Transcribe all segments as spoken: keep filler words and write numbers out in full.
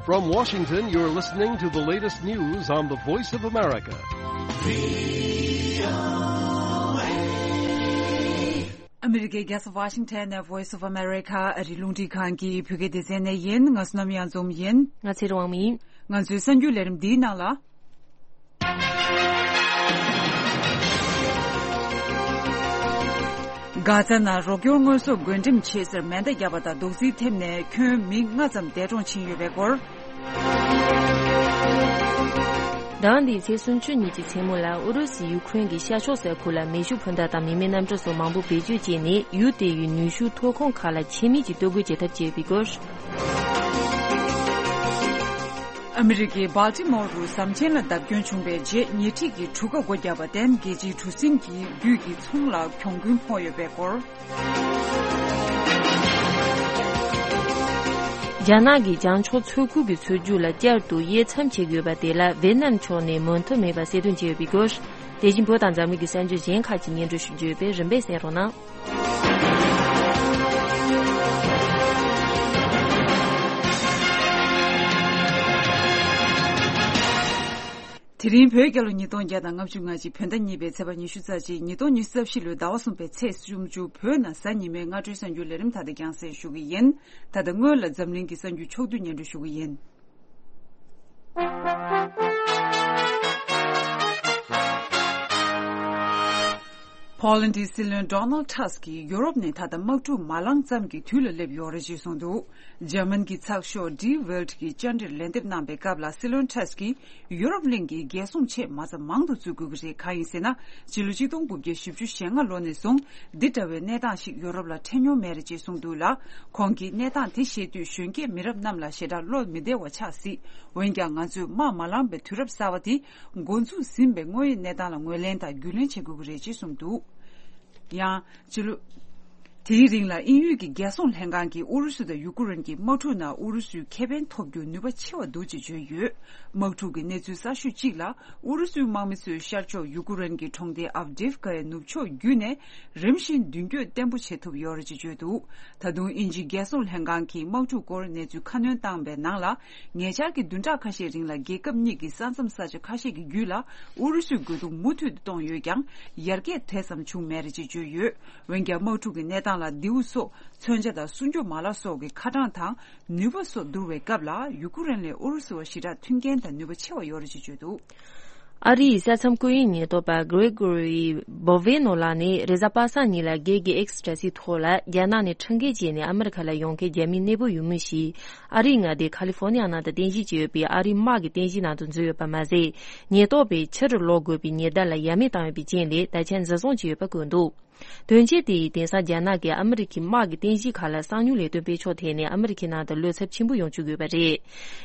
From Washington, you're listening to the latest news on the Voice of America. ཨ་མི་རི་ཀའི་རྒྱལ་ས་ཝ་ཤིང་ཊོན་ནས་Voice of America ཨ་རིའི་རླུང་འཕྲིན་ཁང་གི་བོད་སྐད་སྡེ་ཚན་ནས་ཡིན། ང་བསོད་ནམས་གཡང་འཛོམས་ཡིན། ང་ཚེ་རིང་དབང་མོ་ཡིན། ང་ཚོའི་གསར་འགྱུར་ལས་རིམ་འདིའི་ནང་ལ། གྷ་ཛ་ནང་རོགས་སྐྱོར་དངོས་ཟོག་བགོ་འགྲེམས་བྱེད་སར་མེ་མདའ་བརྒྱབ་པ་དང་རྡོག་རྫིས་ཐེབས་ནས་ཁྱོན་མི་ལྔ་ཙམ་འདས་གྲོངས་ཕྱིན་ཡོད་པའི་སྐོར། ཟླ་བ་འདིའི་ཚེས་སུམ་ཅུ་ཉིན་གྱི་མཚན་མོ་ལ་ཨུ་རུ་སུས་ཡུ་ཁུ་རེན་གྱི་ཤར་ཕྱོགས་ས་ཁུལ་ལ་མེ་ཤུགས་འཕུར་མདའ་དང་མི་མེད་གནམ་གྲུ་སོགས་མང་པོ་བེད་སྤྱོད་བྱས་ནས་ཡུལ་དེ་ཡི་ནུས་ཤུགས་ཐོན་ཁུངས་ཁག་ལ་ཆད་མེད་ཀྱི་གཏོར་རྒོལ་བྱེད་ཐབས་བྱས་པའི་སྐོར། ཨ་མི་རི་ཀའི་སྦལ་ཏི་མོར་རུ་ཟམ་ཆེན་ལ་བརྡབ་སྐྱོན་བྱུང་བའི་རྗེས་ཉེ་འཁྲིས་ཀྱི་གྲུ་ཁ་སྒོ་བརྒྱབ་པར་བརྟེན་རྒྱལ་སྤྱིའི་གྲུ་གཟིངས་ཀྱི་བརྒྱུད་ཀྱི་ཚོང་ལ་གྱོང་གུན་ཕོག་ཡོད་པའི་སྐོར། རྒྱ་ནག་གིས་བྱང་ཕྱོགས་མཚོ་ཁུལ་གྱི་མཚོ་རྒྱུག་ལ་བསྐྱར་དུ་དབྱེ་མཚམས་བྱེད་དགོས་པ་དེ་ལ་ཝེ་ནམ་ཕྱོགས་ནས་མོས་མཐུན་མེད་པ་གསལ་སྟོན་བྱས་ཡོད་པའི་སྐོར། དེ་བཞིན་བོད་དང་འཛམ་གླིང་གི་གསར་འགྱུར་གཞན་ཁག་ཅིག་སྙན་སྒྲོན་ཞུ་རྒྱུ་ཡོད་པས་རིམ་པས་གསན་རོགས་གནང་། དེ་རིང་བོད་རྒྱལ་ལོ་ཉིས་སྟོང་བརྒྱ་དང་ལྔ་བཅུ་ང་གཅིག་བོད་ཟླ་གཉིས་པའི་ཚེས་པ་ཉི་ཤུ་རྩ་གཅིག་ཉིས་སྟོང་ཉི་ཤུ་རྩ་བཞི་ལོའི་ཟླ་བ་གསུམ་པའི་ཚེས་སུམ་ཅུ་བོད་ནང་གཟའ་ཉི་མའི་སྔ་དྲོའི་གསར་འགྱུར་ལས་རིམ་ད་ལྟ་རྒྱང་སྲིང་ཞུ་གི་ཡིན། ད་ལྟ་སྔོན་ལ་འཛམ་གླིང་གི་གསར་འགྱུར་ཕྱོགས་བསྡུས་སྙན་སྒྲོན་ཞུ་གི་ཡིན། ཕོ་ལན་གྱི་སྲིད་བློན་Donald Tusk གིས་ཡུ་རོབ་ནས་ད་ལྟ་དམག་འཁྲུག་མ་ལངས་ཙམ་གྱི་དུས་ལ་སླེབས་ཡོད་རེད་ཅེས་གསུངས་འདུག་འཇར་མན་གྱི་ཚགས་ཤོག Die Welt གྱིས་བཅར་འདྲིར་ལན་འདེབས་གནང་བའི་སྐབས་ལ་སྲིད་བློན་Tusk གིས་ཡུ་རོབ་གླིང་གིས་རྒྱལ་སྲུང་ཆེད་མ་རྩ་མང་དུ་བཙུགས་དགོས་ཀྱི་རེད། གང་ཡིན་ཟེར་ན། ཕྱི་ལོ་ཆིག་སྟོང་དགུ་བརྒྱ་བཞི་བཅུ་ཞེ་ལྔ་ལོ་ནས་བཟུང་འདི་འདྲ་བའི་གནས་སྟངས་ཤིག་ཡུ་རོབ་ལ་འཕྲད་མྱོང་མེད་རེད་ཅེས་གསུངས་འདུག་ལ། ཁོང་གིས་གནས་སྟངས་དེ་ཤེས་དུས་གཞོན་སྐྱེས་མི་རབས་རྣམས་ལ་ཞེ་དྲག་བློ་མི་བདེ་བ་ཆགས་སྲིད། འོན་ཀྱང་ང་ཚོས་དམག་མ་ལངས་པའི་དུས་རབས་གསར་བ་དེ་འགོ་འཛུགས་ཟིན་པའི་དངོས་ཡོད་གནས་སྟངས་ལ་ངོས་ལེན་དང་རྒྱུས་ལོན་བྱེད་དགོས་ཀྱི་རེད་ཅེས་གསུངས་འདུག་ཡང་། ཕྱི་ལོ། དེའི་རིང་ལ་དབྱིན་ཡུལ་གྱི་རྒྱལ་སྲུང་ལྷན་ཁང་གིས་ཨུ་རུ་སུ་དང་ཡུ་ཀུ་རེན་གྱི་དམག་འཁྲུག་ནང་ཨུ་རུ་སུས་ཁེ་ཕན་ཐོབ་རྒྱུར་ནུས་པ་ཆེ་བ་འདུག་ཅེས་བརྗོད་ཡོད། དམག་འཁྲུག་གི་གནས་ཚུལ་གསར་ཤོས་གཅིག་ལ་ཨུ་རུ་སུའི་དམག་མི་ཚོས་ཤར་ཕྱོགས་ཡུ་ཀུ་རེན་གྱི་གྲོང་སྡེ་ཨབ་ཌིབ་ཀ་ཡའི་ནུབ་ཕྱོགས་བརྒྱུད་ནས་རིམ་བཞིན་མདུན་སྐྱོད་བརྟན་པོ་བྱེད་ཐུབ་ཡོད་རེད་ཅེས་བརྗོད་འདུག་ད་དུང་དབྱིན་ཇིའི་རྒྱལ་སྲུང་ལྷན་ཁང་གིས་དམག་འཁྲུག་སྐོར་གནས་ཚུལ་ཁ་སྣོན་བཏང་བའི་ནང་ལ། ཉེ་ཆར་གྱི་བདུན་ཕྲག་ཁ་ཤས་རིང་ལ་རྒྱལ་ཁབ་གཉིས་ཀྱི་ས་མཚམས་ས་ཆ་ཁ་ཤས་ཀྱི་བརྒྱུད་ལ་ཨུ་རུ་སུའི་རྒོལ་རྡུང་མུ་མཐུད་དུ་གཏོང་ཡོད་ཀྱང་ཡར་རྒྱས་དེ་ཙམ་བྱུང་མེད་རེད་ཅེས་བརྗོད་ཡོད། འོན་ཀྱང་དམག་འཁྲུག་གི་གནས་སྟངས་ལ་མདེའུ་སོགས་མཚོན་ཆ་དང་སྲུང་སྐྱོབ་མ་ལག་སོགས་ཀྱི་ཁ་གྲངས་དང་ནུས་པ་སོགས་བསྡུར་བའི་སྐབས་ལ་ཡུ་ཀུ་རེན་ལས་ཨུ་རུ་སུ་བ་ཞེ་དྲག་མཐུན་རྐྱེན་དང་ནུས་པ་ཆེ་བ་ཡོད་རེད་ཅེས་བརྗོད་འདུག་ཨ་རིའི་ས་མཚམས་བཀོད་དབྱིངས་ཉེན་རྟོག་པ་Gregory Bovino ལགས་ནི་རེས་གཟའ་པ་སངས་ཉིན་ལ་སྒེར་གྱི་X་དྲ་ཚིགས་ཐོག་ལ་རྒྱ་ནག་ནས་ཁྲིམས་འགལ་བྱས་ནས་ཨ་མི་རི་ཁ་ལ་ཡོང་མཁན་རྒྱ་མིའི་གནས་སྤོ་ཡུལ་མི་ཞིག་ཨ་རིའི་མངའ་སྡེ་ཁ་ལི་ཧྥོ་ནི་ཡ་ནང་དུ་རྟེན་གཞི་བྱས་ཡོད་པའི་ཨ་རིའི་དམག་གི་རྟེན་གཞིའི་ནང་དུ་འཛུལ་ཡོད་པ་མ་ཟད། ཉེན་རྟོག་པས་ཕྱིར་ལོག་དགོས་པའི་ཉེན་བརྡ་ལ་ཡ་མེད་བཏང་ཡོད་པའི་རྐྱེན་ལས་ད་ཆ་འཛིན་བཟུང་བྱས་ཡོད་པ་བཀོད་འདུག་དོན་རྐྱེན་དེ་ཡིས་དེང་སང་རྒྱ་ནག་གིས་ཨ་མི་རི་ཁའི་དམག་གི་རྟེན་གཞི་ཁག་ལ་གསང་མྱུལ་ལས་དོན་སྤེལ་ཕྱོགས་ཐད་ནས་ཨ་མི་རི་ཁའི་ནང་དུ་བློ་འཚབ་ཆེན་པོ་ཡོང་བཅུག་ཡོད་པ་རེད།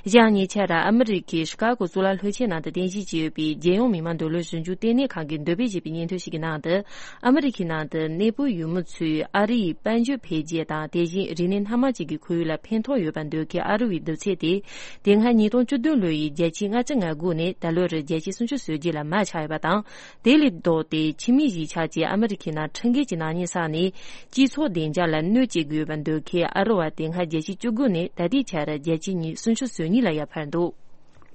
གཞན་ཉེ་ཆར་ཨ་མི་རི་ཁའི་ཤི་ཀ་གོ་གཙུག་ལག་སློབ་ཆེན་ནང་དུ་རྟེན་གཞི་བྱས་ཡོད་པའི་རྒྱལ་ཡོངས་མི་དམངས་འདོད་བློ་ཞིབ་འཇུག་ལྟེ་གནས་ཁང་གིས་འདོན་སྤེལ་བྱས་པའི་སྙན་ཐོ་ཞིག་གི་ནང་དུ། ཨ་མི་རི་ཁའི་ནང་དུ་གནས་སྤོ་ཡུལ་མི་ཚོས་ཨ་རིའི་དཔལ་འབྱོར་འཕེལ་རྒྱས་དང་དེ་བཞིན་རིག་གནས་སྣ་མང་ཅན་གྱི་ཁོར་ཡུག་ལ་ཕན་ཐོགས་ཡོད་པར་འདོད་མཁན་ཨ་རི་བའི་བསྡུར་ཚད་དེ། དེ་སྔ་ཉིས་སྟོང་བཅུ་བདུན་ལོ་ཡི་བརྒྱ་ཆའི་ལྔ་བཅུ་ང་དགུ་ནས་ད་ལོར་བརྒྱ་ཆའི་སུམ་ཅུ་སོ་བརྒྱད་ལ་མར་ཆག་ཡོད་པ་དང་། དེ་ལས་ལྡོག་སྟེ་ཕྱི་མི་གཞིས་ཆགས་ཀྱིས་ཨ་མི་རི་ཁའི་ནང་ཁྲིམས་འགལ་གྱི་ནག་ཉེས་བསགས་ནས་སྤྱི་ཚོགས་བདེ་འཇགས་ལ་གནོད་སྐྱེལ་དགོས་པར་འདོད་མཁན་ཨ་རི་བ་དེ་སྔ་བརྒྱ་ཆའི་བཅུ་དགུ་ནས་ད་ལྟའི་ཆར་བརྒྱ་ཆའི་ཉི་སུམ་ཅུ་སོ་གཉིས་ལ་ཡར་འཕར་འདུག་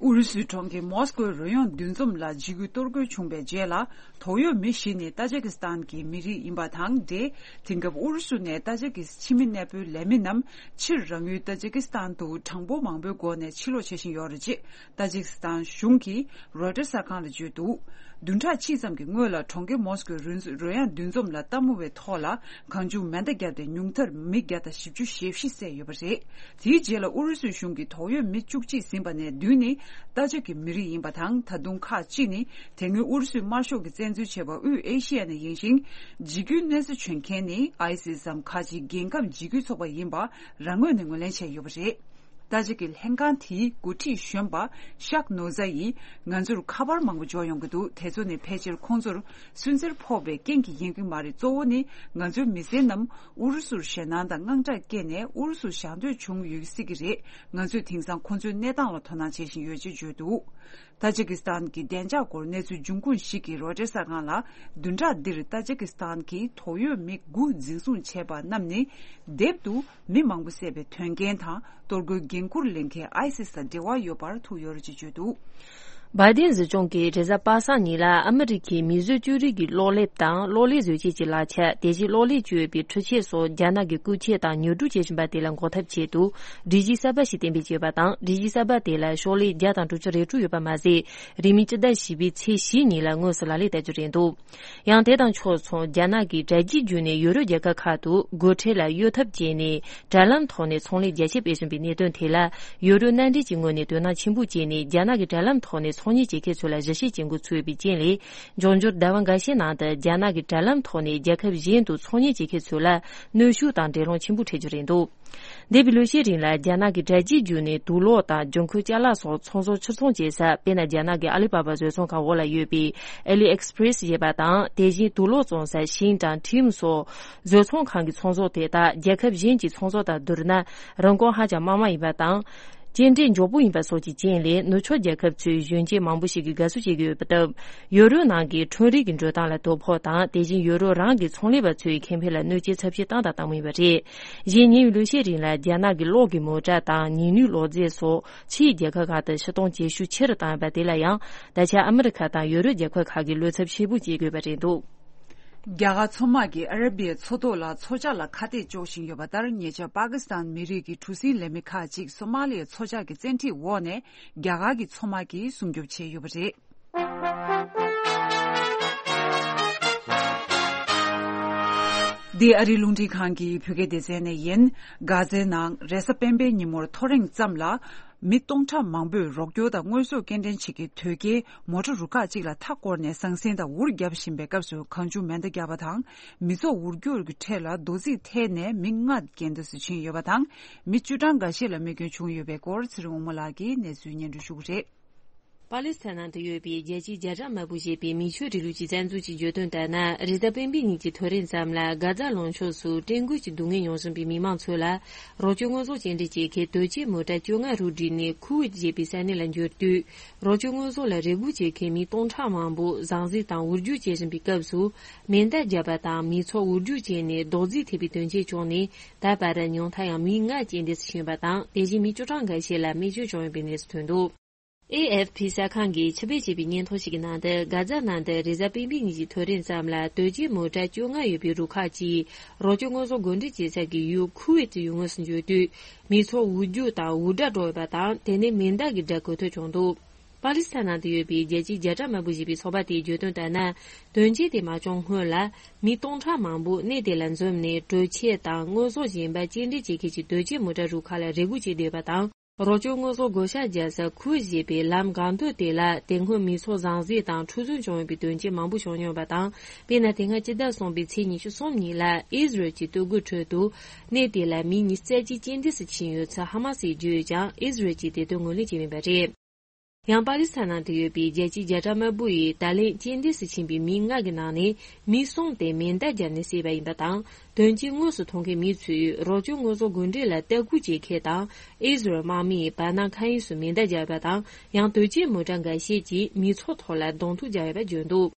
ཨུ་རུ་སུའི་གྲོང་ཁྱེར་མོ་སི་ཀོའི་རོལ་དབྱངས་འདུ་འཛོམས་ལ་འཇིགས་སྐུལ་གཏོར་རྒོལ་བྱུང་བའི་རྗེས་ལ། དོགས་ཡོད་མི་བཞི་ནི་ཏཱ་ཇི་ཀི་སི་ཐན་གྱི་མི་རིགས་ཡིན་པ་དང་འབྲེལ། དེང་སྐབས་ཨུ་རུ་སུ་ནས་ཏཱ་ཇི་ཀི་སི་ཕྱི་མི་གནས་སྤོའི་ལས་མི་རྣམས་ཕྱིར་རང་ཡུལ་ཏཱ་ཇི་ཀི་སི་ཐན་དུ་གྲངས་འབོར་མང་པོའི་སྒོ་ནས་ཕྱིར་ལོག་བྱེད་བཞིན་ཡོད་རེད། ཅེས་ཏཱ་ཇི་ཀི་སི་ཐན་གཞུང་གིས་རོའི་ཊར་གསར་ཁང་ལ་བརྗོད་འདུག་བདུན་ཕྲག་གཅིག་ཙམ་གྱི་སྔོན་ལ་གྲོང་ཁྱེར་མོ་སི་ཀོའི་རོལ་དབྱངས་འདུ་འཛོམས་ལ་ལྟད་མོ་བའི་ཐོག་ལ་གང་བྱུང་མེ་མདའ་བརྒྱབ་སྟེ་ཉུང་མཐར་མི་བརྒྱ་དང་བཞི་བཅུ་ཞེ་བཞི་བསད་ཡོད་པ་རེད། དེའི་རྗེས་ལ་ཨུ་རུ་སུའི་གཞུང་གིས་དོགས་ཡོད་མི་བཅུ་གཅིག་ཟིན་པ་ནས་བདུན་ནི་ཏཱ་ཇིག་གི་མི་རིགས་ཡིན་པ་དང་། ད་དུང་ཁག་གཅིག་ནི་དེ་སྔོན་ཨུ་རུ་སུའི་དམར་ཤོག་གིས་བཙན་འཛུལ་བྱས་པ་དབུས་ཨེ་ཤི་ཡ་ནས་ཡིན་ཞིང་། འཇིགས་སྐུལ་གནོད་འཚེ་བྱེད་མཁན་ནི་ཨའི་སིས་སམ་ཁ་ཆེའི་རྒྱལ་ཁམས་འཇིགས་སྐུལ་ཚོགས་པ་ཡིན་པ་རང་ངོས་ནས་ངོས་ལེན་བྱས་ཡོད་པ་རེད། ཏཱ་ཇིག་གི་ལྷན་ཁང་དེའི་འགོ་ཁྲིད་གཞོན་པ་ཤག་ནོ་ཛ་ཡིས་ང་ཚོར་ཁ་པར་མང་པོ་འབྱོར་ཡོང་གི་འདུག་དེ་ཚོ་ནི་ཕལ་ཆེར་ཁོང་ཚོར་སུན་གཙེར་ཕོག་པའི་རྐྱེན་གྱིས་ཡིན་གྱི་མ་རེད། གཙོ་བོ་ནི་ང་ཚོའི་མི་སེར་རྣམས་ཨུ་རུ་སུར་ཞེད་སྣང་དང་དངངས་སྐྲག་སྐྱེས་ནས་ཨུ་རུ་སུར་ཞག་སྡོད་བྱུང་ཡོད་སྲིད་ཀྱི་རེད། ང་ཚོས་དེང་སང་ཁོང་ཚོའི་གནས་སྟངས་ལ་དོ་སྣང་བྱེད་བཞིན་ཡོད་ཅེས་བརྗོད་འདུག་ཏཱ་ཇི་ཀི་སི་ཐན་གྱི་བདེ་འཇགས་སྐོར་གནས་ཚུལ་འབྱུང་ཁུངས་ཤིག་གིས་རོའི་ཊར་གསར་ཁང་ལ། བདུན་ཕྲག་འདིར་ཏཱ་ཇི་ཀི་སི་ཐན་གྱི་དོགས་ཡོད་མི་དགུ་འཛིན་བཟུང་བྱས་པ་རྣམས་ནི། དེབ་ཏུ་མི་མང་པོ་བསད་པའི་དོན་རྐྱེན་དང་། གཏོར་རྒོལ་འགན་འཁུར་ལེན་མཁན་ཨའི་སིས་དང་འབྲེལ་བ་ཡོད་པར་ཐུག་ཡོད་རེད་ཅེས་བརྗོད་འདུག། བྷའི་ཏིན་སྲིད་སྐྱོང་གིས་རེས་གཟའ་པ་སངས་ཉིན་ལ་ཨ་མི་རི་ཁའི་མིས་བཟོས་ཅོ་རིགས་ཀྱི་གློག་ལེབ་དང་གློག་ཀླད་བཟོ་བྱེད་ཀྱི་ལག་ཆ། དེ་བཞིན་གློག་ཀླད་སྤྱོད་པའི་འཕྲུལ་ཆས་སོགས་རྒྱ་ནག་གིས་རྐུ་འཁྱེར་དང་ཉོ་སྒྲུག་བྱེད་བཞིན་པ་དེ་ལ་འགོག་ཐབས་ཆེད་དུ། སྒྲིག་གཞི་གསར་པ་ཞིག་གཏན་འབེབས་བྱས་པ་དང་། སྒྲིག་གཞི་གསར་པ་དེ་ལ་ཤོག་ལྷེ་བརྒྱ་དང་དྲུག་ཅུ་རེ་དྲུག་ཡོད་པ་མ་ཟད། རིང་མིན་སྤྱི་ཟླ་བཞི་པའི་ཚེས་བཞི་ཉིན་ལ་དངོས་སུ་ལག་ལེན་བསྟར་རྒྱུ་རེད་འདུག། ཡང་དེ་དང་ཕྱོགས་མཚུངས། རྒྱ་ནག་གིས་དྲ་རྒྱའི་བརྒྱུད་ནས་ཡུ་རོབ་རྒྱལ་ཁབ་ཁག་ཏུ་སྒོ་ཁྲལ་ལ་གཡོལ་ཐབས་བྱས་ནས། དྲ་ལམ་ཐོག་ནས་ཚོང་ལས་རྒྱ་ཆེ་སྤེལ་བཞིན་པའི་གནད་དོན་དེ་ལ། ཡུ་རོབ་མནའ་འབྲེལ་གྱི་ངོས་ནས་དོ་སྣང་ཆེན་པོ་བྱས་ནས། རྒྱ་ནག་གི་དྲ་ལམ་ཐོག་ནས་ཚོང་གཉེར་བྱེད་མཁན་ཚོ་ལ་ཞིབ་བཤེར་བྱེད་འགོ་ཚུགས་ཡོད་པའི་རྐྱེན་ལས། འབྱུང་འགྱུར་ཟླ་བ་འགའ་ཤས་ནང་དུ་རྒྱ་ནག་གི་དྲ་ལམ་ཐོག་ནས་རྒྱལ་ཁབ་གཞན་དུ་ཚོང་གཉེར་བྱེད་མཁན་ཚོ་ལ་གནོན་ཤུགས་དང་འགྲན་སློང་ཆེན་པོ་འཕྲད་རྒྱུ་རེད་འདུག། འདས་པའི་ལོ་ཤས་རིང་ལ་རྒྱ་ནག་གི་དྲ་རྒྱའི་བརྒྱུད་ནས་དུག་ལོག་དང་། ལྗང་ཁུ་ཅ་ལག་སོགས་ཚོང་ཟོག་ཕྱིར་ཚོང་བྱེད་ས། དཔེར་ན། རྒྱ་ནག་གི་ཨ་ལི་པ་པ་བཟོ་ཚོང་ཁང་འོག་ལ་ཡོད་པའི་ཨེ་ལི་ཨེག་སི་པི་རེ་སི་ཞེས་པ་དང་། དེ་བཞིན་དུག་ལོག་བཙོང་ས་ཤིང་དང་ཁྲིམ་སོགས་བཟོ་ཚོང་ཁང་གི་ཚོང་ཟོག་དེ་དག་རྒྱལ་ཁབ་གཞན་གྱི་ཚོང་ཟོག་དང་བསྡུར་ན། རིན་གོང་ཧ་ཅང་དམའ་མོ་ཡིན་པ་དང་། སྐྱེལ་འདྲེན་མགྱོགས་པོ་ཡིན་པ་སོགས་ཀྱི་རྐྱེན་ལས། ནུབ་ཕྱོགས་རྒྱལ་ཁབ་ཚོའི་གཞོན་སྐྱེས་མང་པོ་ཞིག་གིས་དགའ་བསུ་བྱེད་ཀྱི་ཡོད་པ་སྟབས། ཡུ་རོབ་ནང་གི་ཁྲོམ་རའི་གི་འགྲོ་སྟངས་ལ་དོ་ཕོག་དང་། དེ་བཞིན་ཡུ་རོབ་རང་གི་ཚོང་ལས་པ་ཚོའི་ཁེ་ཕན་ལ་གནོད་སྐྱེལ་ཚབས་ཆེ་བཏང་དང་བཏང་མུས་ཡིན་པ་རེད། གཞན། ཉེ་བའི་ལོ་ཤས་རིང་ལ་རྒྱ་ནག་གི་གློག་གི་མོ་ཊ་དང་ཉི་ནུས་གློག་རྫས་སོགས་ཕྱིའི་རྒྱལ་ཁབ་ཁག་ཏུ་ཕྱིར་གཏོང་བྱེད་ཤུགས་ཆེ་རུ་བཏང་ཡོད་པ་དེ་ལ་ཡང་། ད་ཆ་ཨ་མི་རི་ཁ་དང་ཡུ་རོབ་རྒྱལ་ཁབ་ཁག་གིས་བློ་འཚབ་ཆེན་པོ་བྱེད་དགོས་པ་རེད་འདུག། རྒྱ་གར་མཚོ་དམག་གིས་ཨ་ར་བི་ཡའི་མཚོ་ཐོག་ལ་མཚོ་ཇ་ལ་ཁ་གཏད་གཅོག་བཞིན་ཡོད་པ་ལྟར། ཉེ་ཆར་པ་ཀི་སི་ཐན་མི་རིགས་ཀྱི་གྲུ་གཟིངས་ལས་མི་ཁག་ཅིག་སོ་མ་ལི་ཡའི་མཚོ་ཇ་གི་བཙན་ཁྲིད་འོག་ནས་རྒྱ་གར་གྱི་མཚོ་དམག་གིས་སྲུང་སྐྱོབ་བྱས་ཡོད་པ་རེད། འདི་ཨ་རིའི་རླུང་འཕྲིན་ཁང་གི་བོད་སྐད་སྡེ་ཚན་ནས་ཡིན། གྷ་ཛའི་ནང་རེས་གཟའ་སྤེན་པའི་ཉིན་མོར་ཐོ་རེངས་ཙམ་ལ། མི་སྟོང་ཕྲག་མང་པོས་རོགས་སྐྱོར་དང་དངོས་ཟོག་སྐྱེལ་འདྲེན་བྱེད་ཀྱི་དོས་སྐྱེལ་མོ་ཊ་རུ་ཁག་ཅིག་ལ་མཐའ་བསྐོར་ནས་ཟང་ཟིང་དང་འུར་བརྒྱབ་བཞིན་པའི་སྐབས་སུ། གང་བྱུང་མེ་མདའ་བརྒྱབ་པ་དང་། མི་ཚོགས་འུར་སྒྱུར་གྱི་ཁྲོད་ལ་རྡོ་རྫིས་འཐེན་ནས་མི་ལྔ་རྐྱེན་འདས་སུ་ཕྱིན་ཡོད་པ་དང་། མི་བཅུ་གྲངས་འགའ་ཤས་ལ་རྨས་སྐྱོན་བྱུང་ཡོད་པའི་སྐོར། ཚེ་རིང་དབང་མོ་ལགས་ཀྱིས་གནས་ཚུལ་སྙན་སྒྲོན་ཞུ་གི་རེད། པ་ལི་སི་ཐན་ནང་དུ་ཡོད་པའི་རྒྱལ་སྤྱིའི་རྒྱ་གྲམ་དམར་པོ་ཞེས་པའི་མི་ཆོས་རིང་ལུགས་ཀྱི་རྩ་འཛུགས་ཀྱིས་བརྗོད་དོན་ལྟར་ན། རེས་གཟའ་སྤེན་པའི་ཉིན་གྱི་ཐོ་རེངས་ཙམ་ལ་གྷ་ཛ་ལུང་ཕྱོགས་སུ་བྲན་བཀོལ་གྱི་སྡུག་བསྔལ་མྱོང་བཞིན་པའི་མི་མང་ཚོ་ལ། རོགས་སྐྱོར་དངོས་ཟོག་སྐྱེལ་འདྲེན་བྱེད་མཁན་དོས་སྐྱེལ་མོ་ཊ་བཅོ་ལྔ་རུ་བསྒྲིལ་ནས་ཁུ་ཝེད་ཅེས་པའི་ས་གནས་ལ་འབྱོར་དུས། རོགས་སྐྱོར་དངོས་ཟོག་ལ་རེ་སྒུག་བྱེད་མཁན་མི་སྟོང་ཕྲག་མང་པོ་ཟང་ཟིང་དང་འུར་སྒྱུར་བྱེད་བཞིན་པའི་སྐབས་སུ། མེ་མདའ་བརྒྱབ་པ་དང་མི་ཚོགས་འུར་སྒྱུར་བྱས་ནས་རྡོག་རྫིས་ཐེབས་པའི་དོན་རྐྱེན་བྱུང་ནས། ད་བར་ཉུང་མཐའ་ཡང་མི་ལྔ་རྐྱེན་འདས་སུ་ཕྱིན་པ་དང་། དེ་བཞིན་མི་བཅུ་གྲངས་འགའ་ཤས་ལ་རྨས་སྐྱོན་བྱུང་ཡོད་པའི་གནས་སུ་ཐོན་འདུག། ཨེ་ཨེཕ་ཕི་གསར་ཁང་གིས་ཕྱིར་སྤེལ་བྱས་པའི་སྙན་ཐོ་ཞིག་གི་ནང་དུ། གྷ་ཛ་ནང་དུ་རེས་གཟའ་སྤེན་པའི་ཉིན་གྱི་ཐོ་རེངས་ཙམ་ལ་དོས་སྐྱེལ་མོ་ཊ་བཅོ་ལྔ་ཡོད་པའི་རུ་ཁག་ཅིག་རོགས་སྐྱོར་དངོས་ཟོག་བགོ་འགྲེམས་བྱེད་ས་གི་ཡུལ་ཁུ་ཝེད་ཡུལ་དངོས་སུ་འབྱོར་དུས། མི་ཚོགས་འུར་སྒྱུར་དང་འུར་སྒྲ་སྒྲོག་ཡོད་པ་དང་། དེ་ནས་མེ་མདའ་གི་སྒྲ་གོ་ཐོས་བྱུང་འདུག། པ་ལི་སི་ཐན་ནང་དུ་ཡོད་པའི་རྒྱལ་སྤྱིའི་རྒྱ་གྲམ་དམར་པོ་ཞེས་པའི་ཚོགས་པ་དེའི་བརྗོད་དོན་ལྟར་ན། དོན་རྐྱེན་དེ་མ་བྱུང་སྔོན་ལ། མི་སྟོང་ཕྲག་མང་པོ་གནས་དེ་ལ་འཛོམས་ནས། གྲོས་ཆོད་དང་དངོས་ཟོག་གཞན་པ་སྐྱེལ་འདྲེན་བྱེད་མཁན་གྱི་དོས་སྐྱེལ་མོ་ཊ་རུ་ཁག་ལ་རེ་སྒུག་བྱས་བསྡད་པ་དང་། རོགས་སྐྱོར་དངོས་ཟོག་བགོ་བཤའ་རྒྱག་ས་ཁུ་ཝེད་ཅེས་པའི་ལམ་སྒང་སྟོད་དེ་ལ། དེ་སྔོན་མི་ཚོགས་ཟང་ཟིང་དང་འཁྲུག་རྩོད་བྱུང་ཡོད་པའི་དོན་རྐྱེན་མང་པོ་བྱུང་མྱོང་བ་དང་། དཔེར་ན། དེ་སྔ་སྤྱི་ཟླ་གསུམ་པའི་ཚེས་ཉི་ཤུ་གསུམ་ཉིན་ལ། ཨི་ཟི་རལ་གྱི་སྟོད་གོས་ཁྲོད་དུ་གནས་དེ་ལ་མི་ཉི་ཤུ་རྩ་གཅིག་རྐྱེན་འདས་སུ་ཕྱིན་ཡོད་ཚུལ་ཧ་མ་སིས་བརྗོད་ཀྱང་། ཨི་ཟི་རལ་གྱིས་དེ་དོན་ངོས་ལེན་བྱས་མེད་པ་རེད། ཡང་པ་ལི་སི་ཐན་ནང་དུ་ཡོད་པའི་རྒྱལ་སྤྱིའི་རྒྱ་གྲམ་དམར་པོ་ཡིས། ད་ལན་རྐྱེན་འདས་སུ་ཕྱིན་པའི་མི་ལྔ་གི་ནང་ནས་མི་གསུམ་དེ་མེ་མདའ་བརྒྱབ་ནས་བསད་པ་ཡིན་པ་དང་། དོན་རྐྱེན་དངོས་སུ་མཐོང་མཁན་མི་ཚོས་རོགས་སྐྱོར་དངོས་ཟོག་བགོ་འགྲེམས་ལ་ལྟ་སྐུལ་བྱེད་མཁན་དང་། ཨི་ཟི་རལ་དམག་མིས་བར་སྣང་མཁའ་དབྱིངས་སུ་མེ་མདའ་བརྒྱབ་པ་དང་། ཡང་དོས་སྐྱེལ་མོ་ཊ་འགའ་ཤས་ཀྱིས་མི་ཚོགས་ཐོག་ལ་གདོང་ཐུག་བརྒྱབ་ཡོད་པ་བརྗོད་འདུག།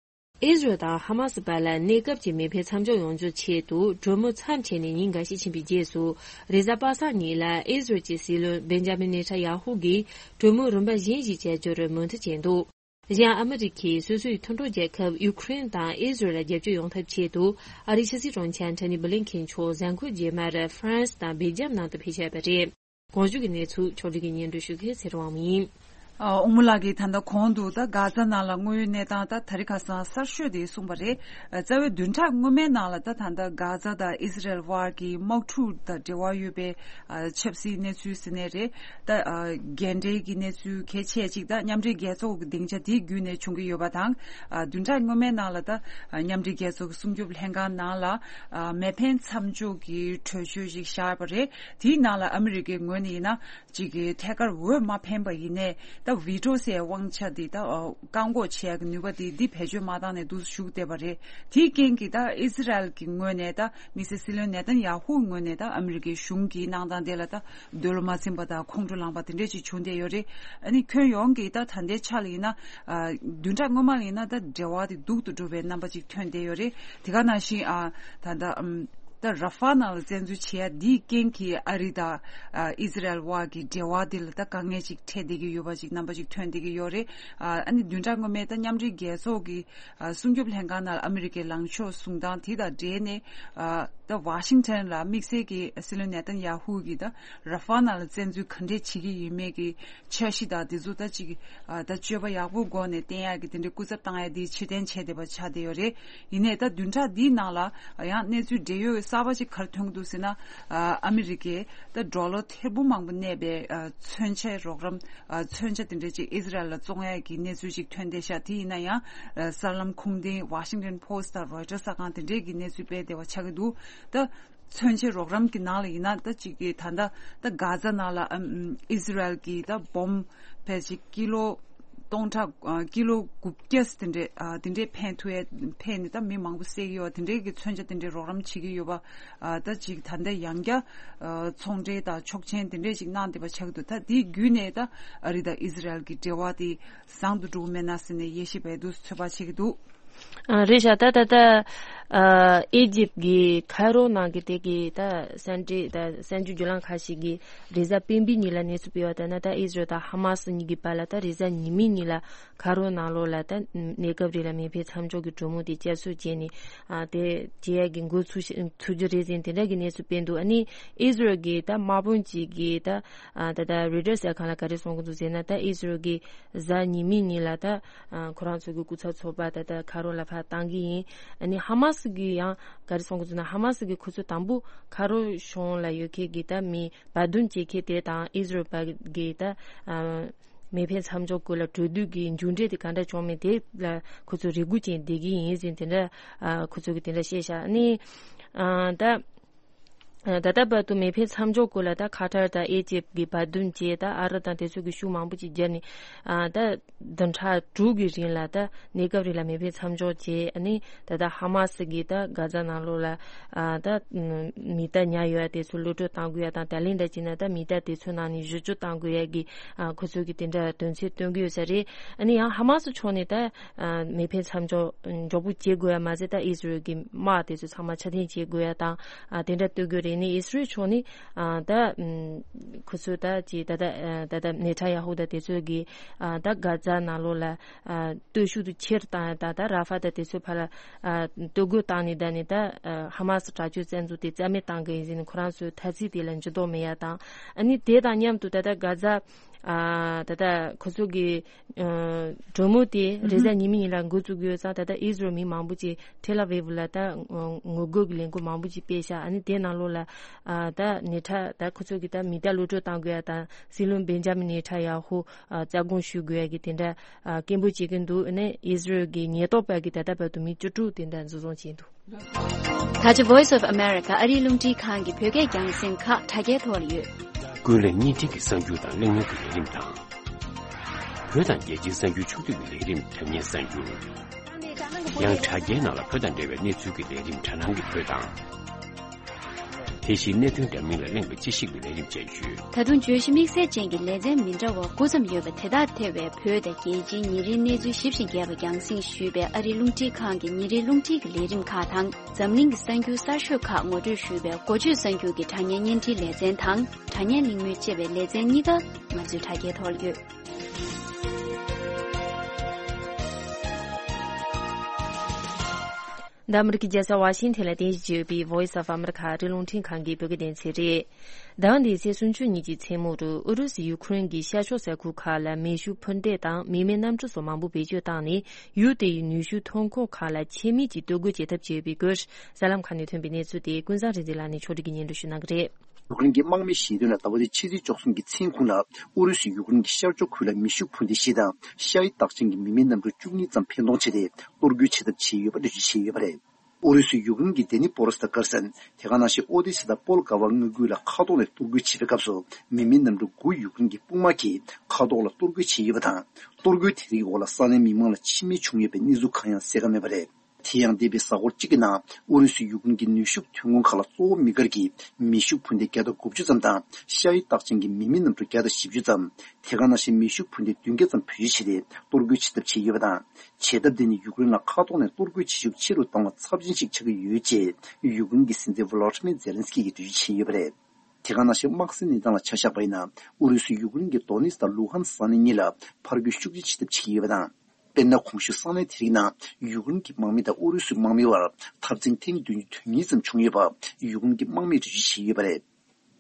ཨི་ཟི་རལ་དང་ཧ་མ་སི་བར་ལ་གནས་སྐབས་ཀྱི་མེ་འཕེན་མཚམས་འཇོག་ཡོང་རྒྱུའི་ཆེད་དུ། གྲོས་མོལ་མཚམས་ཆད་ནས་ཉིན་འགའ་ཤས་ཕྱིན་པའི་རྗེས་སུ། རེས་གཟའ་པ་སངས་ཉིན་ལ་ཨི་ཟི་རལ་གྱི་སྲིད་བློན་བེན་ཇ་མིན་ནེ་ཐན་ཡ་ཧུ་གིས་གྲོས་མོལ་རིམ་པ་གཞན་ཞིག་བྱ་རྒྱུར་མོས་མཐུན་བྱས་འདུག། གཞན། ཨ་མི་རི་ཁས་སོ་སོའི་མཐུན་གྲོགས་རྒྱལ་ཁབ་ཡུ་ཁུ་རེན་དང་ཨི་ཟི་རལ་ལ་རྒྱབ་སྐྱོར་ཡོང་ཐབས་ཆེད་དུ། ཨ་རིའི་ཕྱི་སྲིད་དྲུང་ཆེ་ཨན་ཐོ་ནི་བྷི་ལིན་ཁེན་མཆོག་གཟའ་འཁོར་རྗེས་མར་ཧྥ་རན་སི་དང་སྦེལ་ཇམ་ནང་དུ་ཕེབས་བཞག་པ་རེད། གོང་ཞུས་ཀྱི་གནས་ཚུལ་ཕྱོགས་སྒྲིག་གིས་སྙན་སྒྲོན་ཞུ་མཁན་ཚེ་རིང་དབང་མོ་ཡིན། ཨ། དབང་མོ་ལགས་ཀྱིས་ད་ལྟ་གོང་དུ་ད་གྷ་ཛ་ནང་ལ་དངོས་ཡོད་གནས་སྟངས་ད་དེ་རིང་ཁ་སང་གསར་ཤོས་དེ་གསུངས་པ་རེད། ཨ། རྩ་བའི་བདུན་ཕྲག་སྔོན་མའི་ནང་ལ་ད་ད་ལྟ་གྷ་ཛ་དང་ཨི་སི་རལ་དབར་གྱི་དམག་འཁྲུག་དང་འབྲེལ་བ་ཡོད་པའི། ཨ། ཆབ་སྲིད་གནས་ཚུལ་ཟེར་ནའི་རེད། ད། ཨ། འགན་འཁྲིའི་གི་གནས་ཚུལ་གལ་ཆེ་གཅིག་ད་མཉམ་འབྲེལ་རྒྱལ་ཚོགས་ཀྱི་སྡིངས་ཆ་དེའི་བརྒྱུད་ནས་བྱུང་གི་ཡོད་པ་དང་། ཨ། བདུན་ཕྲག་སྔོན་མའི་ནང་ལ་ད། ཨ། མཉམ་འབྲེལ་རྒྱལ་ཚོགས་ཀྱི་སྲུང་སྐྱོབ་ལྷན་ཁང་ནང་ལ། ཨ། མེ་འཕེན་མཚམས་འཇོག་གི་གྲོས་ཆོད་ཅིག་བཞག་པ་རེད། དེའི་ནང་ལ་ཨ་མི་རི་ཀའི་ངོས་ནས་ཡིན་ན་ཅིག་གི་ཐད་ཀར་འོས་མ་འཕེན་པ་ཡིན་ནའི། ད་བི་ཊོ་ཟེར་དབང་ཆ་དེ་ད་བཀག་འགོག་བྱེད་ཡག་གི་ནུས་པ་དེ་འདི་བེད་སྤྱོད་མ་བཏང་ནས་འདུག་བཞུགས་བསྡད་པ་རེད། དེའི་རྐྱེན་གྱིས་ད་ཨི་ཟི་རལ་གྱི་ངོས་ནས་ད་དམིགས་བསལ་སྲིད་བློན་ནེ་ཐན་ཡ་ཧུའི་ངོས་ནས་ད་ཨ་མི་རི་ཀའི་གཞུང་གི་གནང་སྟངས་དེ་ལ་ད་འདོད་བློ་མ་ཚིམ་པ་དང་ཁོང་ཁྲོ་ལངས་པ་དེ་འདྲས་ཅིག་བྱུང་བསྡད་ཡོད་རེད། ཨ་ནི་ཁྱོན་ཡོངས་ཀྱིས་ད་ད་ལྟའི་ཆ་ལ་ཡིན་ན་བདུན་ཕྲག་སྔོན་མ་ལ་ཡིན་ན་ད་འབྲེལ་བ་དེ་སྡུག་ཏུ་འགྲོ་བའི་རྣམ་པ་ཅིག་ཐོན་བསྡད་ཡོད་རེད། དེ་ག་ནང་བཞིན་ད་ད་ད་ར་ཧྥ་ནང་ལ་བཙན་འཛུལ་བྱེད་ཡ་འདིའི་རྐྱེན་གྱིས་ཨ་རི་དང་ཨི་ཟི་རལ་བར་གྱི་འབྲེལ་བ་འདི་ལ་ད་དཀའ་ངལ་ཅིག་འཕྲད་བསྡད་ཀྱི་ཡོད་པ་ཅིག་རྣམ་པ་ཅིག་ཐོན་བསྡད་ཀྱི་ཡོད་རེད། ཨ་ནི་བདུན་ཕྲག་སྔོན་མའི་ད་མཉམ་འབྲེལ་རྒྱལ་ཚོགས་ཀྱི་སྲུང་སྐྱོབ་ལྷན་ཁང་ནང་ལ་ཨ་མི་རི་ཀའི་ལངས་ཕྱོགས་བཟུང་སྟངས་དེ་དང་འབྲེལ་ནས་ད་ཝ་ཤིང་ཊོན་ལ་དམིགས་བསལ་གྱི་སྲིད་བློན་ནེ་ཐན་ཡ་ཧུ་གིས་ད་ར་ཧྥ་ནང་ལ་བཙན་འཛུལ་ག་འདྲས་བྱེད་ཀྱི་ཡིན་མེད་ཀྱི་འཆར་གཞི་དང་དེ་ཚོ་ད་ཅིག་ད་སྤྱོད་པ་ཡག་པོ་སྒོ་ནས་བསྟན་ཡག་གི་དེ་འདྲའི་སྐུ་ཚབ་བཏང་ཡ་དེ་ཕྱིར་འཐེན་བྱས་བསྡད་པ་ཆགས་བསྡད་ཡོད་རེད། ཡིན་ནའི་ད་བདུན་ཕྲག་འདིའི་ནང་ལ་ཡང་གནས་ཚུལ་འབྲེལ་ཡོད་གསར་པ་ཅིག་ག་རེ་ཐོན་གྱི་འདུག་ཟེར་ན། ཨ་མི་རི་ཀས་ད་ཌོ་ལར་ཐེར་འབུམ་མང་པོ་གནས་པའི་མཚོན་ཆའི་རོགས་རམ། མཚོན་ཆ་དེ་འདྲ་ཅིག་ཨི་ཟི་རལ་ལ་བཙོང་ཡ་གི་གནས་ཚུལ་ཅིག་ཐོན་བསྡད་ཤག་དེ་ཡིན་ན་ཡང་གསར་ལམ་ཁུངས་ལྡན་ཝ་ཤིང་ཊོན་པོ་སི་ཊི་དང་རོའི་ཊར་གསར་ཁང་དེ་འདྲས་ཀྱི་གནས་ཚུལ་སྤེལ་བསྡད་པ་ཆགས་ཀྱི་འདུག་ད་མཚོན་ཆའི་རོགས་རམ་གྱི་ནང་ལ་ཡིན་ན་ད་ཅིག་གི་ད་ལྟ་ད་གྷ་ཛ་ནང་ལ་ཨིམ་ཨིམ་ཨི་ཟི་རལ་གྱི་ད་བོམ་ཕལ་ཆེར་ཀི་ལོ་སྟོང་ཕྲག་ཨ་ཀི་ལོ་དགུ་བརྒྱ་དེ་འདྲས་ཨ་དེ་འདྲས་འཕེན་ཐུབ་ཡ་འཕེན་ནས་ད་མི་མང་པོ་བསད་ཀྱི་ཡོད་པ་དེ་འདྲས་ཀྱི་མཚོན་ཆ་དེ་འདྲས་རོགས་རམ་བྱེད་ཀྱི་ཡོད་པ། ཨ་ད་ཅིག་ད་ལྟ་ཡང་བསྐྱར་ཨ་ཚོང་འབྲེལ་དང་ཆོག་མཆན་དེ་འདྲས་ཅིག་གནང་བསྡད་པ་ཆགས་འདུག་ད་དེའི་བརྒྱུད་ནས་ད་ཨ་རི་དང་ཨི་ཟི་རལ་གྱི་འབྲེལ་བ་དེ་བཟང་དུ་འགྲོ་གི་མེད་ན་ཟེར་ནས་དབྱེ་ཞིབ་པས་འདུག་ཚོད་དཔག་བྱེད་ཀྱི་འདུག་ཨ་རེད་ཤག་ད་ད་ད་ཨ་ཨི་ཇིབ་ཀྱི་ཁའི་རོ་ནང་གི་དེ་གི་ད་སེན་ཏྲི་ད་གསར་འགྱུར་བརྒྱུད་ལམ་ཁག་ཞིག་གིས་རེས་གཟའ་སྤེན་པའི་ཉིན་ལ་གནས་ཚུལ་སྤེལ་བ་ལྟར་ན། ད་ཨི་ཟི་རལ་དང་ཧ་མ་སི་གཉིས་ཀྱི་བར་ལ་ད་རེས་གཟའ་ཉི་མའི་ཉིན་ལ་ཁའི་རོ་ནང་ལོགས་ལ་ད་གནས་སྐབས་རིང་ལ་མེ་འཕེན་མཚམས་འཇོག་གི་གྲོས་མོལ་དེ་བསྐྱར་གསོ་བྱས་ནས་ཨ་དེ་བྱེད་ཡ་གི་འགོ་ཚུགས་ཤ་ཚུགས་རྒྱུ་རེད་ཟེར་དེ་འདྲ་གི་གནས་ཚུལ་སྤེལ་འདུག་ཨ་ནི་ཨི་ཟི་རལ་གྱི་ད་དམག་དཔོན་གཅིག་གིས་ད་ཨ་ད་ད་རོའི་ཊར་གསར་ཁང་ལ་ག་རེ་གསུང་གི་འདུག་ཟེར་ན། ད་ཨི་ཟི་རལ་གྱི་གཟའ་ཉི་མའི་ཉིན་ལ་ད་ཨ་ཁོ་རང་ཚོ་གི་སྐུ་ཚབ་ཚོགས་པ་ད་ལྟ་ཁའི་རོ་ལ་ཕར་བཏང་གི་ཡིན། ཨ་ནི་ཧ་མ་སི་གི་ཡང་ག་རེ་གསུང་གི་འདུག་ན། ཧ་མ་སི་གི་ཁོ་ཚོ་དང་པོ་ཁའི་རོ་གཞུང་ལ་ཡོད་མཁན་གྱི་ད་མི་བར་འདུམ་བྱེད་མཁན་དེ་དང་ཨི་ཟི་རལ་པ་གི་ད་ཨ་མེ་འཕེན་མཚམས་འཇོག་སྐོར་ལ་གྲོས་བསྡུར་གྱི་མཇུག་འབྲས་དེ་ག་འདྲ་བྱུང་མིན་དེ་ལ་ཁོ་ཚོ་རེ་སྒུག་ཅན་བསྡད་ཀྱི་ཡིན་ཟེར་དེ་འདྲ་ཨ་ཁོ་ཚོ་གི་དེ་འདྲ་བཤད་ཤག་ཨ་ནི་ཨ་ད། ད་ལྟ་བར་དུ་མེ་འཕེན་མཚམས་འཇོག་སྐོར་ལ་ད་ཁ་ཐར་དང་ཨེ་ཇིབ་ཀྱི་བར་འདུམ་བྱས། ད་ཨ་རི་དང་དེ་ཚོ་གི་ཤུགས་མང་པོ་ཅིག་བརྒྱབ་ནས་ཨ་ད་བདུན་ཕྲག་དྲུག་གི་རིང་ལ་ད་གནས་སྐབས་རིང་ལ་མེ་འཕེན་མཚམས་འཇོག་བྱས། ཨ་ནི་ད་ལྟ་ཧ་མ་སི་གིས་ད་གྷ་ཛ་ནང་ལོགས་ལ་ཨ་ད་མི་གཏའ་ཉར་ཡོད་དེ་ཚོ་གློད་གྲོལ་གཏང་དགོས་ཡ་དང་། ད་ལན་འདྲ་བྱས་ན་ད་མི་གཏའ་དེ་ཚོའི་ནང་ནས་བཞི་བཅུ་གཏང་དགོས་ཡ་གི་ཨ་ཁོ་ཚོ་གི་དེ་འདྲ་དོན་ཚན་བཏོན་གི་ཡོད་ས་རེད། ཨ་ནི་ཡང་ཧ་མ་སི་ཕྱོགས་ནས་ད་ཨ་མེ་འཕེན་མཚམས་འཇོག་མགྱོགས་པོ་བྱེད་དགོས་ཡ་མ་ཟད། ད་ཨི་ཟི་རལ་གྱི་དམག་དེ་ཚོ་ཚང་མ་ཕྱིར་འཐེན་བྱེད་དགོས་ཡ་དང་ཨ་དེ་འདྲ་གཏོད་དགོས་རེད། ནི་ཨི་ཟི་རལ་ཕྱོགས་ནི་ཨ་ད་ཨམ་ཁོ་ཚོ་ད་ཅི་ད་ད་ཨ་ད་ད་ནེ་ཐན་ཡ་ཧུ་དང་དེ་ཚོ་གི་ཨ་ད་གྷ་ཛ་ནང་ལོགས་ལ་ཨ་སྟོབས་ཤུགས་དེ་ཆེར་བཏང་ཡ་དང་། ད་ར་ཧྥ་དང་དེ་ཚོའི་བར་ལ་ཨ་སྟོད་གོས་བཏང་ནས་ད་ནི་ད་ཨ་ཧ་མ་སི་དྲག་སྤྱོད་བཙན་འཛུལ་དེ་རྩ་མེད་བཏང་གི་ཡིན་ཟེར་ནས་ཁོ་རང་ཚོའི་ཐ་ཚིག་དེ་ལ་འགྱུར་ལྡོག་མེད་ཡ་དང་། ཨ་ནི་དེ་དང་མཉམ་དུ་ད་ལྟ་གྷ་ཛ་ཨ་ད་ལྟ་ཁོ་ཚོ་གི་ཨ་གྲོས་མོལ་དེ་རེས་གཟའ་ཉི་མའི་ཉིན་ལ་འགོ་བཙུགས་ཡོད་ཙང་། ད་ལྟ་ཨི་ཟི་རལ་མི་མང་པོ་ཅིག་ཐེལ་ཨ་ཝིབ་ལ་ད་ངོ་རྒོལ་གྱི་ལས་འགུལ་མང་པོ་ཅིག་སྤེལ་ཤག་ཨ་ནི་དེ་ནང་ལོགས་ལ་ཨ་ད་ནེ་ཐན་ད་ཁོ་ཚོ་གི་ད་མི་གཏའ་གློད་གྲོལ་བཏང་དགོས་ཡ་དང་། སྲིད་བློན་བེན་ཇ་མིན་ནེ་ཐན་ཡ་ཧུ་ཨ་རྩ་དགོངས་ཞུ་དགོས་ཡ་གི་དེ་འདྲ་ཨ་སྐད་འབོད་བྱེད་ཀྱི་འདུག་ཨ་ནི་ཨི་ཟི་རལ་གྱི་ཉེན་རྟོག་པ་གིས་ད་ལྟ་བར་དུ་མི་བཅུ་དྲུག་དེ་འདྲ་འཛིན་བཟུང་བྱས་འདུག་ད་ཆ་Voice of America ཨ་རིའི་རླུང་འཕྲིན་ཁང་གི་བོད་སྐད་རྒྱང་སྲིང་ཁག་དྲ་རྒྱའི་ཐོག་ལ་ཡོད། ཀུན་གླེང་བརྙན་འཕྲིན་གྱི་གསར་འགྱུར་དང་གླེང་མོལ་གྱི་ལས་རིམ་དང་། བོད་དང་རྒྱལ་སྤྱིའི་གསར་འགྱུར་ཕྱོགས་བསྡུས་ཀྱི་ལས་རིམ། དྲ་བརྙན་གསར་འགྱུར། ཡང་དྲ་རྒྱའི་ནང་ལ་བོད་དང་འབྲེལ་བའི་གནས་ཚུལ་གྱི་ལས་རིམ། དྲ་ནང་གི་བོད་དང་། དེ་བཞིན་གནད་དོན་འདྲ་མིན་ལ་གླེང་བའི་དཔྱད་ཞིབ་ཀྱི་ལས་རིམ་བཅས་ཡོད། ད་དུང་བརྗོད་གཞི་དམིགས་བསལ་ཅན་གྱི་ལེ་ཚན་མི་འདྲ་བ་དགུ་ཙམ་ཡོད་པ་དེ་དག་ཐེ་བའི་བོད་དང་རྒྱལ་སྤྱིའི་ཉིན་རེའི་གནས་ཚུལ་ཞིབ་ཅིང་རྒྱས་པ་རྒྱང་སྲིང་ཞུས་པའི་ཨ་རིའི་རླུང་འཕྲིན་ཁང་གི་ཉིན་རེའི་རླུང་འཕྲིན་གྱི་ལས་རིམ་ཁག་དང་། འཛམ་གླིང་གི་གསར་འགྱུར་གསར་ཤོས་ཁག་ངོ་སྤྲོད་ཞུས་པའི་འགོ་བརྗོད་གསར་འགྱུར་གྱི་དྲ་བརྙན་བརྙན་འཕྲིན་ལེ་ཚན་དང་། དྲ་བརྙན་གླེང་མོལ་ཅེས་པའི་ལེ་ཚན་གཉིས་ཀ་ང་ཚོའི་དྲ་རྒྱའི་ཐོག་ལ་ཡོད། འདི་ཨ་མི་རི་ཀའི་རྒྱལ་ས་ཝ་ཤིང་ཐན་ལ་རྟེན་གཞི་བྱས་ཡོད་པའི་Voice of America ཨ་རིའི་རླུང་འཕྲིན་ཁང་གི་བོད་སྐད་སྡེ་ཚན་རེད། ཟླ་བ་འདིའི་ཚེས་སུམ་ཅུ་ཉིན་གྱི་མཚན་མོ་རུ་ཨུ་རུ་སུས་ཡུ་ཁུ་རེན་གྱི་ཤར་ཕྱོགས་ས་ཁུལ་ཁག་ལ་མེ་ཤུགས་འཕུར་མདེལ་དང་མི་མེད་གནམ་གྲུ་སོགས་མང་པོ་བེད་སྤྱོད་བཏང་ནས། ཡུལ་དེའི་ནུས་ཤུགས་ཐོན་ཁུངས་ཁག་ལ་ཆད་མེད་ཀྱིས་གཏོར་རྒོལ་བྱེད་ཐབས་བྱས་ཡོད་པའི་སྐོར། གསར་ལམ་ཁག་ནས་ཐོན་པའི་གནས་ཚུལ་དེ་ཀུན་བཟང་རིག་འཛིན་ལགས་ནས་ཕྱོགས་སྒྲིག་གིས་སྙན་སྒྲོན་ཞུ་གནང་གི་རེད། ཡུཀ་རེན་གྱི་དམག་མིའི་ཞལ་འདོན་ལ་ཟླ་བ་འདིའི་ཕྱི་ཚེས་བཅུ་གསུམ་གྱི་མཚན་གུང་ལ་ཨུ་རུ་སུས་ཡུཀ་རེན་གྱི་ཤར་ཕྱོགས་ཁུལ་ལ་མེ་ཤུགས་འཕུར་མདེལ་བཞི་དང་ཤའི་རྟགས་ཅན་གྱི་མི་མེད་གནམ་གྲུ་བཅུ་གཉིས་ཙམ་འཕེན་གཏོང་བྱས་ཏེ་གཏོར་རྒོལ་བྱེད་ཐབས་བྱས་ཡོད་པ་འགྲེལ་བརྗོད་བྱས་ཡོད་པ་རེད། ཨུ་རུ་སུས་ཡུཀ་རེན་གྱི་དེ་ནི་པོ་རོ་སི་ཐ་དཀར་ཟན། དེ་ག་ནང་བཞིན་ཨོ་དེ་སི་དང་པོལ་གྷ་བ་མངའ་ཁུལ་ལ་མཁའ་ཐོག་ནས་གཏོར་རྒོལ་བྱེད་པའི་སྐབས་སུ། མི་མེད་གནམ་གྲུ་དགུ་ཡུཀ་རེན་གྱི་དཔུང་དམག་གིས་མཁའ་ཐོག་ལ་གཏོར་རྒོལ་བྱས་ཡོད་པ་དང་། གཏོར་རྒོལ་དེ་རིགས་འོག་ལ་ས་གནས་མི་མང་ལ་འཆི་རྨས་བྱུང་ཡོད་པའི་གནས་ཚུལ་གང་ཡང་གསལ་ཁ་མེད་པ་རེད། དེ་ཡང་འདས་པའི་གཟའ་འཁོར་གཅིག་གི་ནང་ཨུ་རུ་སུས་ཡུཀ་རེན་གྱི་ནུས་ཤུགས་ཐོན་ཁུངས་ཁག་ལ་གཙོ་བོ་དམིགས་བཀར་གྱིས་མེ་ཤུགས་འཕུར་མདེལ་བརྒྱ་དང་དགུ་བཅུ་ཙམ་དང་ཤ་ཡི་རྟགས་ཅན་གྱི་མི་མེད་གནམ་གྲུ་བརྒྱ་དང་བཞི་བཅུ་ཙམ། དེ་ག་ནང་བཞིན་མེ་ཤུགས་འཕུར་མདེལ་བདུན་བརྒྱ་ཙམ་བེད་སྤྱོད་བྱས་ཏེ་གཏོར་རྒོལ་བྱེད་ཐབས་བྱས་ཡོད་པ་དང་། བྱེད་ཐབས་དེ་ནི་ཡུཀ་རེན་ལ་མཁའ་ཐོག་ནས་གཏོར་རྒོལ་བྱེད་ཤུགས་ཆེ་རུ་གཏོང་བར་ཚབས་ཆེན་ཞིག་ཆགས་ཀྱི་ཡོད་ཅེས་ཡུཀ་རེན་གྱི་སྲིད་འཛིན་ཝོ་ལོ་ཏི་མིར་ཛེ་ལན་སི་ཀི་ཡིས་འགྲེལ་བརྗོད་བྱས་ཡོད་པ་རེད། དེ་ག་ནང་བཞིན་དམག་སའི་གནས་སྟངས་ལ་ཆ་བཞག་པ་ཡིན་ན། ཨུ་རུ་སུས་ཡུཀ་རེན་གྱི་དོ་ནེ་སི་དང་ལུ་ཧན་ས་གནས་གཉིས་ལ་ཕར་རྒོལ་ཤུགས་ཆེ་བྱེད་ཐབས་བྱེད་ཀྱི་ཡོད་པ་དང་། དཔེར་ན། གོང་ཞུས་ས་གནས་དེ་རིགས་ནང་ཡུཀ་རེན་གྱི་དམག་མི་དང་ཨུ་རུ་སུའི་དམག་མི་བར་འཐབ་འཛིང་ཐེངས་བདུན་ཅུ་དོན་གཉིས་ཙམ་བྱུང་ཡོད་པ་ཡུཀ་རེན་གྱི་དམག་མིས་འགྲེལ་བརྗོད་བྱས་ཡོད་པ་རེད།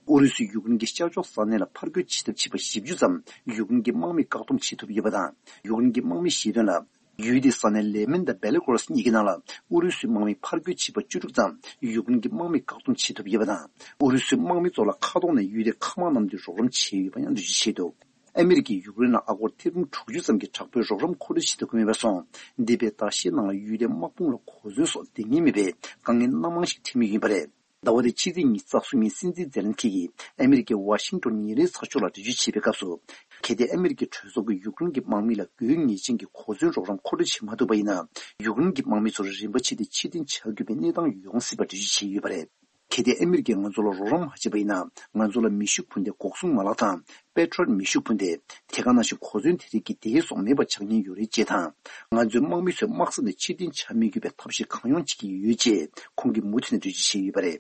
ཨུ་རུ་སུས་ཡུཀ་རེན་གྱི་ཤར་ཕྱོགས་ས་གནས་ལ་ཕར་རྒོལ་བྱེད་ཐབས་བྱས་པ་བཞི་བཅུ་ཙམ་ཡུཀ་རེན་གྱི་དམག་མིས་བཀག་སྡོམ་བྱེད་ཐུབ་ཡོད་པ་དང་། ཡུཀ་རེན་གྱི་དམག་མིས་བཤད་དོན་ལ། ཡུལ་དེའི་ས་གནས་ལེ་མན་དང་བེ་ལེ་གོ་རོ་སི་གཉིས་ཀྱི་ནང་ལ་ཨུ་རུ་སུའི་དམག་མིia་ཕར་རྒོལ་བྱས་པ་བཅུ་དྲུག་ཙམ་ཡུཀ་རེན་གྱི་དམག་མིས་བཀག་སྡོམ་བྱེད་ཐུབ་ཡོད་པ་དང་། ཨུ་རུ་སུའི་དམག་མི་ཚོ་ལ་མཁའ་ཐོག་ནས་ཡུལ་དེའི་མཁའ་དམག་གནམ་གྲུས་རོགས་རམ་བྱས་ཡོད་པ་ཡང་འགྲེལ་བརྗོད་བྱས་འདུག་ཨ་མི་རི་ཀས་ཡུཀ་རེན་ལ་ཨ་སྒོར་ཐེར་འབུམ་དྲུག་ཅུ་ཙམ་གྱི་དྲག་པོའི་རོགས་རམ་མཁོ་སྤྲོད་བྱེད་ཐུབ་ཀྱི་མེད་པ་སོང་། འདས་པའི་ཟླ་ཤས་ནང་ལ་ཡུལ་དེའི་དམག་དཔུང་ལ་གོ་མཚོན་སོགས་འདང་ངེས་མེད་པའི་དཀའ་ངལ་སྣ་མང་ཞིག་འཕྲད་མུས་ཡིན་པ་རེད། ཟླ་བ་འདིའི་ཕྱི་ཚེས་ཉི་ཤུ་རྩ་གསུམ་ཉིན་སྲིད་འཛིན་ཛེ་ལན་སི་ཀི་ཡིས་ཨ་མི་རི་ཀའི་ཝ་ཤིང་ཊོན་ཉིན་རེའི་ཚགས་ཤོག་ལ་འགྲེལ་བརྗོད་བྱེད་པའི་སྐབས་སུ། གལ་ཏེ་ཨ་མི་རི་ཀའི་གྲོས་ཚོགས་ཀྱིས་ཡུཀ་རེན་གྱི་དམག་མི་ལ་དགོས་ངེས་ཅན་གྱི་གོ་མཚོན་རོགས་རམ་མཁོ་སྤྲོད་བྱེད་མ་ཐུབ་པ་ཡིན་ན། ཡུཀ་རེན་གྱི་དམག་མི་ཚོར་རིམ་པ་ཕྱེ་སྟེ་ཕྱིར་འཐེན་བྱ་དགོས་པའི་གནས་སྟངས་ཡོང་སྲིད་པ་འགྲེལ་བརྗོད་བྱས་ཡོད་པ་རེད། གལ་ཏེ་ཨ་མི་རི་ཀས་ང་ཚོ་ལ་རོགས་རམ་མ་བྱས་པ་ཡིན་ན། ང་ཚོ་ལ་མེ་ཤུགས་འཕུར་མདེལ་འགོག་སྲུང་མ་ལག་དང་། པེ་ཊྲོཊ་མེ་ཤུགས་འཕུར་མདེལ། དེ་ག་ནང་བཞིན་གོ་མཚོན་དེ་རིགས་ཀྱི་འདེད་སོགས་མེད་པ་ཆགས་ཉེན་ཡོད་རེད་ཅེས་དང་། ང་ཚོའི་དམག་མི་ཚོས་དམག་ས་ནས་ཕྱིར་འཐེན་བྱ་མི་དགོས་པའི་ཐབས་ཤེས་གང་ཡོང་བྱེད་ཀྱི་ཡོད་ཅེས་ཁོང་གིས་མུ་མཐུད་ནས་འགྲེལ་བརྗོད་བྱས་ཡོད་པ་རེད།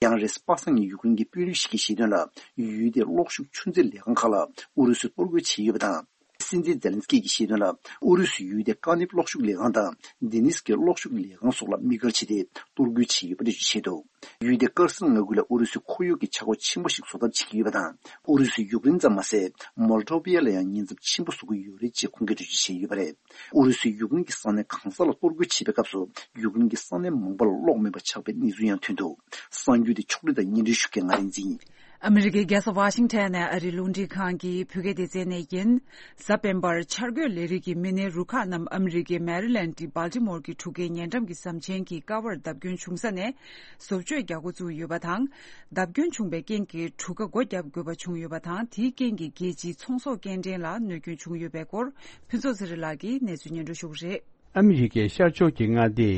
ཡང་རེས་པ་སངས་ཉིན་ཡུཀ་རེན་གྱི་དཔོན་རིགས་ཤིག་གིས་བཤད་དོན་ལ། ཡུལ་དེའི་གློག་ཤུགས་ཆུ་མཛོད་ལས་ཁང་ཁག་ལ་ཨུ་རུ་སུས་གཏོར་རྒོལ་བྱས་ཡོད་པ་དང་། སྲིད་འཛིན་ཛེ་ལན་སི་ཀི་གིས་བཤད་དོན་ལ། ཨུ་རུ་སུས་ཡུལ་དེའི་ཀ་ནིབ་གློག་ཤུགས་ལས་ཁང་དང་། དེ་ནི་སི་ཀི་གློག་ཤུགས་ལས་ཁང་སོགས་ལ་དམིགས་བཀར་བྱས་ཏེ་གཏོར་རྒོལ་བྱས་ཡོད་པ་འགྲེལ་བརྗོད་བྱས་འདུག་ཡུལ་དེ་དཀར་གསར་མངའ་ཁུལ་ལ་ཨུ་རུ་སུས་ཁོར་ཡུག་གི་ཆག་སྒོ་ཆེན་པོ་ཞིག་བཟོ་ཐབས་བྱེད་ཀྱི་ཡོད་པ་དང་། ཨུ་རུ་སུས་ཡུཀ་རེན་ཙམ་མ་ཟད། མོལ་ཏོ་བི་ཡ་ལ་ཡང་ཉེན་ཚབས་ཆེན་པོ་བཟོ་གི་ཡོད་རེད་ཅེས་ཁོང་གིས་འགྲེལ་བརྗོད་བྱས་ཡོད་པ་རེད། ཨུ་རུ་སུས་ཡུཀ་རེན་གྱི་ས་གནས་གང་ས་ལ་གཏོར་རྒོལ་བྱེད་པའི་སྐབས་སུ། ཡུཀ་རེན་གྱི་ས་གནས་མང་པོ་ལ་གློག་མེད་པ་ཆགས་པའི་གནས་ཚུལ་ཡང་ཐོན་འདུག་གསར་འགྱུར་དེ་ཕྱོགས་སྒྲིག་དང་སྙན་སྒྲོན་ཞུ་མཁན་ང་རིག་འཛིན་ཡིན། ཨ་མི་རི་ཀའི་རྒྱལ་ས་ཝ་ཤིང་ཊོན་ནས་ཨ་རིའི་རླུང་འཕྲིན་ཁང་གི་བོད་སྐད་སྡེ་ཚན་ནས་ཡིན། གཟའ་སྤེན་པར་འཆར་འགོད་ལས་རིགས་ཀྱི་མི་སྣའི་རུ་ཁག་རྣམས་ཨ་མི་རི་ཀའི་མེ་རི་ལེན་ཌི་སྦལ་ཏི་མོར་གྱི་གྲུ་ཁའི་ཉེ་འགྲམ་གྱི་ཟམ་ཆེན་གྱི་ཀ་བར་བརྡབ་སྐྱོན་བྱུང་ས་ནས་བཟོ་བཅོས་རྒྱག་འགོ་བཙུགས་ཡོད་པ་དང་། བརྡབ་སྐྱོན་བྱུང་བའི་རྐྱེན་གྱིས་གྲུ་ཁ་སྒོ་བརྒྱབ་དགོས་པ་བྱུང་ཡོད་པ་དང་། དེའི་རྐྱེན་གྱིས་རྒྱལ་སྤྱིའི་ཚོང་ཟོག་སྐྱེལ་འདྲེན་ལ་གནོད་སྐྱོན་བྱུང་ཡོད་པའི་སྐོར་ཕུན་ཚོགས་ཚེ་རིང་ལགས་ཀྱིས་གནས་ཚུལ་སྙན་སྒྲོན་ཞུ་གི་རེད། ཨ་མི་རི་ཀའི་ཤར་ཕྱོགས་ཀྱི་མངའ་སྡེ་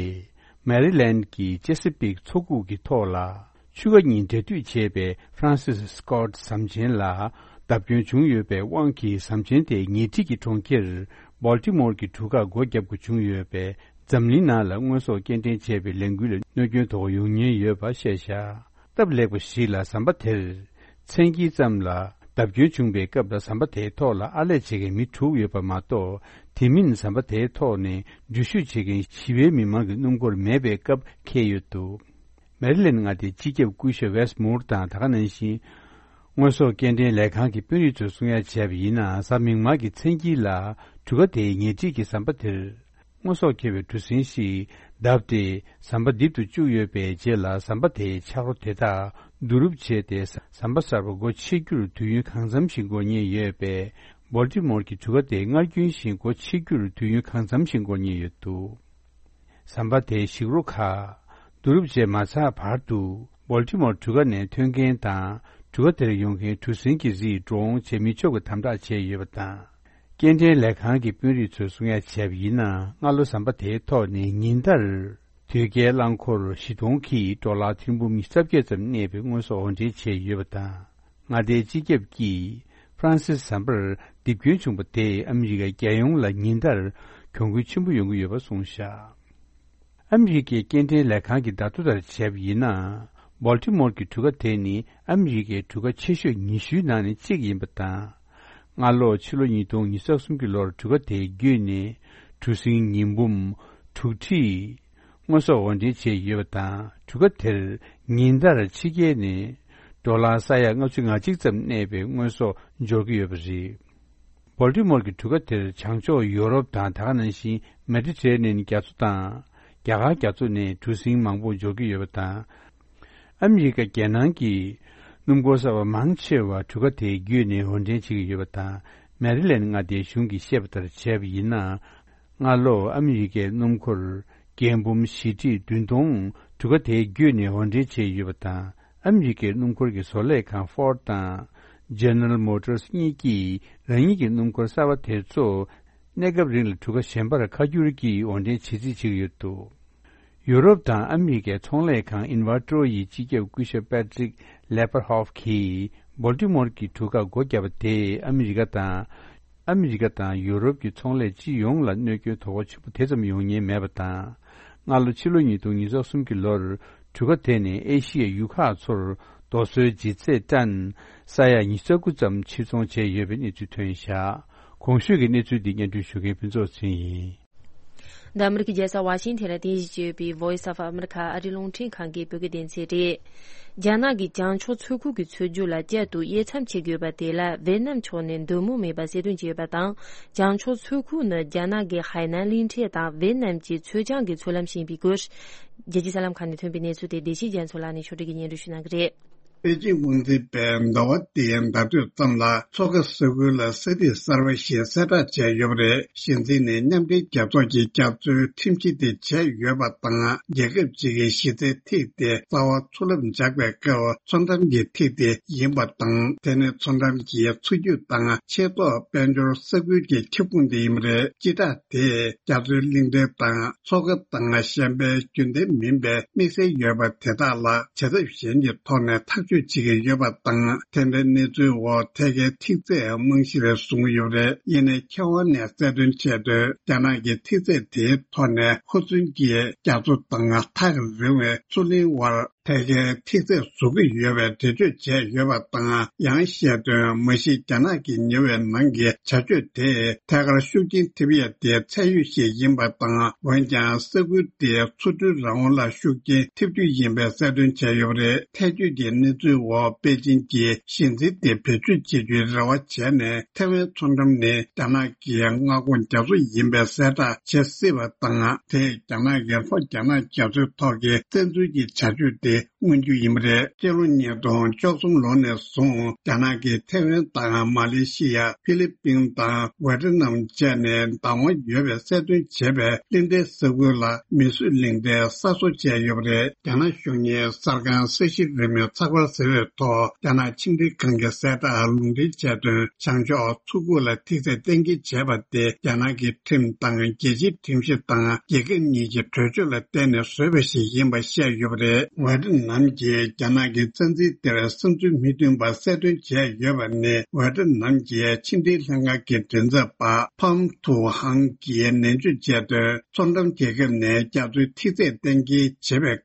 མེ་རི་ལེན་གྱི་ཅེ་སི་པིག་མཚོ་ཁུག་གི་ཐོག་ལ་ཆུ་ཁ་གཉིས་འབྲེལ་མཐུད་བྱས་པའི་ཧྥ་རན་སིས་སི་ཀོ་ཊི་ཟམ་ཆེན་ལ་བརྡབ་སྐྱོན་བྱུང་ཡོད་པའི་དབང་གིས། ཟམ་ཆེན་དེའི་ཉེ་འཁྲིས་ཀྱི་གྲོང་ཁྱེར་སྦོལ་ཏི་མོར་གྱི་གྲུ་ཁར་སྒོ་བརྒྱབ་དགོས་བྱུང་ཡོད་པས། འཛམ་གླིང་ནང་ལ་དངོས་ཟོག་སྐྱེལ་འདྲེན་བྱས་པའི་ལས་འགུལ་ལ་གནོད་སྐྱོན་དོ་ཡོང་ཉེན་ཡོད་པ་བཤད་བཞག་སྟབས་ལེགས་པ་ཞིག་ལ་ཟམ་པ་དེར་མཚན་དཀྱིལ་ཙམ་ལ་བརྡབ་སྐྱོན་བྱུང་བའི་སྐབས་ལ་ཟམ་པ་དེའི་ཐོག་ལ་ཨར་ལས་བྱེད་མཁན་མི་དྲུག་ཡོད་པ་མ་གཏོགས། དེ་མིན་ཟམ་པ་དེའི་ཐོག་ནས་འགྲུལ་བཞུད་བྱེད་མཁན་ཞི་བའི་མི་མང་གི་སྣུམ་འཁོར་མེད་པའི་སྐབས་འཁེལ་ཡོད་འདུག་མེ་རི་ལེན་མངའ་སྡེའི་སྤྱི་ཁྱབ་སྐུ་ཞབས་ཝེས་མུར་དང་། ད་ག་ནང་བཞིན་དངོས་ཟོག་སྐྱེལ་འདྲེན་ལས་ཁང་གི་དཔོན་རིགས་ཚོས་གསུང་ཡ་བྱས་པ་ཡིན་ན། གཟའ་མིག་དམར་གྱི་མཚན་དཀྱིལ་ལ་གྲུ་ཁ་དེའི་ཉེ་འཁྲིས་ཀྱི་ཟམ་པ་དེར། དངོས་ཟོག་འཁྱེར་བའི་གྲུ་གཟིངས་ཤིག་བརྡབས་ཏེ། ཟམ་པ་རྡིབ་ཏུ་བཅུག་ཡོད་པའི་རྗེས་ལ། ཟམ་པ་དེའི་ཆག་རོ་དེ་དག་བསྡུ་རུབ་བྱས་ཏེ། ཟམ་པ་གསར་པ་སྒོ་ཕྱེ་རྒྱུར་དུས་ཡུན་གང་འཚམ་ཞིག་འགོར་ཉེན་ཡོད་པས། སྦོལ་ཏི་མོར་གྱི་གྲུ་ཁ་དེ་སྔར་རྒྱུན་བཞིན་སྒོ་ཕྱེ་རྒྱུར་དུས་ཡུན་གང་འཚམ་ཞིག་འགོར་ཉེན་ཡོད་འདུག་ཟམ་པ་དེའི་ཞིག་རོ་ཁག་བསྡུ་རུབ་བྱས་མ་ཚར་བར་དུ། སྦོལ་ཏི་མོར་གྲུ་ཁ་ནས་ཐོན་མཁན་དང་། གྲུ་ཁ་དེར་ཡོང་མཁན་གྲུ་གཟིངས་ཀྱི་རིགས་འགྲོ་འོང་བྱེད་མི་ཆོག་པའི་དམ་དྲག་བྱས་ཡོད་པ་དང་། སྐྱེལ་འདྲེན་ལས་ཁང་གི་དཔོན་རིགས་ཚོས་གསུང་ཡ་བྱས་པ་ཡིན་ན། སྔ་ལོ་ཟམ་པ་དེའི་ཐོག་ནས་ཉིན་ལྟར་དོས་སྐྱེལ་རླངས་འཁོར་བཞི་སྟོང་གིས་ཌོ་ལར་ཐེར་འབུམ་ཉི་ཤུ་རྩ་བརྒྱད་ཙམ་གནས་པའི་དངོས་ཟོག་འོར་འདྲེན་བྱས་ཡོད་པ་དང་། མངའ་སྡེའི་སྤྱི་ཁྱབ་ཀྱིས་ཧྥ་རན་སིས་ཟམ་པར་རྡིབ་སྐྱོན་བྱུང་བ་དེས་ཨ་མི་རི་ཀའི་རྒྱལ་ཡོངས་ལ་ཉིན་ལྟར་གྱོང་གུན་ཆེན་པོ་ཡོང་གི་ཡོད་པ་གསུངས་བཞག་ཨ་མི་རི་ཀའི་སྐྱེལ་འདྲེན་ལས་ཁང་གི་བརྡ་ཐོ་ལྟར་བྱས་པ་ཡིན་ན། སྦོལ་ཏི་མོར་གྱི་གྲུ་ཁ་དེ་ནི་ཨ་མི་རི་ཀའི་གྲུ་ཁ་ཆེ་ཤོས་ཉི་ཤུའི་ནང་ནས་གཅིག་ཡིན་པ་དང་། སྔ་ལོ་ཕྱི་ལོ་ཉིས་སྟོང་ཉི་ཤུ་རྩ་གསུམ་གྱི་ལོར་གྲུ་ཁ་དེའི་བརྒྱུད་ནས་གྲུ་གཟིངས་ཉིས་འབུམ་དྲུག་ཁྲི་དངོས་ཟོག་འོར་འདྲེན་བྱས་ཡོད་པ་དང་། གྲུ་ཁ་དེར་ཉིན་ལྟར་ཕྱི་རྒྱལ་ནས་ཌོ་ལར་ས་ཡ་ལྔ་བཅུ་ང་གཅིག་ཙམ་གནས་པའི་དངོས་ཟོག་འབྱོར་གྱི་ཡོད་པ་རེད། སྦོལ་ཏི་མོར་གྱི་གྲུ་ཁ་དེར་བྱང་ཕྱོགས་ཡོ་རོབ་དང་། ད་ག་ནང་བཞིན་མེ་ཏི་ཊེ་རེ་ནེན་རྒྱ་མཚོ་དང་། རྒྱ་གར་རྒྱ་མཚོ་ནས་གྲུ་གཟིངས་མང་པོ་འབྱོར་གྱི་ཡོད་པ་དང་། ཨ་མི་རི་ཀ་རྒྱལ་ནང་གི་སྣུམ་འཁོར་གསར་པ་མང་ཆེ་བ་གྲུ་ཁ་དེའི་བརྒྱུད་ནས་འོར་འདྲེན་བྱེད་ཀྱི་ཡོད་པ་དང་། མེ་རི་ལེན་མངའ་སྡེའི་གཞུང་གིས་བཤད་པ་ལྟར་བྱས་པ་ཡིན་ན། སྔ་ལོ་ཨ་མི་རི་ཀའི་སྣུམ་འཁོར་ རྒྱལ་འབུམ་བཞི་ཁྲི་བདུན་སྟོང་གྲུ་ཁ་དེའི་བརྒྱུད་ནས་འོར་འདྲེན་བྱས་ཡོད་པ་དང་། ཨ་མི་རི་ཀའི་སྣུམ་འཁོར་གྱི་བཟོ་ལས་ཁང་Ford་དང་General Motors་གཉིས་ཀྱིས་རང་ཉིད་ཀྱི་སྣུམ་འཁོར་གསར་པ་དེ་ཚོ་གནས་སྐབས་རིང་ལ་གྲུ་ཁ་གཞན་པར་ཁ་བསྒྱུར་གྱིས་འོར་འདྲེན་བྱེད་རྩིས་བྱེད་ཀྱི་ཡོད་འདུག་ཡུ་རོབ་དང་ཨ་མི་རི་ཀའི་ཚོང་ལས་ཁང་Invertro་ཡི་སྤྱི་ཁྱབ་སྐུ་ཞབས་Patrick Lepperhoff་གིས་Baltimore་གྱི་གྲུ་ཁར་སྒོ་བརྒྱབ་པ་དེས་ཨ་མི་རི་ཀ་དང་། ཨ་མི་རི་ཀ་དང་ཡུ་རོབ་ཀྱི་ཚོང་ལས་སྤྱི་ཡོངས་ལ་གནོད་སྐྱོན་དོ་ཕོག་ཆེན་པོ་དེ་ཙམ་ཡོང་ཉེན་མེད་པ་དང་། སྔ་ལོ་ཕྱི་ལོ་ཉིས་སྟོང་ཉི་ཤུ་རྩ་གསུམ་གྱི་ལོར་གྲུ་ཁ་དེ་ནས་ཨེ་ཤི་ཡའི་ཡུལ་ཁག་ཚོར་རྡོ་སོལ་ལྗིད་ཚད་ཏན་ས་ཡ་ཉི་ཤུ་རྩ་དགུ་ཙམ་ཕྱིར་ཚོང་བྱས་ཡོད་པའི་གནས་ཚུལ་ཐོན་བཞག་གོང་ཞུས་ཀྱི་གནས་ཚུལ་འདི་སྙན་སྒྲོན་ཞུ་མཁན་ཕུན་ཚོགས་ཚེ་རིང་ཡིན། འདི་ཨ་མི་རི་ཀའི་རྒྱལ་ས་ཝ་ཤིང་ཐན་ལ་རྟེན་གཞི་བྱས་ཡོད་པའི་Voice of America་ཨ་རིའི་རླུང་འཕྲིན་ཁང་གི་བོད་སྐད་སྡེ་ཚན་རེད། རྒྱ་ནག་གི་བྱང་ཕྱོགས་མཚོ་ཁུལ་གྱི་མཚོ་རྒྱུད་ལ་བསྐྱར་དུ་དབྱེ་མཚམས་ཕྱེ་དགོས་པ་དེ་ལ་ཝེ་ནམ་ཕྱོགས་ནས་འདོད་མོས་མེད་པ་གསལ་སྟོན་བྱས་ཡོད་པ་དང་། བྱང་ཕྱོགས་མཚོ་ཁུལ་ནི་རྒྱ་ནག་གི་ཧའེ་ནན་གླིང་ཕྲན་དང་ཝེ་ནམ་གྱི་མཚོ་བྱང་གི་མཚོ་ལམ་ཞེས་པའི་སྐོར། རྒྱལ་སྤྱིའི་གསར་ལམ་ཁག་ནས་ཐོན་པའི་གནས་ཚུལ་དེ་བདེ་ཆེན་རྒྱ་མཚོ་ལགས་ནས་ཕྱོགས་སྒྲིག་གིས་སྙན་སྒྲོན་ཞུ་གནང་གི་རེད། པེ་ཅིང་དབང་འཛིན་པས་ཟླ་བ་འདིའི་ཟླ་སྟོད་ཙམ་ལ་མཚོ་ཁ་ས་ཁུལ་ལ་ས་ཐིག་གསར་པ་ཞིག་གསལ་བསྒྲགས་བྱས་ཡོད་པ་རེད། གཞི་འཛིན་ནས་མཉམ་འབྲེལ་རྒྱལ་ཚོགས་ཀྱི་རྒྱ་མཚོའི་ཁྲིམས་གཞི་དེ་བྱས་ཡོད་པ་དང་། རྒྱལ་ཁབ་ཅིག་གི་གཞི་རྩའི་ཐིག་དེ་རྩ་བ་མཚོ་རླབས་འཇགས་པའི་སྐབས་མཚོ་འགྲམ་གྱི་ཐིག་དེ་ཡིན་པ་དང་། དེ་ནི་མཚོ་འགྲམ་གྱི་མཚོ་རྒྱུད་དང་ཆེས་ཐོག་དཔལ་འབྱོར་ས་ཁུལ་གྱི་ཁྱབ་ཁོངས་དེ་ཡིན་པ་རེད། སྤྱི་བསྒྲགས་དེས་རྒྱ་མཚོའི་གླིང་ཕྲན་དང་མཚོ་ཁ་དང་གཞན་པའི་རྒྱུན་ལྡན་མིན་པའི་དམིགས་བསལ་ཡོད་པ་དེ་དག་ལ་བྱ་ཐབས་གཞན་གྱི་ཐོག་ནས་ཐག་གཅོད་བྱེད་ཀྱི་ཡོད་པ་དང་། དེ་འདྲའི་གནས་ཚུལ་འོག་ཐད་ཀའི་ཐིག་ཚད་རྨང་གཞིར་བཟུང་ཡོད་པ་རེད། ཡིན་ནའི་མཁས་དབང་ནས་གསལ་སྟོན་བྱས་དོན། རྒྱ་ནག་གི་ཐིག་ཚད་དེའི་ཐོག་ནས་ཧུར་བརྩོན་གྱིས་རྒྱ་མཚོ་དང་ཐག་རིང་བའི་མཚོ་གླིང་བར་ཐད་ཀའི་ཐིག་ཚད་བཟོ་གི་ཡོད་པའི་འགྲེལ་བརྗོད་བྱས་ཡོད་པ་དང་། ཡང་བཤད་དོན། མ་གཞི་རྒྱ་ནག་གི་ཉེ་བའི་ནང་གི་བྱ་སྤྱོད་དེས་ཐད་ཀར་ཤུགས་རྐྱེན་ཐེབས་ཡས་དེ་ཚད་ཡོད་ཞིག་ཡིན་པ་དང་། འོན་ཀྱང་ས་ཁུལ་དེའི་མཚོ་འགྲུལ་རང་དབང་ལ་ཤུགས་རྐྱེན་ཐེབས་རྒྱུ་ཡིན་པའི་གསལ་སྟོན་བྱས་ཡོད་པ་རེད། ཐལ་འགྱུར་གྱི་གནས་ཚུལ་འོག་པེ་ཅིང་གིས་གཞི་འཛིན་དེ་བེད་སྤྱོད་བྱེད་རྒྱུའི་རེ་བ་བྱས་ནས། ཐའེ་ཝན་མཚོ་འགྲམ་ནི་རྒྱ་ནག་གི་མངའ་ཁོངས་རྒྱ་མཚོ་ཡིན་པའི་གསལ་བསྒྲགས་བྱེད་སྲིད་པ་དང་། དེས་རྒྱ་ནག་གི་ལྷོ་རྒྱ་ནག་རྒྱ་མཚོའི་ཐོག་གི་བཙན་འཛུལ་གྱི་བྱ་སྤྱོད་དེ་མངོན་རྒྱུ་ཡིན་པ་རེད། སྤྱི་ལོ་ཉིས་སྟོང་བཅུ་གསུམ་ལོ་ནས་བཟུང་རྒྱ་ནག་གིས་ཐའེ་ཝན་དང་མ་ལེ་ཤི་ཡ། ཧྥི་ལི་པིན་དང་ཝེ་ཏི་ནམ་བཅས་ནས་བདག་དབང་ཡོད་པའི་གསལ་སྟོན་བྱས་པའི་གླིང་ཕྲན་ས་ཁུལ་ལ་མིས་བཟོས་གླིང་ཕྲན་གསར་བཟོ་བྱས་ཡོད་པ་རེད། རྒྱ་ནག་གཞུང་གཉེར་གསར་ཁང་ས་གཞི་རིས་མེད་ཚགས་པར་ཟེར་བའི་ཐོག་རྒྱ་ནག་ཕྱི་འབྲེལ་ཁང་གི་གསལ་བསྒྲགས་ལུང་འདྲེན་བྱས་དོན། བྱང་ཕྱོགས་མཚོ་ཁུག་ལ་ཐིག་ཚད་གཏན་འཁེལ་བྱས་པ་དེ་རྒྱ་ནག་གི་ཁྲིམས་དང་རྒྱལ་སྤྱིའི་ཁྲིམས་གཞི་དང་རྒྱལ་ཁབ་གཉིས་ཀྱི་གྲོས་ཆོད་ལ་བརྟེན་ནས་བཟོས་པ་ཞིག་ཡིན་པ་བཤད་ཡོད་པ་རེད། ཝེ་ཏི་ནམ་གྱིས་རྒྱ་ནག་གི་བཙན་འཛུལ་དེར་བསམ་ཚུལ་མི་མཐུན་པ་གསལ་སྟོན་བྱས་ཡོད་པ་ནི། ཝེ་ཏི་ནམ་གྱི་ཕྱི་འབྲེལ་ལྷན་ཁང་གི་མགྲིན་ཚབ་པ་ཕམ་ཐུའུ་ཧང་གིས་ནན་བརྗོད་བྱས་དོན། མཚོ་འགྲམ་རྒྱལ་ཁབ་ནས་རྒྱ་མཚོའི་ཐིག་ཚད་གཏན་འཁེལ་བྱེད་པའི་སྐབས།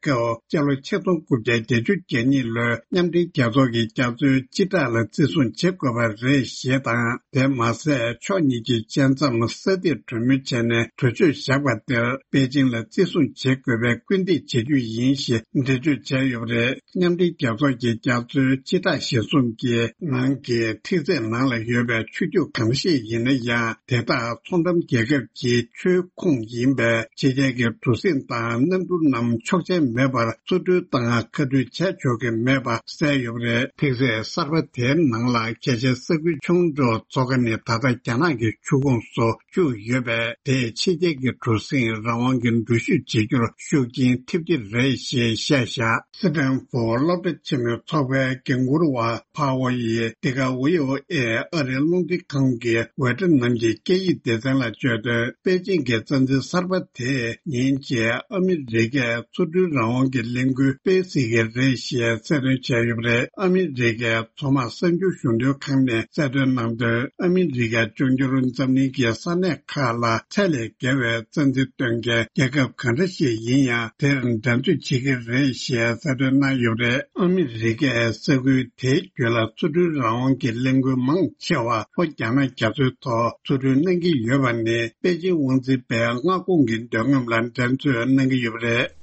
སྤྱི་ལོ་ཆིག་སྟོང་དགུ་བརྒྱ་བརྒྱད་ཅུ་གྱ་གཉིས་ལོའི་མཉམ་འབྲེལ་རྒྱལ་ཚོགས་ཀྱི་རྒྱ་མཚོའི་སྤྱི་བསྒྲགས་ལ་བརྩི་སྲུང་བྱེད་དགོས་པ་རེད་ཞེས་དང་། དེ་མ་ཟད། ཕྱོགས་གཉིས་ཀྱི་བཅད་མཚམས་ས་ཐིག་གྲོས་མོལ་བྱས་ནས་གྲོས་ཆོད་བཞག་པ་དེར་པེ་ཅིང་ལ་བརྩི་སྲུང་བྱེད་དགོས་པའི་སྐུལ་འདེད་བྱེད་རྒྱུ་ཡིན་ཞེས་འགྲེལ་བརྗོད་བྱས་ཡོད་པ་རེད། མཉམ་འབྲེལ་རྒྱལ་ཚོགས་ཀྱི་རྒྱ་མཚོའི་སྤྱི་བསྒྲགས་གཞིར་བཟུང་གིས། ནང་གི་ཐིག་ཚད་ནང་ལ་ཡོད་པའི་ཆུ་རྒྱུད་གང་ཞིག་ཡིན་ན་ཡང་། དེ་དག་མཚོ་འགྲམ་རྒྱལ་ཁབ་ཀྱི་ཆུའི་ཁོངས་ཡིན་པས། ཕྱི་རྒྱལ་གྱི་གྲུ་གཟིངས་དང་གནམ་གྲུ་རྣམས་ཆོག་མཆན་མེད་པར་བཙུགས་སྤྲོད་དང་ཁ་སྤྲོད་བྱས་ཆོག་གི་མེད་པ་གསལ་ཡོད་པ་རེད། ཐིག་ཚད་གསར་པ་དེའི་ནང་ལ་གལ་ཆེའི་ས་ཁུལ་ཆུང་འགྲོ་ཚོགས་ཁང་ནི་ད་ལྟ་རྒྱ་ནག་གི་ཆུ་ཁོངས་སུ་བཅུག་ཡོད་པས། དེས་ཕྱི་རྒྱལ་གྱི་གྲུ་གཟིངས་རང་དབང་གི་འགྲུལ་བཞུད་བྱེད་རྒྱུར་ཤུགས་རྐྱེན་ཐེབས་ཀྱི་རེད་ཞེས་བཤད་བཞག་སི་ཏན་ཧྥོར་སློབ་གྲྭ་ཆེན་མོའི་ཚོགས་པའི་འགན་འཁུར་བ་ཕ་ཝོ་ཡིས་འདི་ག་ཝི་ཨོ་ཨེ་ཨ་རིའི་རླུང་འཕྲིན་ཁང་གི་ཝེ་ཏི་ནམ་གྱི་སྐད་ཡིག་སྡེ་ཚན་ལ་བརྗོད་དོན། པེ་ཅིང་གི་བཙན་འཛུལ་གསར་པ་དེས་ཉིན་གཅིག་ཨ་མི་རི་ཀས་མཚོ་འགྲུལ་རང་དབང་གི་ལས་འགུལ་སྤེལ་སྲིད་ཀྱི་རེད་ཞེས་གསལ་སྟོན་བྱས་ཡོད་པ་རེད། ཨ་མི་རི་ཀའི་མཚོ་དམག་གསར་འགྱུར་གཞུང་དོན་ཁང་ནས་གསལ་སྟོན་གནང་དོན། ཨ་མི་རི་ཀས་འབྱུང་འགྱུར་འཛམ་གླིང་གི་ས་གནས་ཁག་ལ་ཚད་ལས་བརྒལ་བའི་བཙན་འཛུལ་སྟོན་མཁན་རྒྱལ་ཁབ་གང་འདྲ་ཞིག་ཡིན་ཡང་། དེར་འགྲན་རྩོད་བྱེད་ཀྱི་རེད་ཞེས་གསལ་སྟོན་གནང་ཡོད་པ་རེད། ཨ་མི་རི་ཀས་ས་ཁུལ་དེའི་རྒྱུད་ལ་མཚོ་འགྲུལ་རང་དབང་གི་ལས་འགུལ་མང་ཆེ་བ་ལྷོ་རྒྱ་ནག་རྒྱ་མཚོའི་ཐོག་མཚོ་འགྲུལ་གནང་གི་ཡོད་པ་ནི། པེ་ཅིང་དབང་འཛིན་པའི་མངའ་ཁོངས་ཀྱི་འདོད་རྔམ་ལ་འགྲན་རྩོད་གནང་གི་ཡོད་པ་རེད།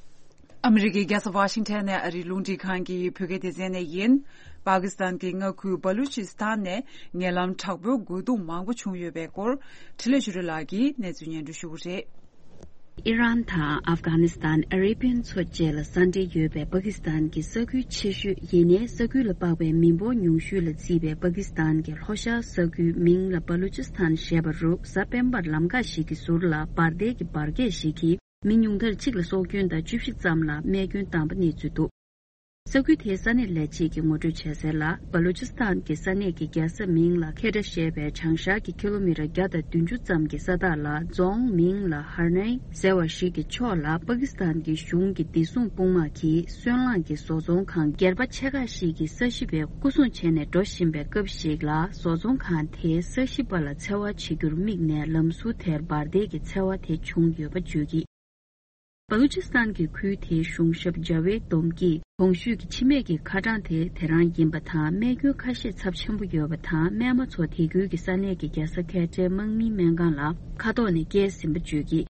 ཨ་མི་རི་ཀའི་རྒྱལ་ས་ཝ་ཤིང་ཊོན་ནས་ཨ་རིའི་རླུང་འཕྲིན་ཁང་གི་བོད་སྐད་སྡེ་ཚན་ནས་ཡིན། པ་ཀི་སི་ཐན་གྱི་མངའ་ཁུལ་བ་ལུ་ཅི་སི་ཐན་ནས་ཉེ་ལམ་དྲག་པོའི་རྒོལ་རྡུང་མང་པོ་བྱུང་ཡོད་པའི་སྐོར། འཕྲིན་ལས་ཆོས་སྒྲོན་ལགས་ཀྱིས་གནས་ཚུལ་སྙན་སྒྲོན་ཞུ་གི་རེད། ཨི་རན་དང་ཨབ་གྷ་ནི་སི་ཐན། ཨ་རེ་བི་ཡན་མཚོ་བཅས་ལ་ས་འབྲེལ་ཡོད་པའི་པ་ཀི་སི་ཐན་གྱི་ས་ཁུལ་ཆེ་ཤོས་ཡིན་ནའི་ས་ཁུལ་ལ་དཔག་པའི་མི་འབོར་ཉུང་ཤོས་ལ་བརྩིས་པའི་པ་ཀི་སི་ཐན་གྱི་ལྷོ་ཤར་ས་ཁུལ་མིང་ལ་བ་ལུ་ཅི་སི་ཐན་ཞེས་པ་རུ་གཟའ་སྤེན་པར་ལམ་ཁ་ཞིག་གི་ཟུར་ལ་འབར་མདེལ་གྱི་འབར་གས་ཤིག་གིས། མི་ཉུང་མཐར་གཅིག་ལ་སྲོག་སྐྱོན་དང་བཅུ་བཞི་ཙམ་ལ་རྨས་སྐྱོན་བཏང་པ་གནས་ཚུལ་འདུག། ས་ཁུལ་དེའི་ས་གནས་ལས་བྱེད་ཀྱིས་ངོ་སྤྲོད་བྱས་གསལ་ལ། སྦ་ལུ་ཅི་སི་ཐན་གྱི་ས་གནས་ཀྱི་རྒྱལ་ས་མིང་ལ་ཁེ་ཏྲ་ཞེས་པའི་བྱང་ཤར་གྱི་ཀི་ལོ་མི་ཊར་བརྒྱ་དང་བདུན་ཅུ་ཙམ་གྱི་ས་ཐག་ལ། རྫོང་མིང་ལ་ཧར་ནའི་ཟེར་བ་ཞིག་གི་ཕྱོགས་ལ། པ་ཀི་སི་ཐན་གྱི་གཞུང་གི་བདེ་སྲུང་དཔུང་དམག་གིས་སོན་རླངས་ཀྱི་བཟོ་ཚོང་ཁང་སྒེར་པ་ཆེ་ཁག་ཞིག་གིས་ས་ཞི་བའི་སྐུ་སྲུང་བྱས་ནས་འགྲོ་བཞིན་པའི་སྐབས་ཤིག་ལ། བཟོ་ཚོང་ཁང་དེའི་ས་ཞི་བ་ལ་འཚེ་བ་བྱེད་རྒྱུར་དམིགས་ནས། ལམ་ཟུར་དེར་འབར་མདེལ་གྱི་འཚེ་བ་དེ་བྱུང་ཡོད་པ་བརྗོད་ཀྱིས། སྦ་ལུ་ཅི་སི་ཐན་གྱི་ཁུལ་དེའི་གཞུང་ཞབས་ཇ་ཝེད་ཏོམ་གྱིས། གོང་ཞུས་ཀྱི་འཆི་རྨས་ཀྱི་ཁ་གྲངས་དེ་དེ་རང་ཡིན་པ་དང་། རྨས་སྐྱོན་ཁ་ཤས་ཚབས་ཆེན་པོ་ཡོད་པ་དང་། རྨས་མ་ཚོ་དེ་ཁུལ་གྱི་ས་གནས་ཀྱི་རྒྱལ་ས་ཁེ་ཏྲའི་དམག་མིའི་སྨན་ཁང་ལ་ཁ་ཐོག་ནས་བསྐྱལ་ཟིན་པ་བརྗོད་ཀྱིས།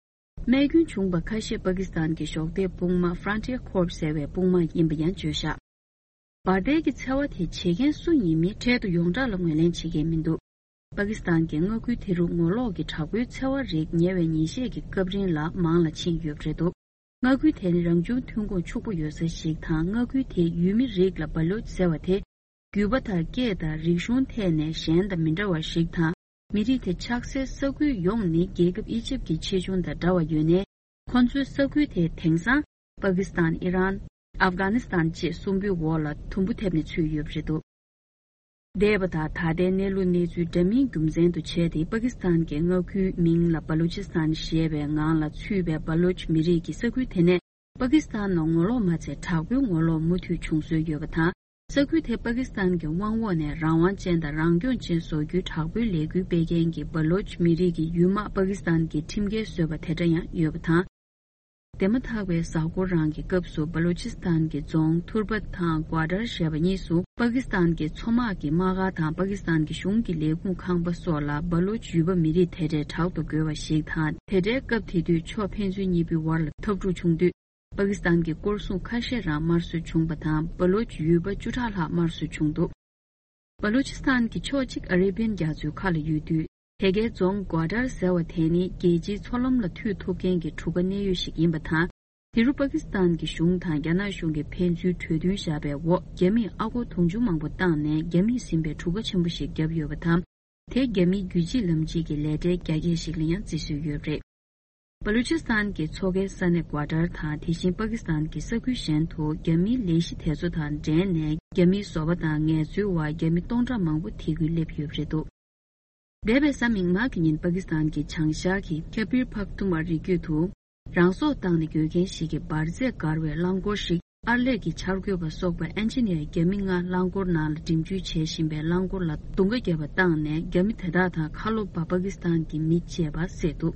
རྨས་སྐྱོན་བྱུང་བ་ཁ་ཤས་པ་ཀི་སི་ཐན་གྱི་གཞོགས་འདེགས་དཔུང་དམག་Frontier Corps ཟེར་བའི་དཔུང་དམག་ཡིན་པ་ཡང་བརྗོད་བཞག། འབར་མདེལ་གྱི་འཚེ་བ་དེ་བྱེད་མཁན་སུ་ཡིན་མིན་འཕྲལ་དུ་ཡོངས་གྲགས་ལ་ངོས་ལེན་བྱེད་མཁན་མི་འདུག། པ་ཀི་སི་ཐན་གྱི་མངའ་ཁུལ་དེ་རུ་ངོ་ལོག་གི་དྲག་པོའི་འཚེ་བ་རིགས་ཉེ་བའི་ཉིན་ཤས་ཀྱི་སྐབས་རིང་ལ་མང་ལ་ཕྱིན་ཡོད་པ་རེད་འདུག། མངའ་ཁུལ་དེ་ནི་རང་བྱུང་ཐོན་ཁུངས་ཕྱུག་པོ་ཡོད་ས་ཞིག་དང་། མངའ་ཁུལ་དེའི་ཡུལ་མི་རིགས་ལ་སྦ་ལོ་ཅི་ཟེར་བ་དེ། རྒྱུད་པ་དང་སྐད་དང་རིག་གཞུང་ཐད་ནས་གཞན་དང་མི་འདྲ་བ་ཞིག་དང་། མི་རིགས་དེ་ཆགས་སའི་ས་ཁུལ་ཡོངས་ནི་རྒྱལ་ཁབ་ཨི་ཇིབ་ཀྱི་ཆེ་ཆུང་དང་འདྲ་བ་ཡོད་ནའི། ཁོ་ཚོའི་ས་ཁུལ་དེ་དེང་སང་པ་ཀི་སི་ཐན། ཨི་རན། ཨབ་གྷ་ནི་སི་ཐན་བཅས་གསུམ་པོའི་འོག་ལ་དུམ་བུ་ཐེབས་ནས་ཚུད་ཡོད་པ་རེད་འདུག། འདས་པ་དང་ད་ལྟའི་གནས་ལུགས་གནས་ཚུལ་འདྲ་མིན་རྒྱུ་མཚན་དུ་བྱས་ཏེ། པ་ཀི་སི་ཐན་གྱི་མངའ་ཁུལ་མིང་ལ་སྦ་ལུ་ཅི་སི་ཐན་ཞེས་པའི་ངང་ལ་ཚུད་པའི་སྦ་ལོ་ཅི་མི་རིགས་ཀྱི་ས་ཁུལ་དེ་ནས། པ་ཀི་སི་ཐན་ནང་ངོ་ལོག་མ་ཚད་དྲག་པོའི་ངོ་ལོག་མུ་མཐུད་བྱུང་སྲོལ་ཡོད་པ་དང་། ས་ཁུལ་དེ་པ་ཀི་སི་ཐན་གྱི་དབང་འོག་ནས་རང་དབང་ཅན་དང་རང་སྐྱོང་ཅན་བཟོ་རྒྱུའི་དྲག་པོའི་ལས་འགུལ་སྤེལ་མཁན་གྱི་སྦ་ལོ་ཅི་མི་རིགས་ཀྱི་ཡུལ་དམག་པ་ཀི་སི་ཐན་གྱིས་ཁྲིམས་འགལ་བཟོས་པ་དེ་འདྲ་ཡང་ཡོད་པ་དང་། དེ་མ་ཐག་པའི་གཟའ་འཁོར་རང་གི་སྐབས་སུ་སྦ་ལོ་ཅི་སི་ཐན་གྱི་རྫོང་ཐུར་བྷ་དང་གོ་ཏར་ཞེས་པ་གཉིས་སུ། པ་ཀི་སི་ཐན་གྱི་མཚོ་དམག་གི་དམག་སྒར་དང་པ་ཀི་སི་ཐན་གྱི་གཞུང་གི་ལས་ཁུངས་ཁང་པ་སོགས་ལ་སྦ་ལོ་ཅི་ཡུལ་པ་མི་རིགས་དེ་འདྲའི་དྲག་ཏུ་རྒོལ་བ་ཞིག་དང་། དེ་འདྲའི་སྐབས་དེ་དུས་ཕྱོགས་ཕན་ཚུན་གཉིས་པོའི་བར་ལ་འཐབ་འཁྲུག་བྱུང་དུས། པ་ཀི་སི་ཐན་གྱི་སྐོར་སྲུང་ཁ་ཤས་རང་དམར་གསོད་བྱུང་བ་དང་། སྦ་ལོ་ཅི་ཡུལ་པ་བཅུ་ཕྲག་ལྷག་དམར་གསོད་བྱུང་འདུག། སྦ་ལོ་ཅི་སི་ཐན་གྱི་ཕྱོགས་གཅིག་ཨ་རེ་བིན་རྒྱ་མཚོའི་ཁ་ལ་ཡོད་དུས། དེ་གའི་རྫོང་གོ་ཏར་ཟེར་བ་དེ་ནི་རྒྱལ་སྤྱིའི་མཚོ་ལམ་ལ་མཐུད་ཐུབ་མཁན་གྱི་གྲུ་ཁ་གནད་ཡོད་ཞིག་ཡིན་པ་དང་། དེ་རུ་པ་ཀི་སི་ཐན་གྱི་གཞུང་དང་རྒྱ་ནག་གཞུང་གིས་ཕན་ཚུན་གྲོས་མཐུན་བཞག་པའི་འོག་རྒྱ་མིས་ཨ་སྒོར་དུང་ཕྱུར་མང་པོ་བཏང་ནས་རྒྱ་མིས་ཟིན་པའི་གྲུ་ཁ་ཆེན་པོ་ཞིག་བརྒྱབ་ཡོད་པ་དང་། དེ་རྒྱ་མིའི་རྒྱུད་གཅིག་ལམ་གཅིག་གི་ལས་གྲྭའི་རྒྱ་སྐྱེད་ཞིག་ལ་ཡང་བརྩི་སྲོལ་ཡོད་པ་རེད། སྦ་ལུ་ཅི་སི་ཐན་གྱི་མཚོ་ཁའི་ས་གནས་གོ་ཏར་དང་། དེ་བཞིན་པ་ཀི་སི་ཐན་གྱི་ས་ཁུལ་གཞན་དུ་རྒྱ་མིའི་ལས་གཞི་དེ་ཚོ་དང་འབྲེལ་ནས། རྒྱ་མིའི་བཟོ་པ་དང་ངལ་རྩོལ་བ་རྒྱ་མི་སྟོང་ཕྲག་མང་པོ་དེ་ཁུལ་སླེབས་ཡོད་པ་རེད་འདུག། འདས་པའི་གཟའ་མིག་དམར་གྱི་ཉིན་པ་ཀི་སི་ཐན་གྱི་བྱང་ཤར་གྱི་ཁེ་པིར་ཕག་ཏུ་མ་རི་རྒྱུད་དུ། རང་སྲོག་བཏང་ནས་འགོས་མཁན་ཞིག་གི་འབར་རྫས་བཀར་བའི་རླངས་འཁོར་ཞིག་ཨར་ལས་ཀྱི་འཆར་འགོད་པ་སོགས་པ་ཨན་ཇི་ནི་ཡར་རྒྱ་མི་ལྔ་རླངས་འཁོར་ནང་ལ་འགྲིམ་འཇུག་བྱེད་བཞིན་པའི་རླངས་འཁོར་ལ་རྡུང་ཁ་བརྒྱབ་པ་བཏང་ནས། རྒྱ་མི་དེ་དག་དང་ཁ་ལོ་པ་པ་ཀི་སི་ཐན་གྱི་མི་བཅས་པ་བསད་འདུག།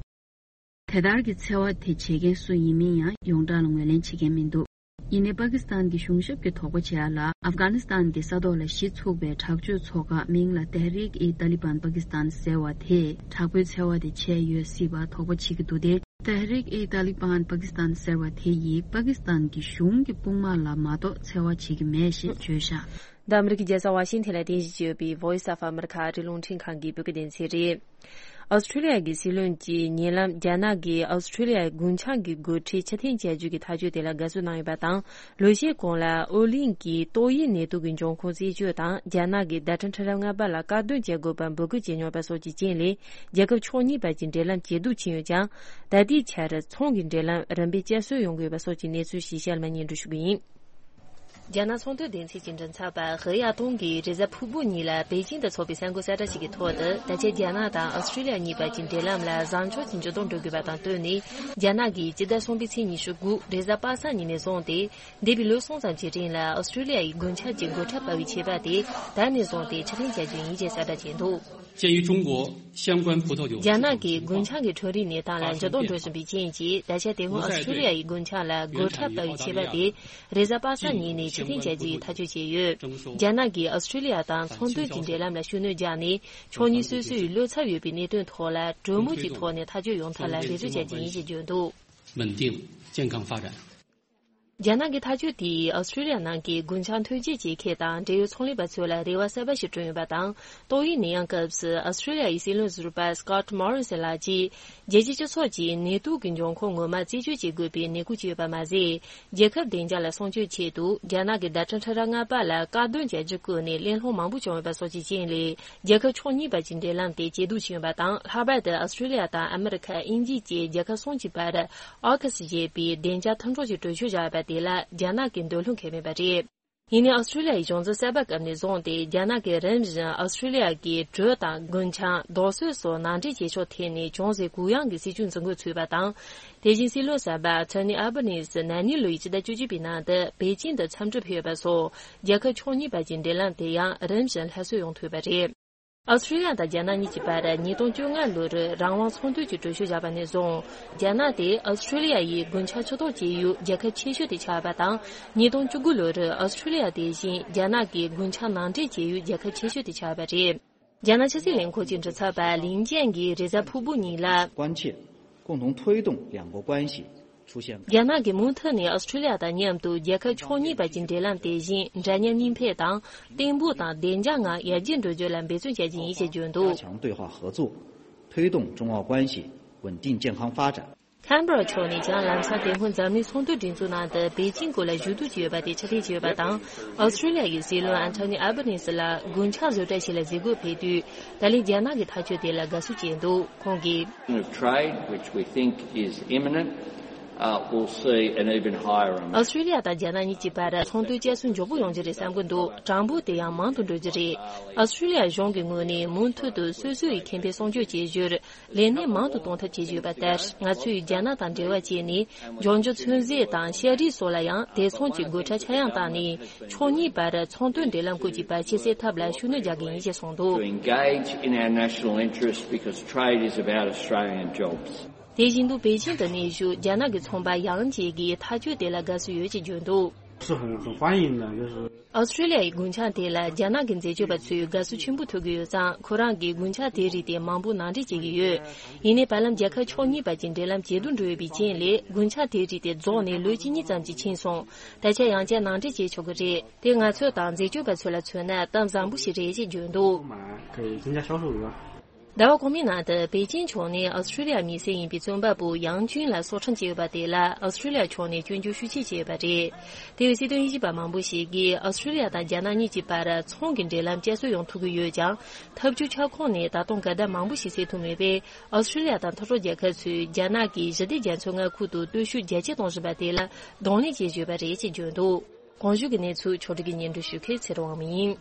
དེ་ལྟར་གྱི་འཚེ་བ་དེ་བྱེད་མཁན་སུ་ཡིན་མིན་ཡང་ཡོངས་གྲགས་ལ་ངོས་ལེན་བྱེད་མཁན་མི་འདུག། ཡིན་ནའི་པ་ཀི་སི་ཐན་གྱི་གཞུང་ཞབས་ཀྱིས་དོགས་པ་བྱས་ཡ་ལ། ཨབ་གྷ་ནི་སི་ཐན་གྱི་ས་ཐོག་ལ་གཞི་ཚུགས་པའི་དྲག་སྤྱོད་ཚོགས་ཁག་མིང་ལ་Tehrik-e-Taliban Pakistan ཟེར་བ་དེས་དྲག་པོའི་འཚེ་བ་དེ་བྱས་ཡོད་སྲིད་པ་དོགས་པ་བྱེད་ཀྱི་འདུག་སྟེ། Tehrik-e-Taliban Pakistan ཟེར་བ་དེ་ཡིས་པ་ཀི་སི་ཐན་གྱི་གཞུང་གི་དཔུང་དམག་ལ་མ་གཏོགས་འཚེ་བ་བྱེད་ཀྱི་མེད་ཞེས་བརྗོད་བཞག། འདི་ཨ་མི་རི་ཀའི་རྒྱལ་ས་ཝ་ཤིང་ཐན་ལ་རྟེན་གཞི་བྱས་ཡོད་པའི་Voice of America ཨ་རིའི་རླུང་འཕྲིན་ཁང་གི་བོད་སྐད་སྡེ་ཚན་རེད། ཨོ་སི་ཁྲུ་ལི་ཡ་གི་སྲིད་བློན་གྱི་ཉེ་ལམ་རྒྱ་ནག་གིས་ཨོ་སི་ཁྲུ་ལི་ཡའི་རྒུན་ཆང་གི་སྒོ་ཁྲལ་ཕྱིར་འཐེན་བྱ་རྒྱུ་གི་ཐག་གཅོད་དེ་ལ་དགའ་བསུ་གནང་ཡོད་པ་དང་། ལོ་ཤས་གོང་ལ་ཨོ་གླིང་གིས་ཏོག་དབྱིབས་ནད་དུག་གི་འབྱུང་ཁུངས་རྩད་གཅོད་དང་། རྒྱ་ནག་གིས་ཟླ་གྲངས་ཁྲི་ཕྲག་ལྔ་པ་ལ་དཀར་འདོན་བྱེད་དགོས་པར་འབོད་སྐུལ་བྱས་མྱོང་བ་སོགས་ཀྱི་རྐྱེན་ལས། རྒྱལ་ཁབ་ཕྱོགས་གཉིས་བར་གྱི་འབྲེལ་ལམ་ཇེ་སྡུག་ཕྱིན་ཡོད་ཀྱང་། ད་ལྟའི་ཆར་ཚོང་གི་འབྲེལ་ལམ་རིམ་པས་བསྐྱར་གསོ་ཡོང་གི་ཡོད་པ་སོགས་ཀྱི་གནས་ཚུལ་ཞིག་གཤམ་ལ་སྙན་སྒྲོན་ཞུ་གི་ཡིན། རྒྱ་ནག་ཚོང་དོན་སྡེ་ཚན་གྱི་མགྲིན་ཚབ་པ་ཧེ་ཡ་ཏུང་གིས་རེས་གཟའ་ཕུར་བུ་ཉིན་ལ་པེ་ཅིང་དུ་འཚོགས་པའི་གསར་འགོད་གསལ་བསྒྲགས་ཤིག་གི་ཐོག་ཏུ། ད་ཆ་རྒྱ་ནག་དང་ཨོ་སི་ཁྲུ་ལི་ཡ་གཉིས་བར་གྱི་འབྲེལ་ལམ་ལ་བཟང་ཕྱོགས་ཀྱི་འགྱུར་ལྡོག་འགྲོ་དགོས་པ་དང་བསྟུན་ནས། རྒྱ་ནག་གིས་སྤྱི་ཟླ་གསུམ་པའི་ཚེས་ཉི་ཤུ་དགུ་རེས་གཟའ་པ་སངས་ཉིན་ནས་བཟུང་སྟེ། འདས་པའི་ལོ་གསུམ་ཙམ་གྱི་རིང་ལ་ཨོ་སི་ཁྲུ་ལི་ཡ་ཡི་རྒུན་ཆང་གི་སྒོ་ཁྲལ་སྤར་བའི་ཆད་པ་དེ་ད་ནས་བཟུང་སྟེ་ཕྱིར་འཐེན་བྱ་རྒྱུ་ཡིན་ཞེས་གསལ་བསྒྲགས་བྱས་འདུག། 鉴于中国相关葡萄酒 རྒྱ་ནག་གིས་རྒུན་ཆང་གི་ཁྲོམ་རའི་གནས་སྟངས་ལ་འགྱུར་ལྡོག་འགྲོ་བཞིན་པའི་རྐྱེན་གྱིས། ད་ཆ་དེ་སྔོན་ཨོ་སི་ཁྲུ་ལི་ཡ་ཡི་རྒུན་ཆང་ལ་སྒོ་ཁྲལ་སྤར་བའི་ཆད་པ་དེ་རེས་གཟའ་པ་སངས་ཉིན་ནས་ཕྱིར་འཐེན་བྱ་རྒྱུ་ཡི་ཐག་གཅོད་བྱས་ཡོད། རྒྱ་ནག་གིས་ཨོ་སི་ཁྲུ་ལི་ཡ་དང་ཚོང་དོན་གྱི་འབྲེལ་ལམ་ལ་ཤུགས་སྣོན་བརྒྱབ་ནས། ཕྱོགས་གཉིས་སོ་སོའི་བློ་འཚབ་ཡོད་པའི་གནད་དོན་ཐོག་ལ་གྲོས་མོལ་གྱི་ཐོག་ནས་ཐག་གཅོད་ཡོང་ཐབས་ལ་རེ་རེ་བྱ་རྒྱུ་ཡིན་ཞེས་བརྗོད་འདུག། 稳定健康发展。རྒྱ་ནག་གི་ཐག་གཅོད་དེས་ཨོ་སི་ཀྲི་ལི་ཡ་ནང་གི་རྒུན་ཆང་ཐོན་སྐྱེད་བྱེད་མཁན་དང་འབྲེལ་ཡོད་ཚོང་ལས་པ་ཚོ་ལ་རེ་བ་གསར་པ་ཞིག་བསྐྲུན་ཡོད་པ་དང་། ཏོག་དབྱིབས་ནད་ཡམས་སྐབས་སུ་ཨོ་སི་ཀྲི་ལི་ཡ་ཡི་སྲིད་བློན་ཟུར་པ་Scott Morrison ལགས་ཀྱིས། རྒྱལ་སྤྱིའི་སྤྱི་ཚོགས་ཀྱིས་ནད་དུག་གི་འབྱུང་ཁུངས་ངོ་མ་རྩད་གཅོད་བྱེད་དགོས་པའི་ནན་སྐུལ་བྱས་ཡོད་པ་མ་ཟད། རྒྱལ་ཁབ་བདེ་འཇགས་ལ་སྲུང་སྐྱོབ་ཆེད་དུ་རྒྱ་ནག་གི་ཟླ་ཁྲག་ཁྲི་ཕྲག་ལྔ་པ་ལ་བཀག་སྡོམ་བྱ་རྒྱུ་བཀོད་ནས་གླེང་སློང་མང་པོ་བྱུང་ཡོད་པ་སོགས་ཀྱི་རྐྱེན་ལས། རྒྱལ་ཁབ་ཕྱོགས་གཉིས་བར་གྱི་འབྲེལ་ལམ་དེ་ཇེ་སྡུག་ཕྱིན་ཡོད་པ་དང་། ལྷག་པར་དུ་ཨོ་སི་ཀྲི་ལི་ཡ་དང་ཨ་མི་རི་ཁ། དབྱིན་ཇི་བཅས་རྒྱལ་ཁབ་གསུམ་གྱི་བར་ཨོ་ཁུ་སི་ཞེས་པའི་བདེ་འཇགས་མཐུན་གྲོགས་ཀྱི་གྲོས་ཆོད་བཞག་ཡོད་པ་དེ་ལ་རྒྱ་ནག་གིས་འདོད་བློ་འཁེལ་མེད་པ་རེད། ཡིན་ནའི་ཨོ་སི་ཀྲི་ལི་ཡ་ཡི་གཞུང་འཛིན་གསར་པ་བཀབ་ནས་བཟུང་སྟེ། རྒྱ་ནག་གིས་རིམ་བཞིན་ཨོ་སི་ཀྲི་ལི་ཡ་གི་གྲོས་དང་རྒུན་ཆང་། རྡོ་སོལ་སོགས་ནང་འདྲེན་བྱེད་ཕྱོགས་ཐད་ནས་ཅུང་ཟད་གུ་ཡངས་ཀྱི་སྲིད་ཇུས་འཛིན་དགོས་ཚུད་པ་དང་། དེ་བཞིན་སྲིད་བློན་གསར་པ་Anthony Albanese ན་ནིང་ལོའི་ཕྱི་ཟླ་བཅུ་གཅིག་པའི་ནང་དུ་པེ་ཅིང་དུ་འཚམས་འདྲིར་ཕེབས་ཡོད་པ་སོགས། རྒྱལ་ཁབ་ཕྱོགས་གཉིས་བར་གྱི་འབྲེལ་ལམ་དེ་ཡང་རིམ་བཞིན་སླར་གསོ་ཡོང་ཐུབ་པ་རེད། ཨོ་སི་ཀྲི་ལི་ཡ་དང་རྒྱ་ནག་གཉིས་ཀྱི་བར་ཉིས་སྟོང་བཅོ་ལྔ་ལོར་རང་དབང་ཚོང་དོན་གྱི་གྲོས་ཆོད་བཞག་པ་ནས་བཟུང་། རྒྱ་ནག་དེ་ཨོ་སི་ཀྲི་ལི་ཡ་ཡི་རྒུན་ཆང་ཕྱིར་གཏོང་བྱེད་ཡུལ་རྒྱལ་ཁབ་ཆེ་ཤོས་དེ་ཆགས་པ་དང་། ཉིས་སྟོང་བཅུ་དགུ་ལོར་ཨོ་སི་ཀྲི་ལི་ཡ་དེ་བཞིན་རྒྱ་ནག་གི་རྒུན་ཆང་ནང་འདྲེན་བྱེད་ཡུལ་རྒྱལ་ཁབ་ཆེ་ཤོས་དེ་ཆགས་པ་རེད། རྒྱ་ནག་ཕྱི་སྲིད་ལས་ཁུངས་ཀྱི་མགྲིན་ཚབ་པ་ལིན་ཅན་གྱིས་རེས་གཟའ་ཕུར་བུ་ཉིན་ལ། 关切，共同推动两国关系 རྒྱ་ནག་གིས་མུ་མཐུད་ནས་ཨོ་སི་ཀྲི་ལི་ཡ་དང་མཉམ་དུ་རྒྱལ་ཁབ་ཕྱོགས་གཉིས་བར་གྱི་འབྲེལ་ལམ་དེ་བཞིན་འདྲ་མཉམ་གཉིས་ཕན་དང་། བརྟན་པོ་དང་བདེ་འཇགས་ངང་ཡར་རྒྱས་འགྲོ་རྒྱུ་ལ་འབད་བརྩོན་བྱ་རྒྱུ་ཡིན་ཞེས་བརྗོད་འདུག 加强对话合作，推动中澳关系稳定健康发展。 ཁན་བྷ་ར་ཕྱོགས་ནས་ཀྱང་ལམ་སང་དེ་སྔོན་འཛམ་གླིང་ཚོང་དོན་སྒྲིག་འཛུགས་ནང་དུ་པེ་ཅིང་སྐོར་ལ་ཞུ་གཏུག་བྱས་ཡོད་པ་དེ་ཕྱིར་འཐེན་བྱས་ཡོད་པ་དང་། ཨོ་སི་ཀྲི་ལི་ཡ་ཡི་སྲིད་བློན་Anthony Albanese ལ་རྒུན་ཆང་བཟོ་གྲྭ་ཞིག་ལ་གཟིགས་སྐོར་ཕེབས་དུས། ད་ལན་རྒྱ་ནག་གི་ཐག་གཅོད་དེ་ལ་དགའ་བསུ་བྱས་འདུག་ཁོང་གིས། Trade, which we think is imminent, uh, will see an even higher amount. ཨོ་སི་ཀྲི་ལི་ཡ་དང་རྒྱ་ནག་གཉིས་ཀྱི་བར་ཚོང་དོན་བསྐྱར་གསོ་མགྱོགས་པོ་ཡོང་རྒྱུ་རེད་བསམ་གྱི་འདུག་གྲངས་འབོར་དེ་ཡང་མང་དུ་འགྲོ་རྒྱུ་རེད། ཨོ་སི་ཀྲི་ལི་ཡ་གཞུང་གི་ངོས་ནས་མུ་མཐུད་དུ་སོ་སོ་ཡི་ཁེ་ཕན་སྲུང་སྐྱོབ་བྱེད་རྒྱུར་ལས་གནས་མང་དུ་གཏོང་ཐབས་བྱེད་བཞིན་ཡོད་པ་ལྟར། ང་ཚོས་རྒྱ་ནག་དང་འབྲེལ་བ་བྱས་ནས་ལྗོངས་རྒྱུ་ཚོད་རྫས་དང་ཤ་རིགས་སོགས་ལ་ཡང་དེ་མཚུངས་ཀྱི་སྒོ་ཁྲལ་ཆག་ཡང་བཏང་ནས། ཕྱོགས་གཉིས་བར་ཚོང་དོན་འབྲེལ་ལམ་སྐོར་གྱི་བར་ཆད་སེལ་ཐབས་ལ་ཤུགས་སྣོན་རྒྱག་གི་ཡིན་ཞེས་གསུངས་འདུག To engage in our national interests because trade is about Australian jobs. དེ་བཞིན་དུ་པེ་ཅིང་དུ་གནས་བཞུགས་རྒྱ་ནག་གི་ཚོང་པ་ཡང་ཅིག་གིས་ཐག་གཅོད་དེ་ལ་དགའ་བསུ་ཡོད་ཅེས་བརྗོད་འདུག 是很很欢迎的，就是 ཨོ་སི་ཀྲི་ལི་ཡ་ཡི་རྒུན་ཆང་དེ་ལ་རྒྱ་ནག་གི་འཛད་སྤྱོད་པ་ཚོས་དགའ་བསུ་ཆེན་པོ་ཐོབ་ཀྱི་ཡོད་ཙང་། ཁོ་རང་གིས་རྒུན་ཆང་དེའི་རིགས་དེ་མང་པོ་ནང་འདྲེན་བྱེད་ཀྱི་ཡོད། ཡིན་ནའི་བར་ལམ་རྒྱལ་ཁབ་ཕྱོགས་གཉིས་བར་གྱི་འབྲེལ་ལམ་ཇེ་སྡུག་འགྲོ་ཡོད་པའི་རྐྱེན་ལས། རྒུན་ཆང་དེའི་རིགས་དེ་རྫོགས་ནས་ལོ་གཅིག་གཉིས་ཙམ་གྱིས་ཕྱིན་སོང་། ད་ཆ་ཡང་བསྐྱར་ནང་འདྲེན་བྱེད་ཆོག་གི་རེད། དེ་ང་ཚོ་དང་འཛད་སྤྱོད་པ་ཚོ་ལ་མཚོན་ན་གཏམ་བཟང་པོ་ཞིག་རེད་ཅེས་བརྗོད་འདུག 买可以增加销售额。 ཟླ་བ་གོང་མའི་ནང་དུ་པེ་ཅིང་ཕྱོགས་ནས་ཨོ་སི་ཀྲི་ལི་ཡ་མི་སེར་ཡིན་པའི་བཙོན་པ་པོ་ཡང་ཅུན་ལ་སྲོག་ཁྲིམས་བཅད་ཡོད་པ་དེ་ལ་ཨོ་སི་ཀྲི་ལི་ཡ་ཕྱོགས་ནས་སྐྱོན་བརྗོད་ཤུགས་ཆེ་བྱས་ཡོད་པ་རེད། དེ་བས་སྲིད་དོན་དབྱེ་ཞིབ་པ་མང་པོ་ཞིག་གིས་ཨོ་སི་ཀྲི་ལི་ཡ་དང་རྒྱ་ནག་གཉིས་ཀྱི་བར་ཚོང་གི་འབྲེལ་ལམ་བསྐྱར་གསོ་ཡོང་ཐུབ་ཀྱི་ཡོད་ཀྱང་། འཐབ་ཇུས་ཁྱབ་ཁོངས་ནས་ད་དུང་འགལ་ཟླ་མང་པོ་ཞིག་སེལ་ཐུབ་མེད་པས། ཨོ་སི་ཀྲི་ལི་ཡ་དང་མཐུན་གྲོགས་རྒྱལ་ཁབ་ཚོས་རྒྱ་ནག་གིས་ཞི་བདེ་རྒྱ་མཚོའི་མངའ་ཁུལ་དུ་སྟོབས་ཤུགས་རྒྱ་སྐྱེད་གཏོང་བཞིན་པ་དེ་ལ་གདོང་ལེན་བྱེད་བཞིན་ཡོད་པ་རེད་ཅེས་བརྗོད་འདུག་གོང་ཞུས་ཀྱི་གནས་ཚུལ་ཕྱོགས་སྒྲིག་གིས་སྙན་སྒྲོན་ཞུ་མཁན་ཚེ་རིང་དབང་མོ་ཡིན།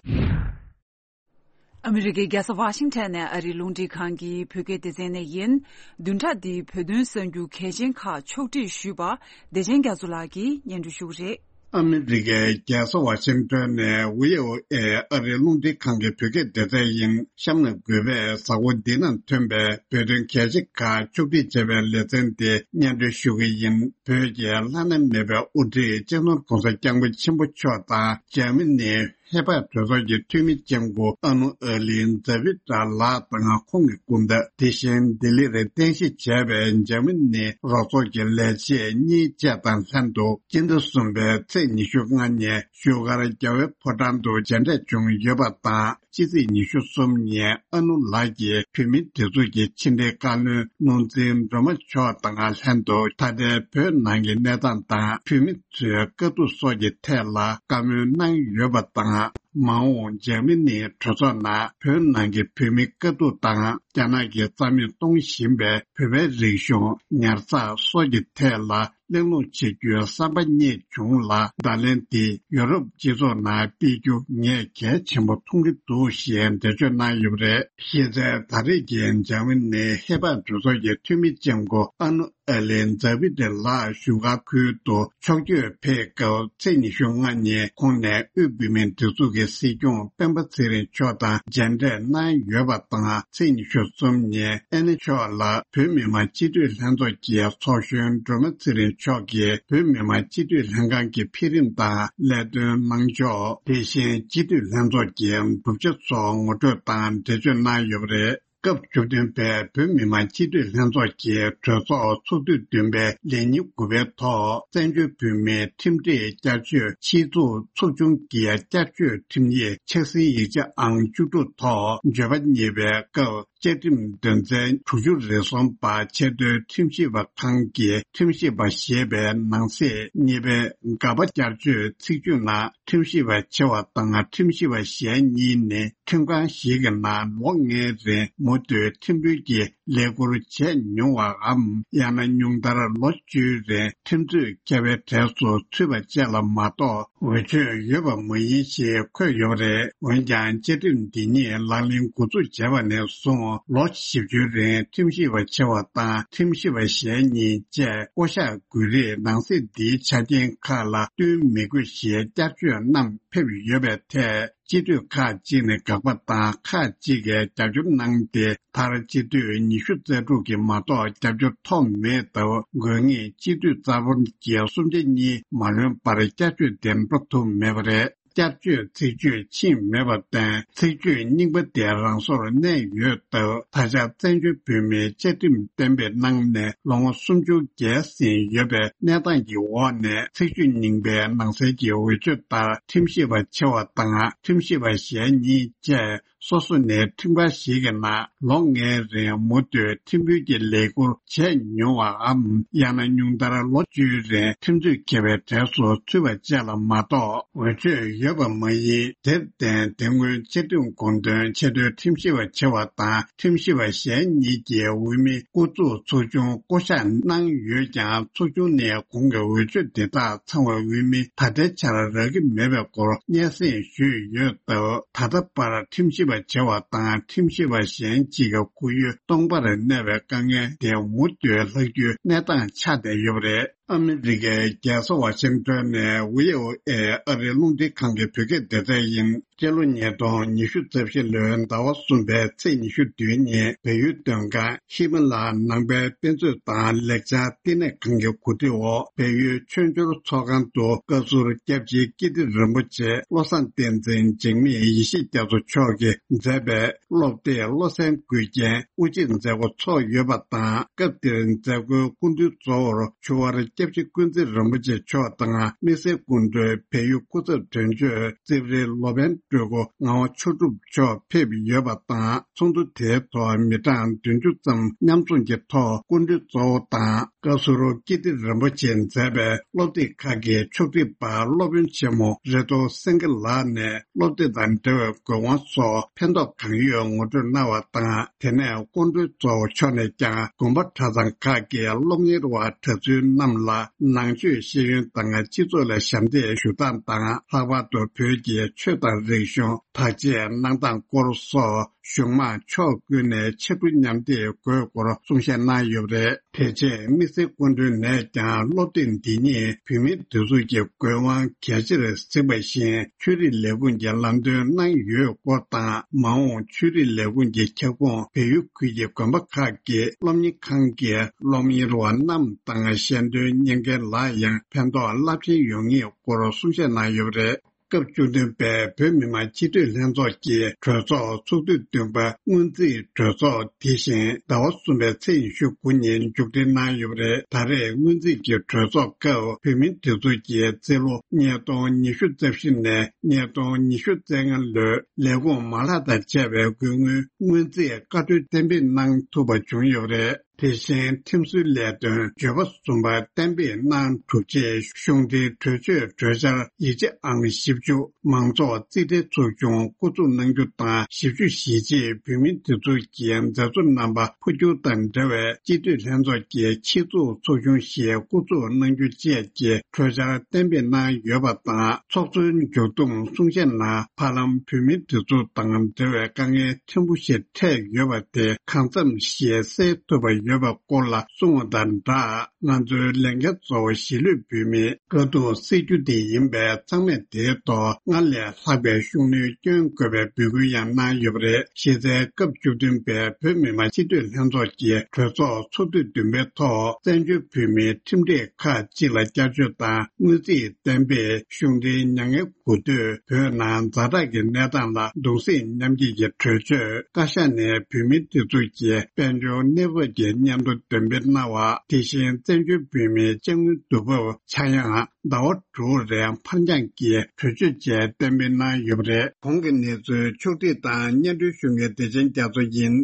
ཨ་མི་རི་ཀའི་རྒྱལ་ས་ཝ་ཤིང་ཊོན་ནས་ཨ་རིའི་རླུང་འཕྲིན་ཁང་གི་བོད་སྐད་སྡེ་ཚན་ནས་ཡིན། བདུན་ཕྲག་འདིའི་བོད་དོན་གསར་འགྱུར་གལ་ཆེན་ཁག་ཕྱོགས་སྒྲིག་ཞུས་པ་བདེ་ཆེན་རྒྱ་མཚོ་ལགས་ཀྱིས་སྙན་སྒྲོན་ཞུ་གི་རེད། ཨ་མི་རི་ཀའི་རྒྱལ་ས་ཝ་ཤིང་ཊོན་ནས་ཝི་ཨོ་ཨེ་ཨ་རིའི་རླུང་འཕྲིན་ཁང་གི་བོད་སྐད་སྡེ་ཚན་ཡིན། གཤམ་ལ་འགོད་པའི་གཟའ་འཁོར་འདི་ནང་ཐོན་པའི་བོད་དོན་གལ་ཆེ་ཁག་ཕྱོགས་སྒྲིག་བྱས་པའི་ལེ་ཚན་དེ་སྙན་སྒྲོན་ཞུ་གི་ཡིན། བོད་ཀྱི་བླ་ན་མེད་པའི་དབུ་ཁྲིད་སྤྱི་ནོར་༸གོང་ས་༸སྐྱབས་མགོན་ཆེན་པོ་མཆོག་དང་འཇར་མ་ནིའི་ཧེ་པར་གྲོས་ཚོགས་ཀྱི་འཐུས་མི་ལྕམ་སྐུ་ཨ་ནུ་ཨ་ལིན་ཛ་བི་ཏྲ་ལགས་དང་ཁོང་གི་སྐུ་ཟླ། དེ་བཞིན་ལྡི་ལིར་རྟེན་གཞི་བྱས་པའི་འཇར་མ་ནིའི་རོགས་ཚོགས་ཀྱི་ལས་བྱེད་གཉིས་བཅས་དང་ལྷན་དུ། སྤྱི་ཟླ་གསུམ་པའི་ཚེས་ཉི་ཤུ་ལྔ་ཉིན་བཞུགས་སྒར་རྒྱལ་བའི་ཕོ་བྲང་དུ་མཇལ་འཕྲད་བྱུང་ཡོད་པ་དང་། ཕྱི་ཚེས་ཉི་ཤུ་གསུམ་ཉིན་ཨ་ནུ་ལགས་ཀྱིས་བོད་མིའི་སྒྲིག་འཛུགས་ཀྱི་ཕྱི་འབྲེལ་བཀའ་བློན་ནོར་འཛིན་སྒྲོལ་མ་མཆོག་དང་ལྷན་དུ། ད་ལྟའི་བོད་ནང་གི་གནས་སྟངས་དང་། བོད་མི་ཚོའི་དཀའ་སྡུག་སོགས་ཀྱི་ཐད་ལ་བཀའ་མོལ་གནང་ཡོད་པ་དང་། མ་འོངས་འཇར་མ་ནིའི་གྲོས་ཚོགས་ནང་བོད་ནང་གི་བོད་མིའི་དཀའ་སྡུག་དང་། རྒྱ་ནག་གིས་རྩ་མེད་གཏོང་བཞིན་པའི་བོད་པའི་རིག་གཞུང་ཉར་ཚགས་སོགས་ཀྱི་ཐད་ལ་གླེང་སློང་བྱེད་རྒྱུའི་བསམ་པ་རྙེད་བྱུང་ལ། བརྡ་ལན་དེ་ཡུ་རོབ་སྤྱི་ཚོགས་ནང་སྤེལ་རྒྱུ་ངས་གལ་ཆེན་པོ་མཐོང་གི་འདུག་ཞེས་འགྲེལ་བརྗོད་གནང་ཡོད་པ་རེད། གཞི་རྩའི་ད་རེས་ཀྱི་འཇར་མ་ནིའི་ཧེ་པར་གྲོས་ཚོགས་ཀྱི་འཐུས་མི་ལྕམ་སྐུ་ཨ་ནུ་ཨ་ལེན་ཛ་བི་ཏེ་ལགས་བཞུགས་སྒར་ཁུལ་དུ་ཕྱོགས་བསྐྱོད་ཕེབས་སྐབས། ཚེས་ཉི་ཤུ་ལྔ་ཉིན་ཁོང་ནས་དབུས་བོད་མིའི་སྒྲིག་འཛུགས་ཀྱི་སྲིད་སྐྱོང་སྤེན་པ་ཚེ་རིང་མཆོག་དང་མཇལ་འཕྲད་གནང་ཡོད་པ་དང་། ཚེས་ཉི་ཤུ་གསུམ་ཉིན་ཨ་ནེ་མཆོག་ལ་བོད་མི་མང་སྤྱི་འཐུས་ལྷན་ཚོགས་ཀྱི་ཚོགས་གཞོན་སྒྲོལ་མ་ཚེ་རིང་མཆོག་གིས་བོད་མི་མང་སྤྱི་འཐུས་ལྷན་ཁང་གི་འཕེལ་རིམ་དང་ལས་དོན་གནང་ཕྱོགས། དེ་བཞིན་སྤྱི་འཐུས་ལྷན་ཚོགས་ཀྱི་གྲུབ་ཆ་སོགས་ངོ་སྤྲོད་དང་འགྲེལ་བརྗོད་གནང་ཡོད་པ་རེད། སྐབས་བཅུ་བདུན་པའི་བོད་མི་མང་སྤྱི་འཐུས་ལྷན་ཚོགས་ཀྱི་གྲོས་ཚོགས་ཚོགས་དུས་བདུན་པའི་ལས་ཉིན་དགུ་པའི་ཐོག་བཙན་བྱོལ་བོད་མིའི་ཁྲིམས་སྒྲིག་བསྐྱར་བཅོས་ཆེད་འཛུགས་ཚོགས་ཆུང་གི་བསྐྱར་བཅོས་ཁྲིམས་ཡིག་ཆགས་ཟིན་ཡིག་ཆ་ཨང་བཅུ་དྲུག་ཐོག་བརྗོད་པ་གཉིས་པའི་སྐབས། བཅའ་ཁྲིམས་དོན་ཚན་དྲུག་ཅུ་རེ་གསུམ་པ་ཆེས་མཐོའི་ཁྲིམས་ཞིབ་པ་ཁང་གི་ཁྲིམས་ཞིབ་པ་ཞེས་པའི་ནང་གསེས་གཉིས་པའི་ག་པ་བསྐྱར་བཅོས་ཚིག་བརྗོད་ནང་། ཁྲིམས་ཞིབ་པ་ཆེ་བ་དང་ཁྲིམས་ཞིབ་པ་གཞན་གཉིས་ནི་ཁྲིམས་ཁང་ཞིག་གི་ནང་ལོ་ལྔའི་རིང་མུ་མཐུད་ཁྲིམས་དཔོན་གྱི་ལས་ཁུར་བྱས་མྱོང་བའམ། ཡང་ན་ཉུང་མཐར་ལོ་བཅུའི་རིང་ཁྲིམས་རྩོད་མཁས་པའི་གྲས་སུ་ཚུད་པ་བཅས་ལ་མ་གཏོགས། འོས་ཆོས་ཡོད་པ་མ་ཡིན་ཞེས་འཁོད་ཡོད་པ་རེད། འོན་ཀྱང་བཅའ་ཁྲིམས་འདི་ཉིད་ལག་ལེན་འགོ་འཛུགས་བྱས་པ་ནས་བཟུང་ལོ་བཞི་བཅུའི་རིང་ཁྲིམས་ཞིབ་པ་ཆེ་བ་དང་ཁྲིམས་ཞིབ་པ་གཞན་གཉིས་བཅས་བསྐོ་གཞག་དགོས་རིགས་ནང་གསེས་འདིའི་ཆ་རྐྱེན་ཁག་ལ་བསྟུན་མི་དགོས་ཞེས་བསྐྱར་བཅོས་རྣམས་ཕེབས་ཡོད་པའི་ཐད། སྤྱི་འཐུས་ཁག་ཅིག་ནས་དགག་པ་དང་ཁག་ཅིག་གིས་རྒྱབ་སྐྱོར་གནང་སྟེ། མཐར་སྤྱི་འཐུས་ཉི་ཤུ་རྩ་དྲུག་གིས་མ་གཏོགས་རྒྱབ་སྐྱོར་ཐོབ་མེད་སྟབས། དགོས་ངེས་སྤྱི་འཐུས་རྩ་འབོར་གྱི་གསུམ་ཆ་གཉིས་མ་ལོན་པར་བསྐྱར་བཅོས་དེ་འགྲོ་ཐུབ་མེད་པ་རེད། བསྐྱར་བཅོས་ཚིག་བརྗོད་ཕྱིན་མེད་པར་བརྟེན། ཚིག་བརྗོད་རྙིང་པ་དེ་རང་སོར་གནས་ཡོད་སྟབས། ད་ཆ་བཙན་བྱོལ་བོད་མིའི་བཅའ་ཁྲིམས་གཏན་འབེབས་གནང་ནས་ལོ་ངོ་སུམ་ཅུ་བརྒལ་ཟིན་ཡོད་པའི་གནས་སྟངས་ཀྱི་འོག་ནས། ཚིག་བརྗོད་རྙིང་པའི་ནང་གསལ་གྱི་འོས་ཆོས་ལྟར་ཁྲིམས་ཞིབ་པ་ཆེ་བ་དང་ཁྲིམས་ཞིབ་པ་གཞན་གཉིས་བཅས། སོ་སོ་ནས་ཁྲིམས་ཁང་ཞིག་གི་ནང་ལོ་ལྔའི་རིང་མུ་མཐུད་ཁྲིམས་དཔོན་གྱི་ལས་ཁུར་བྱས་མྱོང་བའམ། ཡང་ན་ཉུང་མཐར་ལོ་བཅུའི་རིང་ཁྲིམས་རྩོད་མཁས་པའི་གྲས་སུ་ཚུད་པ་བཅས་ལ་མ་གཏོགས། འོས་ཆོས་ཡོད་པ་མ་ཡིན། དེར་བརྟེན། དེ་སྔོན་བཅའ་ཁྲིམས་དགོངས་དོན་ཆེས་མཐོའི་ཁྲིམས་ཞིབ་པ་ཆེ་བ་དང་ཁྲིམས་ཞིབ་པ་གཞན་གཉིས་ཀྱི་འོས་མི་སྐུ་ཚབ་ཚོགས་ཆུང་བསྐོ་གཞག་གནང་ཡོད་ཀྱང་། ཚོགས་ཆུང་ནས་གོང་གི་འོས་ཆོས་དེ་དག་ཚང་བའི་འོས་མི་ད་ལྟའི་ཆར་རག་གི་མེད་པའི་སྐོར་སྙན་སེང་ཞུས་ཡོད་སྟབས། ད་ལྟ་བར་ཁྲིམས་ཞིབ་པ་བྱ་བ་དང་ཁྲིམས་ཞིབ་པ་གཞན་གཅིག་གི་ཁོར་ཡུག་སྟོང་པར་གནས་པའི་དཀའ་ངལ་དེ་མུ་མཐུད་ལྷག་རྒྱུའི་གནས་སྟངས་ཆགས་བསྡད་ཡོད་པ་རེད། ཨ་མི་རི་ཀའི་རྒྱལ་ས་ཝ་ཤིང་ཏོན་ནས་བྷི་ཨོ་ཨེ་ཨ་རིའི་རླུང་འཕྲིན་ཁང་གི་བོད་སྐད་སྡེ་ཚན་ཡིན། སྤྱི་ལོ་ཉིས་སྟོང་ཉི་ཤུ་རྩ་བཞི་ལོའི་ཟླ་བ་གསུམ་པའི་ཚེས་ཉི་ཤུ་བདུན་ཉིན། བལ་ཡུལ་སྟོན་ཁང་ཧི་མ་ལ་ནང་པའི་དཔེ་མཛོད་དང་ལེགས་སྦྱར་བསྟི་གནས་ཁང་གི་གོ་སྒྲིག་འོག་བལ་ཡུལ་ཆོས་འབྱོར་ཚོགས་ཁང་དུ་བཀའ་ཟུར་སྐྱབས་རྗེ་ཀིརྟི་རིན་པོ་ཆེ་བློ་བཟང་བསྟན་འཛིན་འཇིགས་མེད་ཡེ་ཤེས་རྒྱ་མཚོ་མཆོག་གིས་མཛད་པའི་སློབ་དེབ་བློ་གསལ་མགུལ་རྒྱན་དབུ་འབྱེད་མཛད་སྒོ་ཚོགས་ཡོད་པ་དང་། སྐབས་དེར་མཛད་སྒོའི་སྐུ་མགྲོན་གཙོ་བོར་ཆུ་དབར་སྐྱབས་རྗེ་ཀུན་གཟིགས་རིན་པོ་ཆེ་མཆོག་དང་། དམིགས་བསལ་སྐུ་མགྲོན་བལ་ཡུལ་སྐུ་ཚབ་དོན་གཅོད་རྩིབ་རི་ལོ་པཎ་སྤྲུལ་སྐུ་ངག་དབང་ཆོས་གྲུབ་མཆོག་ཕེབས་ཡོད་པ་དང་། ཚོགས་འདུ་དེའི་ཐོག་མི་གྲངས་བདུན་ཅུ་ཙམ་མཉམ་འཛོམས་ཀྱི་ཐོག་སྐུ་མགྲོན་གཙོ་བོ་དང་། བཀའ་ཟུར་ཀིརྟི་རིན་པོ་ཆེས་མཛད་པའི་སློབ་དེབ་ཁག་གི་ཕྱོགས་སྒྲིག་པ་སློབ་དཔོན་ཆེན་མོ་རེ་ཏོ་སེང་གེ་ལགས་ནས། སློབ་དེབ་དང་འབྲེལ་བའི་དགོས་དབང་སོགས་ཕན་ཐོགས་གང་ཡོད་ངོ་སྤྲོད་གནང་བ་དང་། དེ་ནས་སྐུ་མགྲོན་གཙོ་བོ་མཆོག་ནས་ཀྱང་དགོན་པ་གྲྭ་ཚང་ཁག་གི་སློབ་གཉེར་བ་གྲྭ་བཙུན་རྣམས་ལ་ནང་ཆོས་ཤེས་ཡོན་དང་སྤྱི་ཚོགས་ལ་ཞབས་འདེགས་ཞུ་སྟངས་དང་། ལྷག་པར་དུ་བོད་ཀྱི་ཆོས་དང་རིག་གཞུང་བདག་གཅེས་གནང་སྟངས་སྐོར་སོགས་གཞུང་མང་ཕྱོགས་ཀུན་ནས་ཕྱར་གྲུ་མཉམ་འདེགས་དགོས་སྐོར་གསུང་བཤད་གནང་ཡོད་པ་རེད། དེ་རྗེས་དམིགས་བསལ་སྐུ་མགྲོན་ནས་ཀྱང་སློབ་དེབ་འདི་ཉིད་བོད་མིའི་སྒྲིག་འཛུགས་ཀྱི་དགོས་དབང་གལ་ཆེར་གཟིགས་པ་བཞིན། ཆོས་རིག་ལས་ཁུངས་ཀྱི་ལམ་སྟོན་གནང་ཡོད་སྐོར་དང་། མ་འོངས་ཆོས་རིག་ལས་ཁུངས་ཀྱི་ཁྱབ་ཁོངས་བལ་ཡུལ་ཁུལ་གྱི་དགོན་པ་ཁག་གི་སློབ་གཉེར་ཁང་གི་སློབ་གཉེར་བ་རྣམས་དང་ཤེས་འདོན་གཉེར་མཁན་ལ་ཡང་ཕན་ཐོགས་རླབས་ཆེན་ཡོང་ངེས་སྐོར་གསུང་བཤད་གནང་ཡོད་པ་རེད། སྐབས་བཅུ་བདུན་པའི་བོད་མི་མང་སྤྱི་འཐུས་ལྷན་ཚོགས་ཀྱི་གྲོས་ཚོགས་ཚོགས་དུས་བདུན་པ་སྔོན་རྩིས་གྲོས་ཚོགས་དེ་བཞིན་ཟླ་བ་གསུམ་པའི་ཚེས་ཉི་ཤུ་དགུ་ཉིན་མཇུག་སྒྲིལ་གནང་ཡོད་པ་རེད། ད་རེས་སྔོན་རྩིས་ཀྱི་གྲོས་ཚོགས་སྐབས་བོད་མིའི་སྒྲིག་འཛུགས་ཀྱི་རྩིས་ལོ་ཉིས་སྟོང་ཉི་ཤུ་རྩ་བཞི་ནས་ཉིས་སྟོང་ཉི་ཤུ་རྩ་ལྔ་ལོའི་ལས་ཁུངས་མ་ལག་དང་བཅས་པའི་དགོས་དངུལ་སྔོན་རྩིས་བཀའ་འཁྲོལ་གཏན་འབེབས་གནང་ཐུབ་པ་བྱུང་ཡོད་པ་རེད། དེ་བཞིན་ཁྲིམས་སྲོལ་ལས་དོན་བརྗོད་པ་གསུམ་པ་གཏན་འབེབས་གནང་གྲུབ་རྗེས། གཞུང་འབྲེལ་གྲོས་ཆོད་གྲོས་འཆར་ཡིག་ཆ་ཨང་བཞི་བཅུ། མང་ཚོགས་རྩིས་ཁྲའི་ཚོགས་ཆུང་བསྐོ་འཛུགས་གནང་རྒྱུ་དང་། བཞི་བཅུ་ཞེ་གཅིག་བོད་མིའི་སྒྲིག་འཛུགས་ཀྱི་མཛད་གཙོ་རྣམ་པ་འཕོ་འགྱུར་དང་འབྲེལ་བའི་སྤྱི་འཐུས་ལྷན་ཚོགས་ཀྱི་ཆེད་འཛུགས་ཚོགས་ཆུང་ཞིག་བསྐོ་འཛུགས་གནང་རྒྱུ་བཅས་ཀྱི་གྲོས་འཆར་གཏན་འབེབས་གནང་ཡོད་པ་དང་། ཚོགས་གཙོའི་མཇུག་བསྡོམས་གསུང་བཤད་ནང་། ཧ་ལམ་བོད་མིའི་སྒྲིག་འཛུགས་དང་འབྲེལ་བའི་དཀའ་ངལ་ཕྲན་བུ་ཞིག་འཕྲད་ཡོད་པ་དེ་གང་འཚམ་ཞིག་སེལ་ཐུབ་པ་ཡོད། ཡོད་པའི་སྐོར་ལ་གསུངས་པ་དང་སྦྲགས། ང་ཚོའི་ལས་འགན་གཙོ་བོ་གཞིས་ལུས་བོད་མིའི་དཀའ་སྡུག་སེལ་རྒྱུ་དེ་ཡིན་པས། ཚང་མས་དེའི་ཐོག་སྔར་ལས་ལྷག་པའི་ཤུགས་སྣོན་བསྐྱོན་དགོས་པའི་འབོད་སྐུལ་ཡང་གནང་ཡོད་པ་རེད། གཞི་རྩའི་སྐབས་བཅུ་བདུན་པའི་བོད་མི་མང་སྤྱི་འཐུས་ལྷན་ཚོགས་ཀྱི་གྲོས་ཚོགས་ཚོགས་དུས་བདུན་པའི་ཐོག་བཙན་བྱོལ་བོད་མིའི་ཁྲིམས་སྒྲིག་ཁག་ཅིག་ལ་བསྐྱར་བཅོས་དང་། དངུལ་རྩིས་གཏན་འབེབས། གཞུང་འབྲེལ་མྱ་ངན་གུས་འདུད། བོད་ནང་ཛ་དྲག་གི་གནས་སྟངས་ལ་གདུང་སེམས་མཉམ་སྐྱེད་ཀྱི་གྲོས་ཆོད། བཀའ་ཤག་ནས་བོད་མི་སྒྲིག་འཛུགས་ཀྱི་དཔལ་འབྱོར་གནས་བབ་ཀྱི་སྙན་ཐོ་འདོན་སྤེལ་གནང་བ། དེ་བཞིན་བཙན་བྱོལ་བོད་མིའི་ཅ་དངོས་བསྡུ་འབབ་ཆག་ཡང་ཟླ་བ་དྲུག་རིང་ཕར་འགྱངས་ཀྱི་གྲོས་ཆོད་བཅས་གཏན་འབེབས་གནང་ཡོད་པ་རེད། གོང་གི་གནས་ཚུལ་ཕྱོགས་བསྒྲིགས་དང་སྙན་སྒྲོན་ཞུ་མཁན་བདེ་ཆེན་རྒྱ་མཚོ་ཡིན།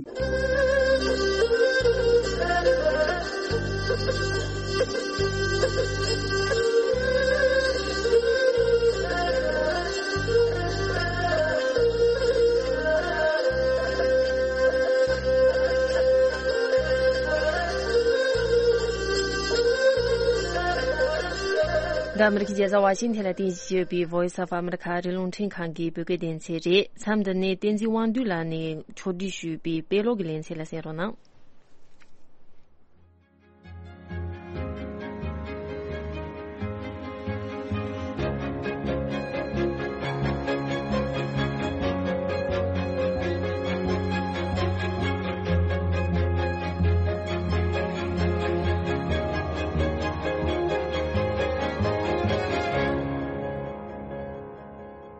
འདི་ཨ་མི་རི་ཀའི་རྒྱལ་ས་ཝ་ཤིང་ཐན་ལ་རྟེན་གཞི་བྱས་ཡོད་པའི་Voice of America ཨ་རིའི་རླུང་འཕྲིན་ཁང་གི་བོད་སྐད་སྡེ་ཚན་རེད། མཚམས་འདི་ནས་བསྟན་འཛིན་དབང་འདུས་ལགས་ནས་ཕྱོགས་སྒྲིག་ཞུས་པའི་དཔེ་ཀློག་གི་ལེ་ཚན་ལ་གསན་རོགས་གནང་།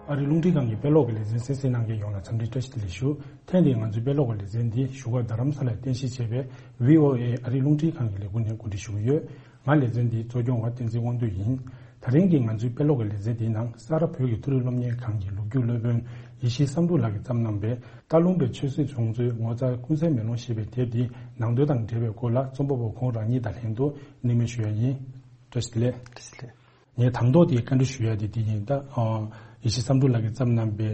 ཨ་རིའི་རླུང་འཕྲིན་ཁང་གི་དཔེ་ཀློག་གི་ལེ་ཚན་གསན་གཟིགས་གནང་མཁན་ཡོངས་ལ་འཚམས་འདྲི་བཀྲ་ཤིས་བདེ་ལེགས་ཞུ། ཐེངས་འདིའི་ང་ཚོའི་དཔེ་ཀློག་གི་ལེ་ཚན་འདི་བཞུགས་སྒར་རྡ་རམ་ས་ལར་རྟེན་གཞི་བྱས་པའི་བྷི་ཨོ་ཨེ་ཨ་རིའི་རླུང་འཕྲིན་ཁང་གི་ལས་ཁུངས་ནས་གོ་སྒྲིག་ཞུ་གི་ཡོད། ང་ལེ་ཚན་འདིའི་གཙོ་སྐྱོང་བ་བསྟན་འཛིན་དབང་འདུས་ཡིན། ད་རིང་གི་ང་ཚོའི་དཔེ་ཀློག་གི་ལེ་ཚན་འདིའི་ནང་། ས་རཱ་བོད་ཀྱི་མཐོ་རིམ་སློབ་གཉེར་ཁང་གི་ལོ་རྒྱུས་སློབ་དཔོན་ཡེ་ཤེས་བསམ་འགྲུབ་ལགས་ཀྱིས་བརྩམས་གནང་བའི་སྟག་ལུང་པའི་ཆོས་སྲིད་བྱུང་ཚུལ་ངོ་མཚར་ཀུན་གསལ་མེ་ལོང་ཞེས་པའི་དེབ་འདིའི་ནང་དོན་དང་འབྲེལ་བའི་སྐོར་ལ་རྩོམ་པ་པོ་ཁོང་རང་ཉིད་དང་ལྷན་དུ་གླེང་མོལ་ཞུ་ཡ་ཡིན། བཀྲ་ཤིས་བདེ་ལེགས། བཀྲ་ཤིས་བདེ་ལེགས། ངས་དང་ཐོག་དེ་བཀའ་འདྲི་ཞུ་ཡ་དེ་དེ་ཡིན། ད་ཨ་ཡེ་ཤེས་བསམ་འགྲུབ་ལགས་ཀྱིས་བརྩམས་གནང་པའི་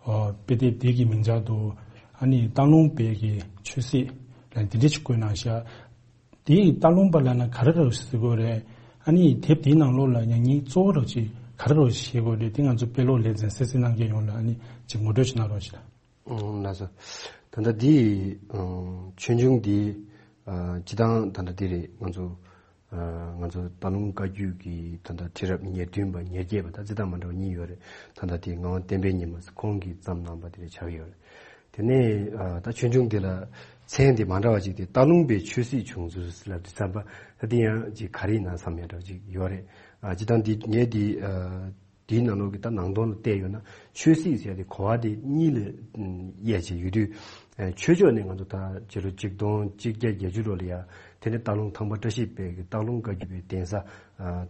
ཨ་དཔེ་དེབ་དེ་གི་མིང་བྱང་དུ་ཨ་ནི་སྟག་ལུང་པའི་གི་ཆོས་སྲིད་ལ་འདི་འདྲ་ཞིག་བཀོད་གནང་ཤག་དེ་སྟག་ལུང་པ་ལབ་ན་ག་རེ་ག་རེ་ཟེར་དགོས་རེད། ཨ་ནི་དེབ་དེའི་ནང་ལོགས་ལ་ཡང་སྙིང་གཙོ་བོ་རོགས་ཅིག་ག་རེ་རོགས་ཤེས་དགོས་རེད། དེ་ང་ཚོ་དཔེ་ཀློག་ལེ་ཚན་གསན་གཟིགས་གནང་མཁན་ཡོངས་ལ་ཨ་ནི་ཅིག་ངོ་སྤྲོད་ཅིག་གནང་རོགས་ཞེས། ཨང་། ལགས་སོ། ད་ལྟ་འདི་ཨང་ཆོས་འབྱུང་འདི་ཨ་སྤྱི་བཏང་ད་ལྟ་འདི་རེད། ང་ཚོ་ཨ་ང་ཚོ་སྟག་ལུང་བཀའ་བརྒྱུད་ཀྱི་ད་ལྟ་ཁྲི་རབས་ཉེར་བདུན་པ་ཉེར་བརྒྱད་པ་ད་རྩི་སྟངས་མ་འདྲ་བ་གཉིས་ཡོད་རེད། ད་ལྟ་དེ་ངག་དབང་བསྟན་པའི་ཉི་མ་ཁོང་གིས་བརྩམས་གནང་པ་དེ་རེད་ཆགས་ཡོད་རེད། དེ་ནས་ཨ་ད་ཆོས་འབྱུང་འདི་ལ་མཚན་དེ་མ་འདྲ་བ་ཅིག་དེ་སྟག་ལུང་པའི་ཆོས་སྲིད་བྱུང་ཚུལ་ལབ་དུས་ཙམ་པ་ད་དེ་ཡང་ཅིག་ག་རེ་ཡིན་ན་བསམ་ཡ་འདྲ་བ་ཅིག་ཡོད་རེད། ཨ་སྤྱི་བཏང་འདི་ངས་འདི་ཨ་དེའི་ནང་ལོགས་ཀྱི་ད་ནང་དོན་ལ་བལྟས་ཡོད་ན་ཆོས་སྲིད་ཟེར་ཡ་དེ་གོ་བ་དེ་གཉིས་ལ་དབྱེ་བྱས་ཡོད་དུས། ཨ་ཆོས་ཕྱོགས་ནས་ང་ཚོ་ད་སྤྱི་ལོ་ཆིག་སྟོང་གཅིག་བརྒྱ་བརྒྱད་ཅུ་ལོ་ལ་ཡ་དེ་ནས་སྟག་ལུང་ཐང་པ་བཀྲ་ཤིས་དཔལ་གྱི་སྟག་ལུང་བཀའ་བརྒྱུད་པའི་གདན་ས་ཨ་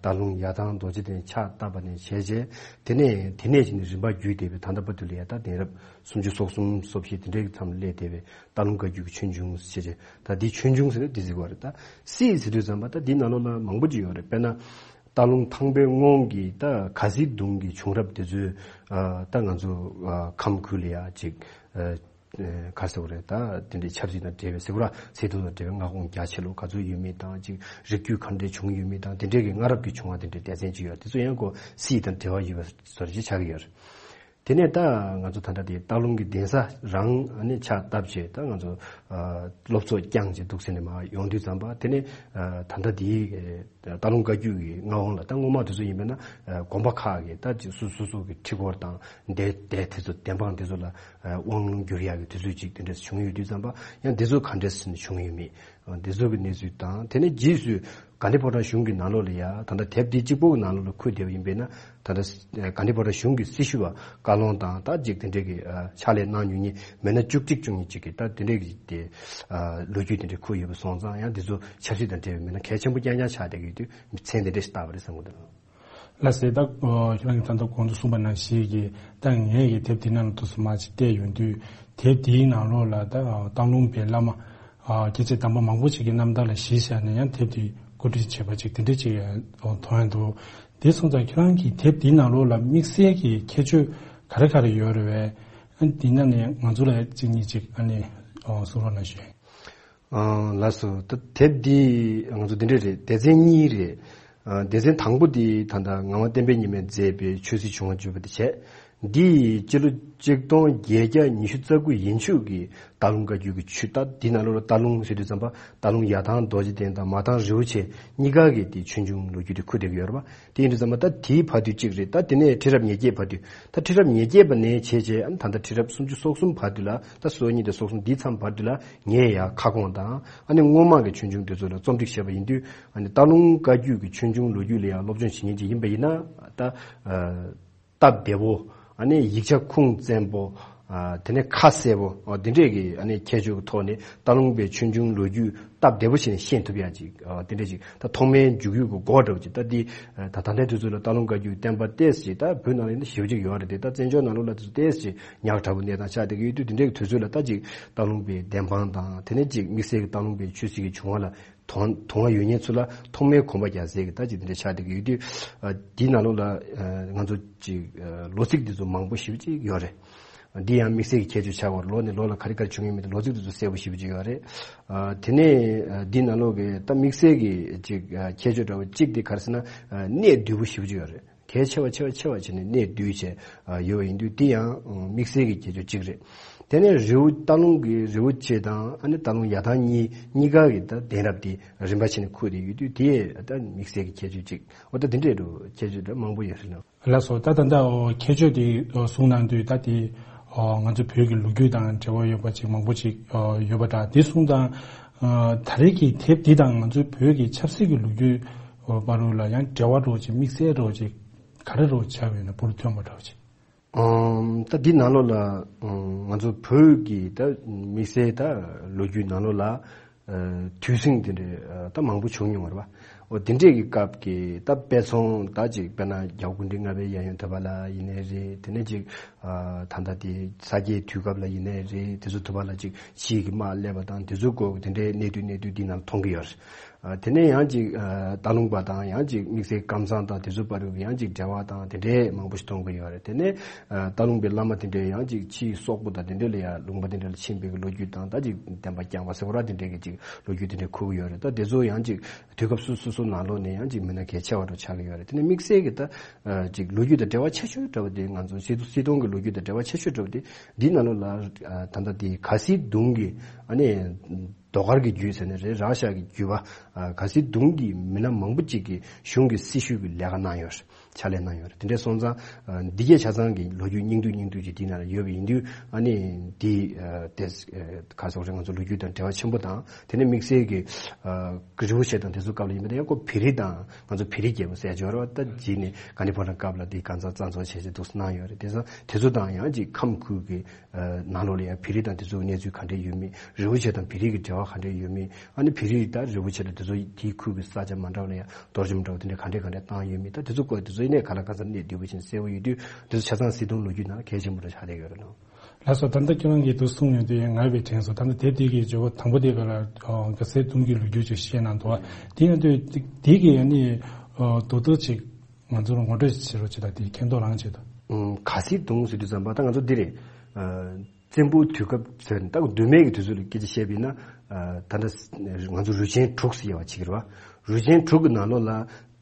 སྟག་ལུང་ཡར་ཐང་རྡོ་རྗེ་གདན་ཕྱག་བཏབ་པ་ནས་བྱས་རྗེས་དེ་ནས་དེ་ནས་ཅིག་ནས་རིམ་པ་བརྒྱུད་དེ་བའི་ད་ལྟ་བར་དུ་ལ་ཡ་ད་གདན་རབས་སུམ་ཅུ་སོ་གསུམ་སོ་བཞི་དེ་འདྲའི་མཚམས་ལ་སླེབས་བསྡད་པའི་སྟག་ལུང་བཀའ་བརྒྱུད་ཀྱི་ཆོས་འབྱུང་ཞེས་བྱས། ད་འདི་ཆོས་འབྱུང་ཟེར་ན་འདི་ཟེར་གྱི་ཡོད་རེད། ད་སྲིད་ཟེར་དུས་ཙམ་པ་ད་འདིའི་ནང་ལོགས་ལ་མང་པོ་ཅིག་ཡོད་རེད། དཔེར་ན། སྟག་ལུང་ཐང་པའི་སྔོན་གྱི་ད་ག་ཟི་གདུང་གི་བྱུང་རབས་དེ་ཚོའི་ཨ་ད་ང་ཚོ་ཨ་ཁམས་ཁུལ་ལ་ཡ་ཅིག་ཨ་ཨ་ག་ཟེར་བ་རེད། ད་དེ་འདྲའི་ཆབ་སྲིད་དང་འབྲེལ་བའི་ཟེར་བ་ར་ཚེ་ཐུང་དང་འབྲེལ་བའི་མངའ་ཁོངས་རྒྱ་ཆེ་ལོ་ག་ཚོད་ཡོད་མེད་དང་ཅིག་རིགས་རྒྱུད་ག་འདྲའི་བྱུང་ཡོད་མེད་དང་དེ་འདྲའི་གི་སྔ་རབས་ཀྱི་བྱུང་བ་དེ་འདྲའི་སྡེ་ཚན་ཅིག་ཡོད། དེ་ཚོ་ཡང་ཁོ་སྲིད་དང་འབྲེལ་བ་ཡོད་པ་བཟོ་འདྲ་ཅིག་ཆགས་ཀྱི་ཡོད་རེད། དེ་ནས་ད་ང་ཚོ་ད་ལྟ་དེ་སྟག་ལུང་གི་གདན་ས་རང་ཨ་ནི་ཕྱག་བཏབ་བྱས་ད་ང་ཚོ་ཨ་སློབ་ཚོགས་བསྐྱངས་བྱས་འདུག་ཟེར་ནས་མར་ཡོང་དུས་ཙམ་པ་དེ་ནས་ཨ་ད་ལྟ་དེའི་སྟག་ལུང་བཀའ་བརྒྱུད་ཀྱི་མངའ་དབང་ལ་ད་སྔོན་མ་དེ་ཚོ་ཡིན་པས་ན་ཨ་དགོན་པ་ཁག་གི་ད་ཅིག་སོ་སོ་སོ་གི་ཁྲི་སྐོར་དང་སྡེ་སྡེ་དེ་ཚོ་བདེན་དཔང་དེ་ཚོ་ལ་ཨ་དབང་ལུང་བསྒྱུར་ཡག་གི་དུས་ཚོད་ཅིག་དེ་འདྲ་བྱུང་ཡོད་དུས་ཙམ་པ་ཡང་དེ་ཚོ་ག་འདྲས་ཟེར་ནས་བྱུང་ཡོད་མེད། དེ་ཚོ་གི་གནས་ཚུལ་དང་དེ་ནས་རྗེས་སུ་གྷན་དྷི་ཕོ་བྲང་གཞུང་གི་ནང་ལོགས་ལ་ཡ་ད་ལྟ་དེབ་འདི་གཅིག་པོ་གི་ནང་ལོགས་ལ་འཁོད་བསྡད་པ་ཡིན་པས་ན་ད་ལྟ་གྷན་དྷི་ཕོ་བྲང་གཞུང་གི་སྲི་ཞུ་བ་བཀའ་བློན་དང་ད་ཅིག་དེ་འདྲས་ཀྱི་ཕྱག་ལས་གནང་མྱོང་མཁན་མི་སྣ་བཅུ་གཅིག་བཅུ་གཉིས་ཅིག་གིས་ད་དེ་འདྲས་ཀྱི་དེ་ལོ་རྒྱུས་དེ་འདྲས་འཁོད་ཡོད་པ་སོང་ཙང་ཡང་འདི་ཚོ་ཆབ་སྲིད་དང་འབྲེལ་བའི་མི་སྣ་གལ་ཆེན་པོ་རྐྱང་རྐྱང་ཆགས་བསྡད་ཀྱི་ཡོད་དུས་མཚན་དེ་འདྲས་ཞིག་བཏགས་པ་རེད་བསམ་གྱི་འདུག་ལགས་སེ། ད་ཁྱེད་རང་གིས་ད་ལྟ་གོང་དུ་གསུངས་པ་ནང་བཞིན་གྱི་ད་ངས་ཀྱི་དེབ་འདི་ནང་ལ་ཐུགས་སུ་མ་ཅིག་བལྟས་ཡོང་དུས་དེབ་འདིའི་ནང་ལོགས་ལ་ད་སྟག་ལུང་པའི་བླ་མ་ཨ་སྐྱེས་ཆེན་དམ་པ་མང་པོ་ཞིག་གི་རྣམ་ཐར་ལ་གཞི་བཞག་ནས་ཡང་དེབ་འདི་བཀོད་སྒྲིག་བྱས་པ་ཅིག་དེ་འདྲ་ཅིག་མཐོང་ཡ་འདུག་དེ་སོང་ཙང་ཁྱེད་རང་གིས་དེབ་འདིའི་ནང་ལོགས་ལ་དམིགས་བསལ་གྱི་ཁྱད་ཆོས་ག་རེ་ག་རེ་ཡོད་རེད་པས། འདི་ནང་ནས་ང་ཚོ་ལ་གཅིག་གཉིས་ཅིག་ཨ་ནི་གསུང་རོགས་གནང་ཞུ། ཨ་ལགས་སོ། ད་དེབ་འདི་ང་ཚོ་འདི་འདྲ་རེད། སྡེ་ཚན་གཉིས་རེད། ཨ་སྡེ་ཚན་དང་པོ་འདི་ད་ལྟ་ངག་དབང་བསྟན་པའི་ཉི་མས་མཛད་པའི་ཆོས་སྲིད་བྱུང་བ་བརྗོད་པ་དེ་བྱས། འདི་ཡི་སྤྱི་ལོ་ཆིག་སྟོང་བརྒྱད་བརྒྱ་ཉི་ཤུ་རྩ་དགུ་ཡན་ཆོད་ཀྱི་སྟག་ལུང་བཀའ་བརྒྱུད་ཀྱི་ཆོས། ད་འདི་ནང་ལོགས་ལ་སྟག་ལུང་ཟེར་དུས་ཙམ་པ་སྟག་ལུང་ཡར་ཐང་རྡོ་རྗེ་གདན་དང་མར་ཐང་རི་བོ་ཆེ་གཉིས་ཀ་གི་དེ་ཆོས་འབྱུང་ལོ་རྒྱུས་དེ་ཁུར་བསྡད་ཀྱི་ཡོད་རེད་པ། དེ་ཡིན་དུས་ཙམ་པ་ད་དེའི་བར་དུ་གཅིག་རེད། ད་དེ་ནས་ཁྲི་རབས་ཉེར་བརྒྱད་བར་དུ། ད་ཁྲི་རབས་ཉེར་བརྒྱད་པ་ནས་བྱས་བྱས་ཨ་ནི་ད་ལྟ་ཁྲི་རབས་སུམ་ཅུ་སོ་གསུམ་བར་དུ་ལ། ད་སོ་གཉིས་དང་སོ་གསུམ་འདིའི་མཚམས་བར་དུ་ལ་ངས་ཡང་ཁ་སྐོང་དང་ཨ་ནི་སྔོན་མ་གི་ཆོས་འབྱུང་དེ་ཚོ་ལ་རྩོམ་སྒྲིག་བྱས་པ་ཡིན་དུས། ཨ་ནི་སྟག་ལུང་བཀའ་བརྒྱུད་ཀྱི་ཆོས་འབྱུང་ལོ་རྒྱུས་ལ་ཡང་སློབ་སྦྱོང་བྱེད་མཁན་ཅིག་ཡིན་པ་ཡིན་ན། ད་ཨ། སྟབས་བདེ་པོ། ཨ་ནི་ཡིག་ཆ་ཁུངས་བཙན་པོ། ཨ། དེ་ནས་ཁ་གསལ་པོ། ཨ། དེ་འདྲས་ཀྱི་ཨ་ནི་ཁྱད་ཆོས་ཀྱི་ཐོག་ནས་སྟག་ལུང་པའི་ཆོས་འབྱུང་ལོ་རྒྱུས་སྟབས་བདེ་པོ་བྱས་ནས་ཤེས་ཐུབ་ཡ་ཅིག་ཨ། དེ་འདྲས་ཅིག་ད་ཐོག་མའི་འཇུག་ཡུལ་གྱི་སྒོ་འདྲ་བོ་ཅིག་ད་འདི་ད་ད་ལྟའི་དུས་ཚོད་ལ་སྟག་ལུང་བཀའ་བརྒྱུད་བསྟན་པ་ཏོག་ཙམ་ཅིག་ད་བོད་ནང་ལ་ཡིན་ན་ཞེ་པོ་ཅིག་ཡོད་རེད་དེ། ད་བཙན་བྱོལ་ནང་ལོགས་ལ་དུས་ཚོད་ཏོག་ཙམ་ཅིག་ཉག་ཕྲ་པོ་གནས་སྟངས་ཆགས་བསྡད་ཀྱི་ཡོད་དུས། དེ་འདྲའི་དུས་ཚོད་ལ་ད་ཅིག་སྟག་ལུང་པའི་བདེན་དཔང་དང་དེ་ནས་ཅིག་དམིགས་བསལ་གྱི་སྟག་ལུང་པའི་ཆོས་སྲིད་ཀྱི་བྱུང་བ་ལ་དོ་དོ་སྣང་ཡོད་མཁན་ཚོ་ལ་ཐོག་མའི་གོམ་པ་རྒྱག་སའི་གི་ད་ཅིག་དེ་འདྲ་ཆགས་བསྡད་ཀྱི་ཡོད་དུས། ཨ། འདིའི་ནང་ལོགས་ལ་ཨ། ང་ཚོ་ཅིག་ཨ། ལོ་ཚིགས་འདི་ཚོ་མང་པོ་ཞེ་པོ་ཅིག་ཡོད་རེད། འདི་ཡང་དམིགས་བསལ་གྱི་ཁྱད་ཆོས་ཆགས་པ་རེད། ལོ་ནས་ལོ་ལ་ག་རེ་ག་རེ་བྱུང་ཡོད་མེད་དེ་ལོ་ཚིགས་འདི་ཚོ་གསལ་པོ་ཞེ་པོ་ཅིག་ཡོད་རེད། ཨ། དེ་ནས་ཨ། འདིའི་ནང་ལོགས་ཀྱི་ད་དམིགས་བསལ་གྱི་ཅིག་ཨ། ཁྱད་ཆོས་འདྲ་བོ་གཅིག་དེ་ག་རེ་ཟེར་ན། ཨ། གནད་བསྡུས་པོ་ཞེ་པོ་ཅིག་ཡོད་རེད། གལ་ཆེ་བ་ཆེ་བ་ཆེ་བ་བྱས་ནས་གནད་བསྡུས་བྱས་ཡོད་པ་ཡིན་དུས། འདི་ཡང་དམིགས་བསལ་གྱི་ཁྱད་ཆོས་གཅིག་རེད། དེ་ནས་རི་བོ་སྟག་ལུང་གི་རི་བོ་ཆེ་དང་ཨ་ནི་སྟག་ལུང་ཡར་ཐང་གཉིས་གཉིས་ཀ་གི་ད་གདན་རབས་དེ་རིམ་པ་བྱས་ནས་ཁུར་བསྡད་ཡོད་དུས། དེ་ད་དམིགས་བསལ་གྱི་ཁྱད་ཆོས་གཅིག་འོ། ད་འདི་འདྲས་འདྲ་བོ་ཁྱད་ཆོས་འདྲ་མང་པོ་ཡོད་རེད་ལ། ལགས་སོ། ད་ད་ལྟ་འོ་ཁྱད་ཆོས་དེ་གསུངས་གནང་དུས། ད་དེ་ང་ཚོ་བོད་ཀྱི་ལོ་རྒྱུས་དང་འབྲེལ་བ་ཡོད་པ་ཅིག་མང་པོ་ཅིག་ཡོད་པ་འདྲ། དེ་གསུངས་དང་། ད་རེས་ཀྱི་དེབ་འདི་དང་ང་ཚོའི་བོད་ཀྱི་ཆབ་སྲིད་ཀྱི་ལོ་རྒྱུས་བར་དུ་ལ་ཡང་འབྲེལ་བ་འདྲ་བོ་ཅིག་དམིགས་བསལ་འདྲ་བོ་ཅིག་ག་རེ་འདྲ་བོ་ཆགས་ཡོད་ན་འབུར་ཐོན་པ་འདྲ་བོ་ཅིག་ཨམ། ད་འདི་ནང་ལོགས་ལ་ང་ཚོ་བོད་ཀྱི་ད་དམིགས་བསལ་ད་ལོ་རྒྱུས་ནང་ལོགས་ལ་དུས་ཟིང་དེ་འདྲའི་ད་མང་པོ་བྱུང་མྱོང་བ་རེད་པ། འོ། དེ་འདྲས་ཀྱི་སྐབས་ཀྱི་ད་དཔེ་མཚོན་ད་ཅིག་དཔེར་ན་རྒྱལ་བ་སྐུ་ཕྲེང་ལྔ་པའི་གཡས་གཡོན་ཐོད་པ་ལ་ཡིན་ནའི་རེད། དེ་ནས་ཅིག་ད་ལྟ་དེ་ས་སྐྱའི་དུས་སྐབས་ལ་ཡིན་ནའི་རེད། དེ་ཚོ་ཐོད་པ་ལ་ཅིག་ཕྱིས་ཀྱི་དམག་སླེབས་པ་དང་དེ་ཚོའི་སྐོར་དེ་འདྲའི་གནད་བསྡུས་གནད་བསྡུས་འདི་ནང་མཐོང་གི་ཡོད་རེད། ཨ། དེ་ནས་ཡང་ཅིག་ཨ། སྟག་ལུང་པ་དང་ཡང་ཅིག་དམིགས་བསལ་ཀམ་ཚང་དང་དེ་ཚོའི་བར་ཡང་ཅིག་འབྲེལ་བ་དང་དེ་འདྲའི་མང་པོ་ཞིག་མཐོང་གི་ཡོད་རེད། དེ་ནས་ཨ། སྟག་ལུང་པའི་བླ་མ་དེ་འདྲའི་ཡང་ཅིག་ཕྱིའི་སོག་པོ་དང་དེ་འདྲ་ལ་ཡང་ལུང་པ་དེ་འདྲ་ལ་ཕྱིན་པའི་ལོ་རྒྱུས་དང་། ད་ཅིག་བསྟན་པ་བསྐྱངས་པ་ཟེར་བ་ར་དེ་འདྲའི་གི་ཅིག་ལོ་རྒྱུས་དེ་འདྲ་ཁུར་གི་ཡོད་རེད། ད་དེ་ཚོ་ཡང་ཅིག་དུས་སྐབས་སོ་སོ་སོ་ནང་ལོགས་ནས་ཡང་ཅིག་མི་སྣ་གལ་ཆེ་བ་འདྲ་ཆགས་ཀྱི་ཡོད་རེད། དེ་ནས་དམིགས་བསལ་གྱི་ད་ཨ། ཅིག་ལོ་རྒྱུས་དང་འབྲེལ་བ་ཆེ་ཤོས་འདྲ་བ་དེ་ང་ཚོ་སིལ་སིལ་སྡོང་གི་ལོ་རྒྱུས་དང་འབྲེལ་བ་ཆེ་ཤོས་འདྲ་བ་དེ་འདི་ནང་ལོགས་ལ་ཨ། ད་ལྟ་དེ་ག་སིལ་སྡོང་གི་ཨ་ནི། ཟློས་གར་གྱི་རྒྱུད་ཟེར་ནའི་རེད། ར་ཤ་གི་རྒྱུད་པ། ཨ། ག་སིལ་སྡོང་གི་མི་སྣ་མང་པོ་ཅིག་གིས་གཞུང་གི་སྲི་ཞུ་གི་ལས་ཀ་གནང་ཡོད་རེད། ཕྱག་ལས་གནང་ཡོད་རེད། དེ་འདྲ་སོང་ཙང་ཨ། འདི་གས་ཆ་ཚང་གི་ལོ་རྒྱུས་སྙིང་བསྡུས་སྙིང་བསྡུས་ཅིག་འདི་ནང་ལ་ཡོད་པ་ཡིན་དུས། ཨ་ནི་འདི་ཨ། དེ་ག་སོགས་རེད། ང་ཚོ་ལོ་རྒྱུས་དང་འབྲེལ་བ་ཆེན་པོ་དང་། དེ་ནས་དམིགས་བསལ་གྱི་ཨ། རི་བོ་ཆེ་དང་དེ་ཚོའི་སྐབས་ལ་ཡིན་པ་དང་། ཡང་ཁོ་བོད་རིགས་དང་ང་ཚོ་བོད་རིགས་རྒྱལ་པོ་ཟེར་ཡ་ཅིག་ཡོད་རེད་པ། ད་རྗེས་ནས་ག་ནི་བོ་རང་སྐབས་ལ་དེ་གང་ཚང་གཙང་བཙོག་བྱས་བྱས་འདུག་སེ་གནང་ཡོད་རེད། དེ་ཚོ་དེ་ཚོ་ཡང་ཅིག་ཁམས་ཁུལ་གྱི་ནང་ལོགས་ལ་ཡང་བོད་རིགས་དང་དེ་ཚོའི་གནས་ཚུལ་ག་འདྲས་ཡོད་མེད། རི་བོ་ཆེ་དང་བོད་རིགས་ཀྱི་འབྲེལ་བ་ག་འདྲས་ཡོད་མེད། ཨ་ནི་བོད་རིགས་དང་རི་བོ་ཆེ་དང་དེ་ཚོ་དེའི་ཁུལ་གྱི་ས་ཆ་མ་འདྲ་བ་ལ་ཡང་གཏོར་བཅོམ་འདྲ་བོ་དེ་འདྲས་ག་འདྲས་ག་འདྲས་བཏང་ཡོད་མེད། ད་དེ་ཚོ་སྐོར་དེ་ཚོ་ཡིན་ནའི་ག་ལ་ག་ཚོད་གནད་བསྡུས་པོ་བྱས་ནས་གསལ་པོ་ཡོད་དུས། དེ་ཚོ་ཆ་ཚང་སིལ་སྡོང་ལོ་རྒྱུས་ནང་གལ་ཆེན་པོ་འདྲ་ཆགས་བསྡད་ཡོད་རེད་ལགས། ལགས་སོ། ད་ལྟ་ཁྱེད་རང་གིས་འདུག་གསུངས་ཡོང་དུས་ཡང་ང་བས་དྲན་སོང་། ད་ལྟ་དེབ་དེ་གི་བརྗོད་པ་དང་པོ་དེ་ག་ལ་ག་སིལ་སྡོང་གི་ལོ་རྒྱུས་ཅིག་བཤད་གནང་འདུག་པ། དེ་ཡིན་དུས་དེ་གི་ཡང་ནི་རྡོག་རྡོག་ཅིག་ང་ཚོར་ངོ་སྤྲོད་བྱེད་རོགས་བྱེད་དང་། དེ་མཁྱེན་རྟོགས་རང་བྱེད་དང་། ཨུམ། ག་སིལ་སྡོང་ཟེར་དུས་ཙམ་པ་ད་ང་ཚོ་འདི་རེད། ཨ། བཙན་པོའི་དུས་སྐབས་ཟེར་ནས་ད་མདོ་སྨད་ཀྱི་དུས་ཚོད་ལ་སྐད་ཆ་བཤད་པ་ཡིན་ན། ཨ། ད་ལྟ་ང་ཚོ་རུས་ཆེན་དྲུག་ཟེར་ཡ་བ་ཅིག་རེད་པ། རུས་ཆེན་དྲུག་གི་ནང་ལོགས་ལ་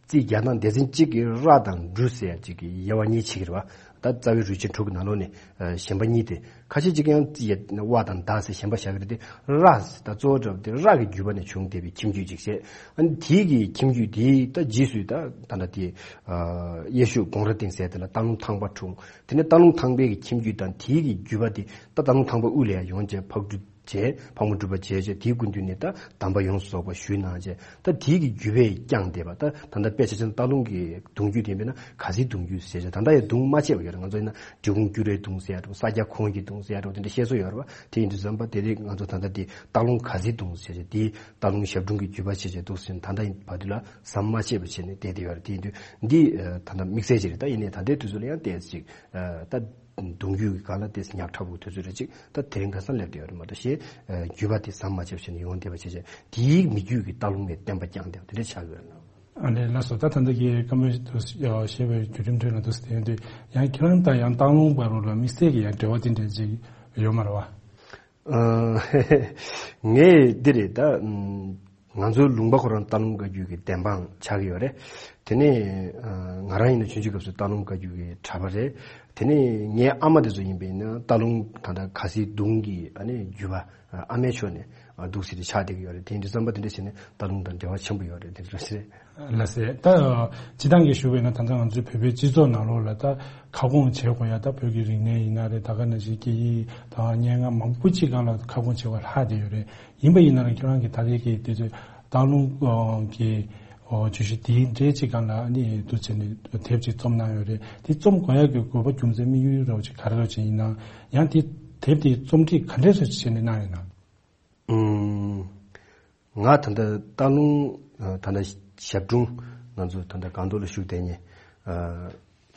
རྩིས་རྒྱག་སྟངས་སྡེ་ཚན་གཅིག་གིས་ར་དང་འབྲུ་ཟེར་ཡ་གཅིག་གི་དབྱེ་བ་གཉིས་ཕྱེ་གི་རེད་པ། ད་རྩ་བའི་རུས་ཆེན་དྲུག་གི་ནང་ལོགས་ནས་ཨ། གཞན་པ་གཉིས་དེ། ཁ་ཤས་ཅིག་ཡང་རྩིས་ཡ་དབའ་དང་ཟླ་ཟེར་གཞན་པ་བཞག་གི་རེད་དེ། ར་ཟེར་ད་གཙོ་བོ་འདྲ་བོ་དེ་ར་གི་རྒྱུད་པ་ནས་བྱུང་བསྡད་པའི་ཁྱིམ་རྒྱུད་ཅིག་བྱས། ཨ་ནི་དེའི་གི་ཁྱིམ་རྒྱུད་དེའི་ད་རྗེས་སུ་ད་ད་ལྟ་དེ་ཨ། གཡས་ཕྱོགས་གོང་ར་སྟེང་ཟེར་དེ་ལ་སྟག་ལུང་ཐང་པ་འཁྲུངས། དེ་ནས་སྟག་ལུང་ཐང་པའི་གི་ཁྱིམ་རྒྱུད་དང་དེའི་གི་རྒྱུད་པ་དེ་ད་སྟག་ལུང་ཐང་པ་དབུས་ལ་ཡང་ཡོངས་བྱས་ཕག་གྲུ་བྱས། ཕག་མོ་གྲུ་པ་བྱས་བྱས་དེའི་སྐུ་མདུན་ནས་ད་གདམས་པ་ཡོངས་སུ་རྫོགས་པ་ཞུས་གནང་བྱས། ད་དེའི་གི་རྒྱུད་པས་བསྐྱངས་བསྡད་པ། ད་ད་ལྟ་དཔེ་ཆ་བཞག་ན་སྟག་ལུང་གི་གདུང་རྒྱུད་དེ་ཡིན་པས་ན་ག་སིལ་གདུང་རྒྱུད་ཟེར་བྱས། ད་ལྟ་ཡང་གདུང་མ་ཆད་པ་ཡོད་རེད། ང་ཚོ་ཡིན་ན་འབྲི་གུང་སྐྱུ་རའི་གདུང་ཟེར་ཡ་འདྲ་བོ། ས་སྐྱ་ཁོངས་ཀྱི་གདུང་ཟེར་ཡ་འདྲ་བོ་དེ་འདྲ་བཤད་སྲོལ་ཡོད་རེད་པ། དེ་ཡིན་དུས་ཙམ་པ་དེ་རིང་ང་ཚོ་ད་ལྟ་དེ་སྟག་ལུང་ག་སིལ་གདུང་ཟེར་བྱས། དེ་སྟག་ལུང་ཞབས་དྲུང་གི་རྒྱུད་པ་བྱས་བྱས་འདུག་ཟེར་ནས་ད་ལྟ་ཡིན་བར་དུ་ལ་ཟམ་མ་ཆད་པ་བྱས་ནས་བསྡད་བསྡད་ཡོད་རེད། དེ་ཡིན་དུས་འདི་ཨ། ད་ལྟ་དམིགས་བསལ་ཅིག་རེད། ད་ཡིན་ནའི་ད་ལྟའི་དུས་ཚོད་ལ་ཡང་ཏོག་ཙམ་ཅིག་ཨ། ད་གདུང་རྒྱུད་ཀྱི་སྒང་ལ་ཏོག་ཙམ་ཉག་ཕྲ་པོའི་དུས་ཚོད་རེད། ཅིག་ད་དེ་རིང་ཁ་སང་སླེབས་བསྡད་ཡོད་རེད་མ་གཏོགས། གཞན་ཨ། རྒྱུད་པ་དེ་ཟམ་མ་ཆད་པ་བྱས་ནས་ཡོང་བསྡད་པ་བྱས་བྱས། དེའི་མི་རྒྱུད་ཀྱི་སྟག་ལུང་བའི་བསྟན་པ་བསྐྱངས་བསྡད་པ་དེ་འདྲ་ཆགས་ཡོད་རེད། ཨ་ནི་ལགས་སོ། ད་ད་ལྟ་གི་སྐར་མ་དུ་བཤད་པའི་བརྒྱུད་རིམ་ཁྲོད་ལ་འདུག་སེ་བསྟན་དུས། ཡང་ཁྱེད་རང་དང་ཡང་སྟག་ལུང་བར་ལ་དམིགས་བསལ་གྱི་ཡང་འབྲེལ་བ་དེ་འདྲ་ཅིག་ཡོད་མ་རེད་པ། ཨ། ངས་འདི་རེད། ད་ང་ཚོའི་ལུང་པ་ཁོ་རང་སྟག་ལུང་བཀའ་བརྒྱུད་ཀྱི་བདེན་དཔང་ཆགས་ཀྱི་ཡོད་རེད། དེ་ནས་ང་རང་ཡིན་ན་ཆུང་ཆུང་སྐབས་སུ་སྟག་ལུང་བཀའ་བརྒྱུད་ཀྱི་གྲྭ་པ་རེད། དེ་ནས་ངའི་ཨ་མ་དེ་ཚོ་ཡིན་པས་ན་སྟག་ལུང་ད་ལྟ་ག་སི་གདུང་གི་ཨ་ནི་བརྒྱུད་པ་ཨ་མའི་ཕྱོགས་ནས་འདུག་སེ་ཆགས་བསྡད་ཀྱི་ཡོད་རེད། དེ་འདྲ་བསམ་པ་དེ་འདྲ་བྱས་ནས་སྟག་ལུང་དང་འབྲེལ་བ་ཆེན་པོ་ཡོད་རེད། དེ་འདྲ་རེད། ལགས་སེ། ད་སྤྱི་བཏང་གི་ཞུ་བས་ན་ད་ལྟ་ང་ཚོའི་བོད་པའི་སྤྱི་ཚོགས་ནང་ལོགས་ལ་ད་ཁ་སྐོང་བྱེད་དགོས་ཡ། ད་བོད་ཀྱི་རིག་གནས་ཡིན་ན་རེད། ད་ག་ནང་བཞིན་སྐད་ཡིག་དང་སྙན་ངག་མང་པོ་ཅིག་སྒང་ལ་ཁ་སྐོང་བྱེད་དགོས་ལྷག་བསྡད་ཡོད་རེད། ཡིན་པ་ཡིན་ན་ར་ཁྱོད་རང་གི་ད་རེས་ཀྱི་དེ་ཚོའི་སྟག་ལུང་གི་བརྗོད་གཞི་དེའི་འབྲེལ་ཅིག་སྒང་ལ་ནི་འདུག་བྱས་ནས་དེབ་ཅིག་རྩོམ་གནང་ཡོད་རེད། དེ་རྩོམ་དགོས་ཡ་གི་དགོས་པ་རྒྱུ་མཚན་དམིགས་ཡུལ་རོགས་ཅིག་ག་རེ་རོགས་ཅིག་ཡིན་ན། ཡང་དེ་དེབ་དེ་རྩོམ་སྒྲིག་ག་འདྲས་སེ་བྱས་ནས་གནང་ཡོད་ན། ཨུམ། ང་ད་ལྟ་སྟག་ལུང་ད་ལྟ་ཞབས་དྲུང་ང་ཚོ་ད་ལྟ་སྒང་ཏོག་ལ་བཞུགས་བསྡད་མཁན་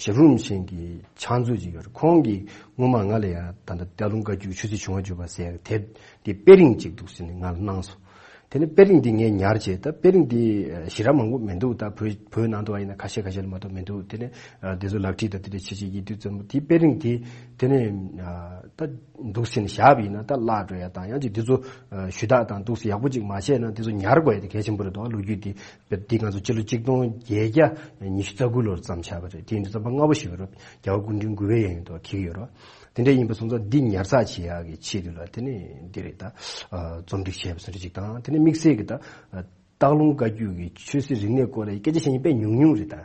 ཞབས་དྲུང་རིན་པོ་ཆེ་གི་ཕྱག་མཛོད་ཅིག་ཡོད་རེད། ཁོང་གིས་སྔོན་མ་ང་ལ་ཡང་ད་ལྟ་སྟག་ལུང་བཀའ་བརྒྱུད་ཆོས་སྲིད་བྱུང་བ་བརྗོད་པ་ཟེར་ཡག་དེབ་དེ་དཔེ་རིང་ཅིག་འདུག་ཟེར་ནས་ང་ལ་གནང་སོང་། དེ་ནས་དཔེ་རིང་འདི་ངས་ཉར་བྱས། ད་དཔེ་རིང་འདི་ཞེ་དྲག་མང་པོ་མི་འདུག་ད་བོད་བོད་ནང་དུ་བ་ཡིན་ན་ཁ་ཤས་ཁ་ཤས་ལ་མ་གཏོགས་མི་འདུག་དེ་ནས་འདི་ཚོ་ལག་བྲིས་དང་དེ་འདྲ་ཆེ་ཆེ་ཡིན་དུས་ཙམ་དེ་དཔེ་རིང་དེ་དེ་ནས་ད་འདུག་ཟེར་ནས་བཞག་པ་ཡིན་ན་ད་བརླག་འགྲོ་ཡ་དང་། ཡང་ཅིག་འདི་ཚོ་ཞུ་དག་དང་འདུག་སེ་ཡག་པོ་ཅིག་མ་བྱས་ན་དེ་ཚོ་ཉར་དགོས་ཡ་དེ་གལ་ཆེན་པོ་རེད་འདུག་ལོ་རྒྱུས་དེ་འདི་ང་ཚོ་སྤྱི་ལོ་གཅིག་སྟོང་བརྒྱད་བརྒྱ་ཉི་ཤུ་རྩ་དགུ་ལོར་བརྩམས་བཞག་པ་རེད། དེ་ཡིན་དུས་ཙམ་པ་སྔ་པོ་ཞིག་ཡོད་རེད། རྒྱལ་བ་སྐུ་ཕྲེང་དགུ་པའི་ཡན་དུ་འཁེལ་གྱི་ཡོད་རེད། དེ་འདྲ་ཡིན་པ་སོང་ཙང་འདི་ཉར་ཚགས་བྱེད་ཡག་གི་ཆེད་དུ་ལ་དེ་ནས་འདི་རེད། ད་རྩོམ་སྒྲིག་བྱས་པ་སོ་རེ་ཅིག་དང་། དེ་ནས་དམིགས་བསལ་གྱི་ད་སྟག་ལུང་བཀའ་བརྒྱུད་ཀྱི་ཆོས་སྲིད་རིག་གནས་སྐོར་ལ་སྐད་ཆ་བཤད་མཁན་དཔེ་ཉུང་ཉུང་རེད། ད་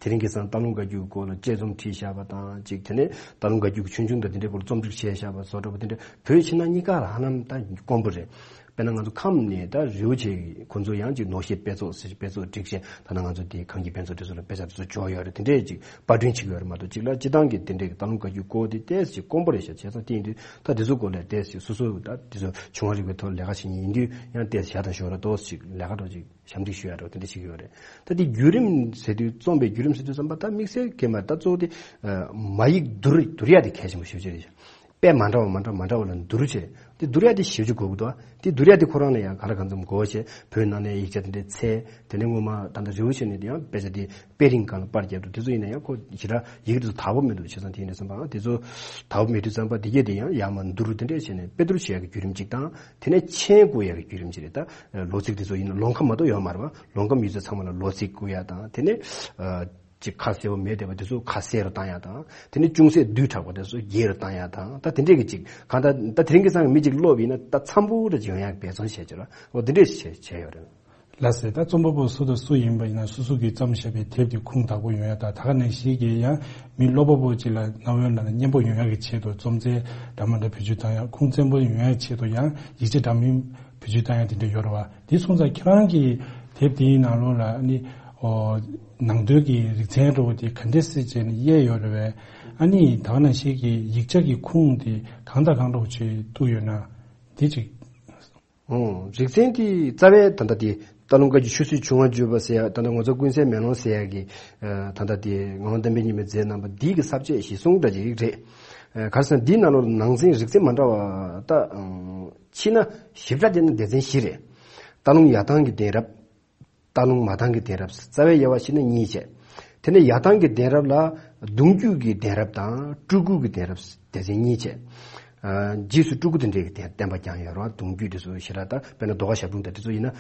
དེ་རིང་ཁ་སང་སྟག་ལུང་བཀའ་བརྒྱུད་སྐོར་ལ་དཔྱད་རྩོམ་བྲིས་བཞག་པ་དང་གཅིག་དེ་ནས་སྟག་ལུང་བཀའ་བརྒྱུད་ཀྱི་ཆོས་འབྱུང་དང་དེ་འདྲའི་སྐོར་རྩོམ་སྒྲིག་བྱས་བཞག་པ་བཟོ་འདྲ་པོ་དེ་འདྲ་བོད་ཕྱི་ནང་གཉིས་ཀ་ལ་ཧ་ལམ་ད་དཀོན་པོ་རེད། དཔེར་ན་ང་ཚོ་ཁམས་ནས་ད་རི་བོ་ཆེ་ཁོ་ཚོ་ཡང་ཅིག་ནོར་བཤད་དཔེ་ཚོགས་ཟེར་དཔེ་ཚོགས་སྒྲིག་བྱས། ད་ནང་ང་ཚོ་དེ་གངས་སྐྱིད་དཔེ་ཚོགས་དེ་ཚོ་ལ་དཔེ་ཆ་དེ་ཚོ་འབྱོར་ཡོད་རེད། དེ་འདྲས་ཅིག་པར་སྐྲུན་བྱེད་ཀྱི་ཡོད་རེད་མ་གཏོགས། གཅིག་ལ་སྤྱི་བཏང་གི་དེ་འདྲས་ཀྱི་སྟག་ལུང་བཀའ་བརྒྱུད་སྐོར་དེ་ཏོག་ཙམ་ཅིག་དཀོན་པོ་རེད་ཤག་བྱས་ཙང་དེ་ཡིན་དུས་ད་དེ་ཚོ་སྐོར་ལ་ཏོག་ཙམ་ཅིག་སོ་སོ་ད་དེ་ཚོ་བྱུང་བ་རིག་པའི་ཐོག་ལས་ཀ་བྱེད་མཁན་ཡིན་དུས་ཡང་ཏོག་ཙམ་ཞག་དང་ཞོགས་ར་ཏོག་ཙམ་ཅིག་ལས་ཀ་འདྲ་ཅིག་ཞབས་འདེགས་ཞུ་ཡ་འདྲ་དེ་འདྲ་བྱེད་ཀྱི་ཡོད་རེད། ད་དེ་བརྒྱུད་རིམ་ཟེར་དུས་རྩོམ་པའི་བརྒྱུད་རིམ་ཟེར་དུས་ཙམ་པ་ད་དམིགས་བསལ་གྱི་མ་རེད། ད་གཙོ་བོ་དེ་མ་ཡིག་བསྡུར་བསྡུར་ཡ་དེ་གལ་ཆེན་པོ་ཞེ་པོ་ཅིག་རེད། དཔེ་མ་འདྲ་བ་མ་འདྲ་མ་འདྲ་བ་ལ་བསྡུར་བྱས་དེ་བསྡུར་ཡ་དེ་ཞེ་པོ་ཅིག་དགོས་ཀྱི་འདུག་དེ་བསྡུར་ཡ་དེ་ཁོ་རང་ལ་ཡང་ག་ལ་གང་འཚམ་དགོས་བྱས། བོད་ནང་ནས་ཡིག་ཆ་དེ་འདྲའི་འཚོལ། དེ་ནས་སྔོན་མ་ད་ལྟ་རི་བོ་ཆེ་ནས་དེ་ཡང་དཔེ་ཆ་དེ་དཔེ་རིང་སྒང་ལ་པར་བརྒྱབ་འདུག་དེ་ཚོ་ཡིན་ན་ཡང་ཁོ་ཞེ་དྲག་ཡིག་དེ་ཚོ་དག་པོ་མི་འདུག་བྱས་ཙང་དེ་ཡིན་ན་བསམ་པའང་དེ་ཚོ་དག་པོ་མེད་དུས་ཙམ་པ་དེ་གས་དེ་ཡང་ཡར་མར་བསྡུར་དེ་འདྲས་བྱས་ནས་དཔེ་བསྡུར་བྱེད་ཡ་གི་བརྒྱུད་རིམ་གཅིག་དང་། དེ་ནས་མཆན་བཀོད་ཡ་གི་བརྒྱུད་རིམ་གཅིག་རེད། ད་ལོ་ཚིགས་དེ་ཚོ་ཡིན་ན་ལུང་ཁ་མ་གཏོགས་ཡོད་མ་རེད་པ། ལུང་ཁ་མི་ཚོ་ཚང་མ་ལ་ལོ་ཚིགས་བཀོད་ཡ་དང་། དེ་ནས་ཅིག་ཁ་གསལ་བོ་མེད་བསྡད་པ་དེ་ཚོ་ཁ་གསལ་རུ་བཏང་ཡ་དང་། དེ་ནས་ཅུང་ཟད་བསྡུས་དྲགས་པ་དེ་ཚོ་རྒྱས་རུ་བཏང་ཡ་དང་། ད་དེ་འདྲས་ཀྱི་ཅིག་གང་ལྟར་ད་དེ་རིང་ཁ་སང་གི་མི་ཅིག་ཀློག་པ་ཡིན་ན་ད་འཚམ་པོ་འདྲ་ཅིག་ཡོང་ཡ་འབད་བརྩོན་བྱས་བྱས་ར། འོ་དེ་འདྲས་བྱས་བྱས་ཡོད་རེད། ལགས་སེ། ད་རྩོམ་པ་པོ་སུ་དང་སུ་ཡིན་པ་ཡིན་ན་སོ་སོ་གིས་བརྩམས་བཞག་པའི་དེབ་དེ་ཁུངས་དག་པོ་ཡོང་ཡ་དང་། ད་ག་ནང་བཞིན་གྱི་ཡང་མི་ཀློག་པ་པོ་ཅིག་ལ་རྣ་བའི་ནང་ལ་སྙན་པོ་ཡོང་ཡ་གི་ཆེད་དུ་རྩོམ་རྩལ་འདྲ་མི་འདྲ་བེད་སྤྱོད་བཏང་ཡ། ཁུངས་བཙན་པོ་ཡོང་ཡ་ཆེད་དུ་ཡང་ཡིག་ཆ་འདྲ་མིན་བེད་སྤྱོད་བཏང་ཡ་དེ་འདྲ་ཡོད་རེད་པ། དེ་སོང་ཙང་ཁྱེད་རང་གི་དེབ་དེའི་ནང་ལོགས་ལ་ནི་ཨོ་ནང་དོན་གྱི་རིག་ཚན་འདྲ་པོ་དེ་ག་འདྲས་སེ་བྱས་ནས་དབྱེ་ཡོད་རེད་པས། ཨ་ནི་ད་ག་ནང་བཞིན་གྱི་ཡིག་ཆ་གི་ཁུངས་དེ་གང་དང་གང་འདྲ་པོ་ཅིག་གཏུགས་ཡོད་ན་དེ་ཅིག་ཨོ། རིག་ཚན་དེ་རྩ་བའི་ད་ལྟ་དེ་སྟག་ལུང་བཀའ་བརྒྱུད་ཆོས་སྲིད་བྱུང་བ་བརྗོད་པ་ཟེར་ཡ། ད་ལྟ་ངོ་མཚར་ཀུན་གསལ་མེ་ལོང་ཟེར་ཡ་གི་ད་ལྟ་དེ་ངག་དབང་བསྟན་པའི་ཉི་མས་མཛད་གནང་བ་འདི་གི་ས་བཅད་གཞིར་བཟུང་འདྲ་ཅིག་རེད། ག་རེ་ཟེར་ན་འདིའི་ནང་ལོགས་ནང་ཚན་རིག་ཚན་མ་འདྲ་བ་ད་ཕྱི་ན་ཞིབ་ཕྲ་བསྡད་ན་སྡེ་ཚན་བཞི་རེད། སྟག་ལུང་ཡར་ཐང་གི་གདན་རབས། སྟག་ལུང་མར་ཐང་གི་གདན་རབས། རྩ་བའི་དབྱེ་བ་ཕྱེ་ན་གཉིས་བྱས། དེ་ནས་ཡར་ཐང་གི་གདན་རབས་ལ་གདུང་རྒྱུད་ཀྱི་གདན་རབས་དང་སྤྲུལ་སྐུ་གི་གདན་རབས་སྡེ་ཚན་གཉིས་བྱས། ཨ། རྗེས་སུ་སྤྲུལ་སྐུ་དེ་འདྲའི་གདན་བསྟན་པ་ཀྱང་ཡོད་རེད་པ། གདུང་རྒྱུད་དེ་ཚོ་ཞེ་དྲག་ད་དཔེར་ན་རྡོ་ཁ་ཞབས་དྲུང་དང་དེ་ཚོ་ཡིན་ན།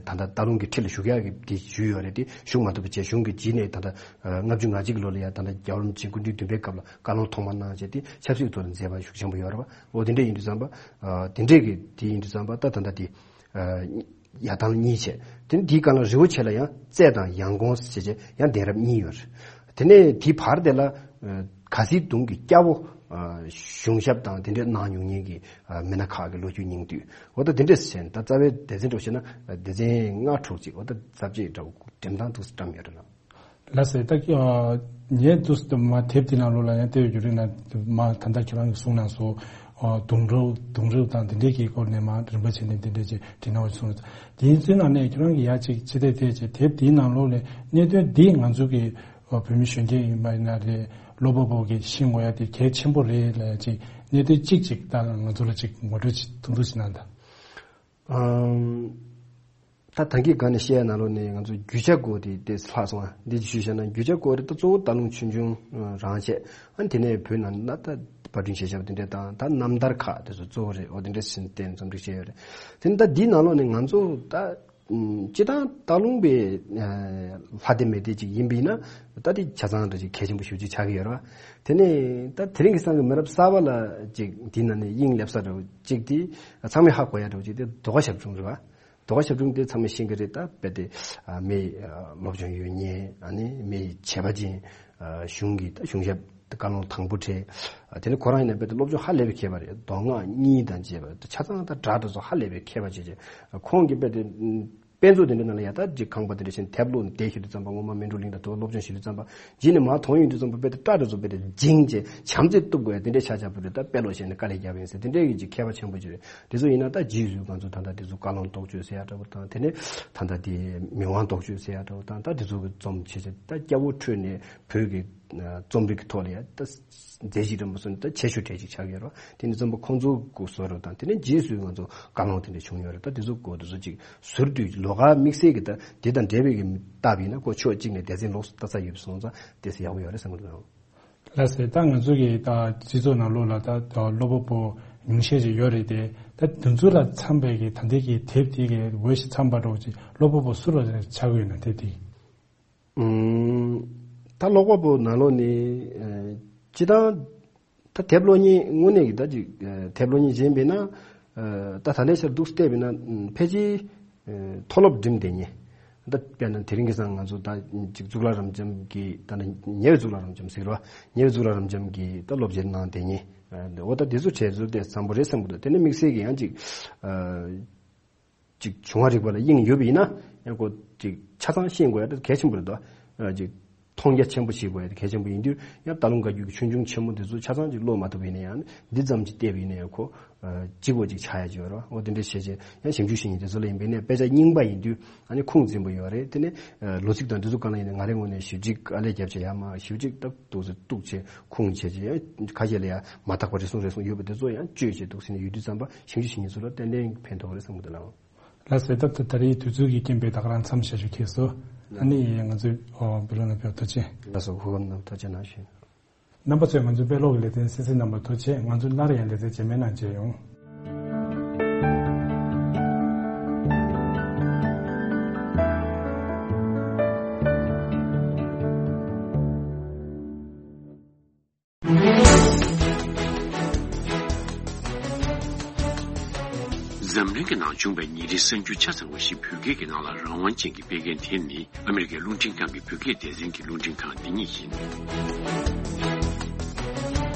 ཨ། ད་ལྟ་སྟག་ལུང་གི་ཁྲི་ལ་བཞུགས་ཡག་གི་དེ་ཞུས་ཡོད་རེད། དེ་བཞུགས་མ་ཐུབ་པ་བྱས། གཞུང་གི་རྗེས་ནས་ད་ལྟ་ཨ། ལྔ་བཅུ་ང་གཅིག་ལོ་ལ་ཡ་ད་ལྟ་རྒྱལ་བ་རིན་པོ་ཆེ་སྐུ་ཕྲེང་བདུན་པའི་སྐབས་ལ་བཀའ་ལུང་ཐོག་མ་གནང་བྱས། དེ་ཆབ་སྲིད་ཐོག་ལ་མཛད་པ་ཤུགས་ཆེན་པོ་ཡོད་རེད་པ། འོ་དེ་འདྲ་ཡིན་དུས་ཙམ་པ། ཨ། དེ་འདྲས་ཀྱི་དེ་ཡིན་དུས་ཙམ་པ་ད་ད་ལྟ་དེ། ཨ། ཡར་ཐང་གཉིས་བྱས། དེ་ནས་དེའི་སྒང་ལ་རི་བོ་ཆེ་ལ་ཡང་རྩེ་དང་ཡང་གོང་ཟེར་བྱས་ཡང་གདན་རབས་གཉིས་ཡོད་རེད། དེ་ནས་དེའི་བར་དེ་ལ་ཨ། ག་སིའི་གདུང་གི་སྐྱ་བོ། ཨ། གཞུང་ཞབས་དང་དེ་འདྲས་གནང་མྱོང་མཁན་གྱི་ཨ། མི་སྣ་ཁག་གི་ལོ་རྒྱུས་སྙིང་བསྡུས། འོ་ད་དེ་འདྲས་བྱས་ནས་ད་རྩ་བའི་སྡེ་ཚན་འདྲ་བོ་བྱས་ན་སྡེ་ཚན་ལྔ་དྲུག་ཅིག་འོ་ད་ས་བཅད་འདྲ་བོ་འགྲེམས་སྟངས་འདུག་སེ་བཀྲམ་ཡོད་རེད་ལགས། ལགས་སེ། ད་ངས་འདུག་སེ་མ་དེབ་དེ་ནང་ལོགས་ལ་ཡང་བལྟས་ཡོད་རྒྱུ་རེད་ན། མ་ད་ལྟ་ཁྱེད་རང་གིས་གསུངས་གནང་སོང་། ཨོ། གདུང་རབས་གདུང་རབས་དང་དེ་འདྲའི་གི་སྐོར་ནས་མ་རིམ་པ་བྱས་ནས་དེ་འདྲའི་ཅིག་བྲིས་གནང་བ་གསུངས། དེ་ཚོའི་ནང་ནས་ཁྱེད་རང་གིས་ཡ་ཅིག་ཅི་ཐད་ཐད་ཅིག་དེབ་དེའི་ནང་ལོགས་ལ་གནད་དོན་འདི་ང་ཚོ་གི་བོད་མི་གཞོན་སྐྱེས་ཡིན་པ་ཡིན་ན་རེད། ཀློག་པ་པོ་གིས་ཤེས་དགོས་ཡ་དེ་གལ་ཆེན་པོ་རེད་ལབ་ཡ་ཅིག་གནད་དོན་གཅིག་ཅིག་ད་ང་ཚོ་ལ་ཅིག་ངོ་སྤྲོད་ཅིག་ཐུང་ཐུང་ཞིག་གནང་དང་། ཨམ། ད་ད་གིན་སྒང་ནས་བཤད་ཡ་ནང་ལོགས་ནས་ང་ཚོ་རྒྱུ་ཆ་སྐོར་དེ་དེ་ལྷག་སོང་ང་། འདི་ཞུས་བཞག་ན་རྒྱུ་ཆ་སྐོར་དེ་ད་གཙོ་བོ་སྟག་ལུང་ཆོས་འབྱུང་རང་བྱས། ཨ་ནི་དེ་ནས་བོད་ནང་ན་ད་པར་སྐྲུན་བྱས་བཞག་པ་དེ་འདྲས་དང་། ད་རྣམ་ཐར་ཁག་དེ་ཚོ་གཙོ་བོ་རེད། འོ་དེ་འདྲས་ཟིན་བསྟན་རྩོམ་སྒྲིག་བྱས་ཡོད་རེད། དེ་ནི་ད་འདིའི་ནང་ལོགས་ནས་ང་ཚོ་ད་ སྤྱིར་བཏང་སྟག་ལུང་པའི་ལྷ་སྡེ་མི་སྡེ་ཅིག་ཡིན་པ་ཡིན་ན། ད་དེ་ཆ་ཚང་འདྲ་ཅིག་གལ་ཆེན་པོ་ཞེ་པོ་ཅིག་ཆགས་ཀྱི་ཡོད་རེད་བ། དེ་ནས་ད་དེ་རིང་གི་སང་གི་མི་རབས་གསར་པ་ལ་ཅིག་འདི་ན་ནས་དབྱིངས་སླེབས་ས་འདྲ་བོ་ཅིག་དེ་ཚང་མས་ཧ་གོ་ཡ་འདྲ་བོ་ཅིག་དེ་ཟློས་གར་ཞབས་དྲུང་རེད་བ། ཟློས་གར་ཞབས་དྲུང་དེ་ཚང་མས་ཤེས་ཀྱི་རེད། ད་རྦད་དེ་མི་སློབ་སྦྱོང་ཡོད་མཁན། ཨ་ནི་མི་བྱས་པ་ཅན། གཞུང་གི་ད་གཞུང་ཞབས་བཀའ་ལུང་དང་པོ་གྲས། དེ་ནས་ཁོ་རང་ཡིན་ན་རྦད་དེ་སློབ་སྦྱོང་ཧ་ལས་པའི་མཁས་པ་རེད། མདོ་སྔགས་གཉིས་དང་བཅས་པ་ཆ་ཚང་ད་སྒྲ་དེ་ཚོ་ཧ་ལས་པའི་མཁས་པ་བྱས་བྱས། ཁོང་གིས་རྦད་དེ་དཔེ་མཛོད་དེ་འདྲའི་ནང་ལ་ཡ་ད་ཅིག་ཁང་པ་དེ་འདྲ་བཞིན་དེབ་ཀློག་ནས་བསྡད་ཤི་དུས་ཙམ་པ། སྔོན་མ་སྨིན་གྲོལ་གླིང་དང་དུ་བ་སློབ་སྦྱོང་ཞུ་དུས་ཙམ་པ། རྗེས་ནས་མར་མཐོང་ཡོང་དུས་ཙམ་པ་རྦད་དེ་སྒྲ་དེ་ཚོ་རྦད་དེ་འཇིང་བྱས་བྱམས་བརྩེ་གཏུབ་དགོས་ཡ་དེ་འདྲའི་ཆ་ཆགས་པ་རེད། ད་དཔེ་ཀློག་བྱས་ནས་དཀའ་ལས་རྒྱབ་ཡིན་ཟེར། དེ་འདྲའི་གི་ཅིག་མཁས་པ་ཆེན་པོ་ཅིག་རེད། དེ་ཚོ་ཡིན་ན་ད་རྗེས་སུ་ང་ཚོ་ད་ལྟ་དེ་ཚོ་བཀའ་ལུང་རྟོགས་བརྗོད་ཟེར་ཡ་འདྲ་བོ་དང་། དེ་ནས་ད་ལྟ་དེ་མི་དབང་རྟོགས་བརྗོད་ཟེར་ཡ་འདྲ་བོ་དང་། ད་དེ་ཚོ་གི་རྩོམ་བྱས་བྱས་ད་སྐྱ་བོ་ཁྲོས་ནས་བོད་ཀྱི་རྩོམ་རིག་གི་ཐོག་ལ་ཡ་ད་མཛད་རྗེས་འདྲ་མོ་སོང་ནས་ད་ཆེ་ཤོས་གྲས་ཅིག་ཆགས་ཡོད་རེད། དེ་ནི་རྩོམ་པ་ཁོང་ཚོ་གི་བཟོ་རེད་དང་། དེ་ནས་རྗེས་སུ་ང་ཚོ་བཀའ་ལུང་དེ་འདྲ་བྱུང་ཡོད་རེད། ད་དེ་ཚོ་གོ་དེ་ཚོ་ཅིག་ཟུར་དུ་ལོགས་ཀ་དམིགས་བསལ་གྱི་ད་དེ་དང་འབྲེལ་བའི་གི་ལྟ་བ་ཡིན་ན། ཁོ་ཕྱོགས་གཅིག་ནས་སྡེ་ཚན་ལོགས་སུ་ལྟ་ས་ཡོད་པ་སོང་ཙང་དེ་ཚོ་ཡག་པོ་ཡོད་རེད་བསམ་གི་འདུག། ལགས་སེ། ད་ང་ཚོ་གི་ད་སྤྱི་ཚོགས་ནང་ལོགས་ལ་ད་ད་སློབ་པ་པོ་ཉུང་ཤས་ཅིག་ཡོད་རེད་དེ། ད་དེ་ཚོ་ལ་འཚམས་པའི་གི་ད་ལྟའི་གི་དེབ་དེ་གི་འོས་ཤིང་འཚམས་པ་འདྲ་བོ་ཅིག་སློབ་པ་པོ་སུ་ལ་ཆགས་ཀྱི་ཡོད་ན་དེབ་དེ། ཨུམ། ད་ཀློག་པ་པོ་ནང་ལོགས་ནས་ཨ་སྤྱིར་བཏང་ད་དེབ་ཀློག་མཁན་དངོས་གནས་ཀྱི་ད་ཅིག་ཨ་དེབ་ཀློག་མཁན་གཞན་པས་ན། ཨ་ད་ད་ལྟའི་ཆར་འདུག་བལྟས་པས་ན། ཨུམ། ཕལ་ཆེར་ཨ་མཐོ་སློབ་འགྲིམས་བསྡད་མཁན། ད་དཔེར་ན་དེ་རིང་གི་སང་ང་ཚོ་ད་ཅིག་གཙུག་ལག་རབ་འབྱམས་ཀྱི་ད་ནི་ཉེ་བའི་གཙུག་ལག་རབ་འབྱམས་ཟེར་བ། ཉེ་བའི་གཙུག་ལག་རབ་འབྱམས་ཀྱི་ད་སློབ་སྦྱོང་གནང་བསྡད་མཁན། ཨ་འོ་ད་དེ་ཚོ་གྲས་ཚོ་དེ་བཟང་པོ་རེད་བསམ་གི་འདུག། དེ་ནས་དམིགས་བསལ་གྱི་ཡང་ཅིག་ཨ། ཅིག་བྱུང་བ་རིག་པ་ལ་དབྱིངས་ཡོད་པ་ཡིན་ན། ཡང་ཁོ་ཅིག་ཆ་ཚང་ཤེས་དགོས་ཡ་དེ་གལ་ཆེན་པོ་རེད་དོ། ཨ་ཅིག་མཐོང་རྒྱ་ཆེན་པོ་ཞིག་དགོས་ཡ་དེ་གལ་ཆེན་པོ་ཡིན་དུས། ཡང་སྟག་ལུང་བཀའ་བརྒྱུད་ཀྱི་ཆོས་འབྱུང་ཆེན་མོ་དེ་ཚོ་ཆ་ཚང་ཅིག་ཀློག་མ་ཐུབ་པ་ཡིན་ན་ཡང་། འདི་ཙམ་ཅིག་བལྟས་པ་ཡིན་ན་ཡང་ཁོ་ཨ་གཅིག་པོ་ཅིག་ཆགས་ཡ་ཅིག་ཡོད་རེད། འོ་དེ་འདྲ་བྱས་བྱས་ཡང་ཞིབ་འཇུག་བྱེད་མཁན་དེ་ཚོ་ལ་ཡིན་པ་ཡིན་ན། དཔེ་ཆ་རྙིང་པ་ཡིན་དུས་ཨ་ནི་ཁུངས་བཙུན་པོ་ཡོད་རེད། དེ་ནས་ཨ་ལོ་ཚིགས་དང་འདི་ཚོ་གང་ལ་ཡིན་ན་ང་རའི་ངོས་ནས་ཞིབ་ཅིག་ཨ་ལས་རྒྱབ་བྱས་ཡ་མ་ཞིབ་ཅིག་ཏག་ཏོག་ཙམ་གཏུགས་བྱས། ཁུངས་བྱས་རྗེས་ཁ་ཤས་ལ་ཡང་མ་དག་པ་རེ་ཟུང་རེ་ཟུང་ཡོད་པ་དེ་ཚོ་ཡང་བཅོས་བྱས་འདུག་ཟེར་ནས་ཡོད་དུས་ཙམ་པ། ཞིབ་འཇུག་བྱེད་མཁན་ཚོ་ལ་ཏན་ཏན་ཕན་ཐོགས་རེད་བསམ་གི་འདུག་ལགས། ལགས་སོ། ད་ད་རེས་དུས་ཚོད་ཀྱི་རྐྱེན་པས་ད་ག་རང་མཚམས་བཞག་རྒྱུ་ཁེལ་སོང་། ཨ་ནི་ང་ཚོས་ཨོ་བེ་ལོ་ན་ཕེབས་ཐུགས་རྗེ་ཆེ། ལགས་སོ། ཧུ་ཁམ་ནང་ཐུགས་རྗེ་གནང་ཞུ། རྣམ་པ་ཚོས་ང་ཚོའི་དཔེ་ཀློག་གི་ལེ་ཚན་གསན་གཟིགས་གནང་བར་ཐུགས་རྗེ་ཆེ། ང་ཚོ་སླར་ཡང་ལེ་ཚན་རྗེས་མའི་ནང་མཇལ་ཡོང་། འཛམ་གླིང་གི་ནང་བྱུང་བའི་ཉིན་རེའི་གསར་འགྱུར་ཆ་ཚང་བ་ཞིག་བོད་སྐད་ཀྱི་ནང་ལ་རང་དབང་ཅན་གྱིས་སྤེལ་མཁན་དེ་ནི་ཨ་མི་རི་ཀའི་རླུང་འཕྲིན་ཁང་གི་བོད་སྐད་སྡེ་ཚན་གྱི་རླུང་འཕྲིན་ཁང་འདི་ཉིད་ཡིན།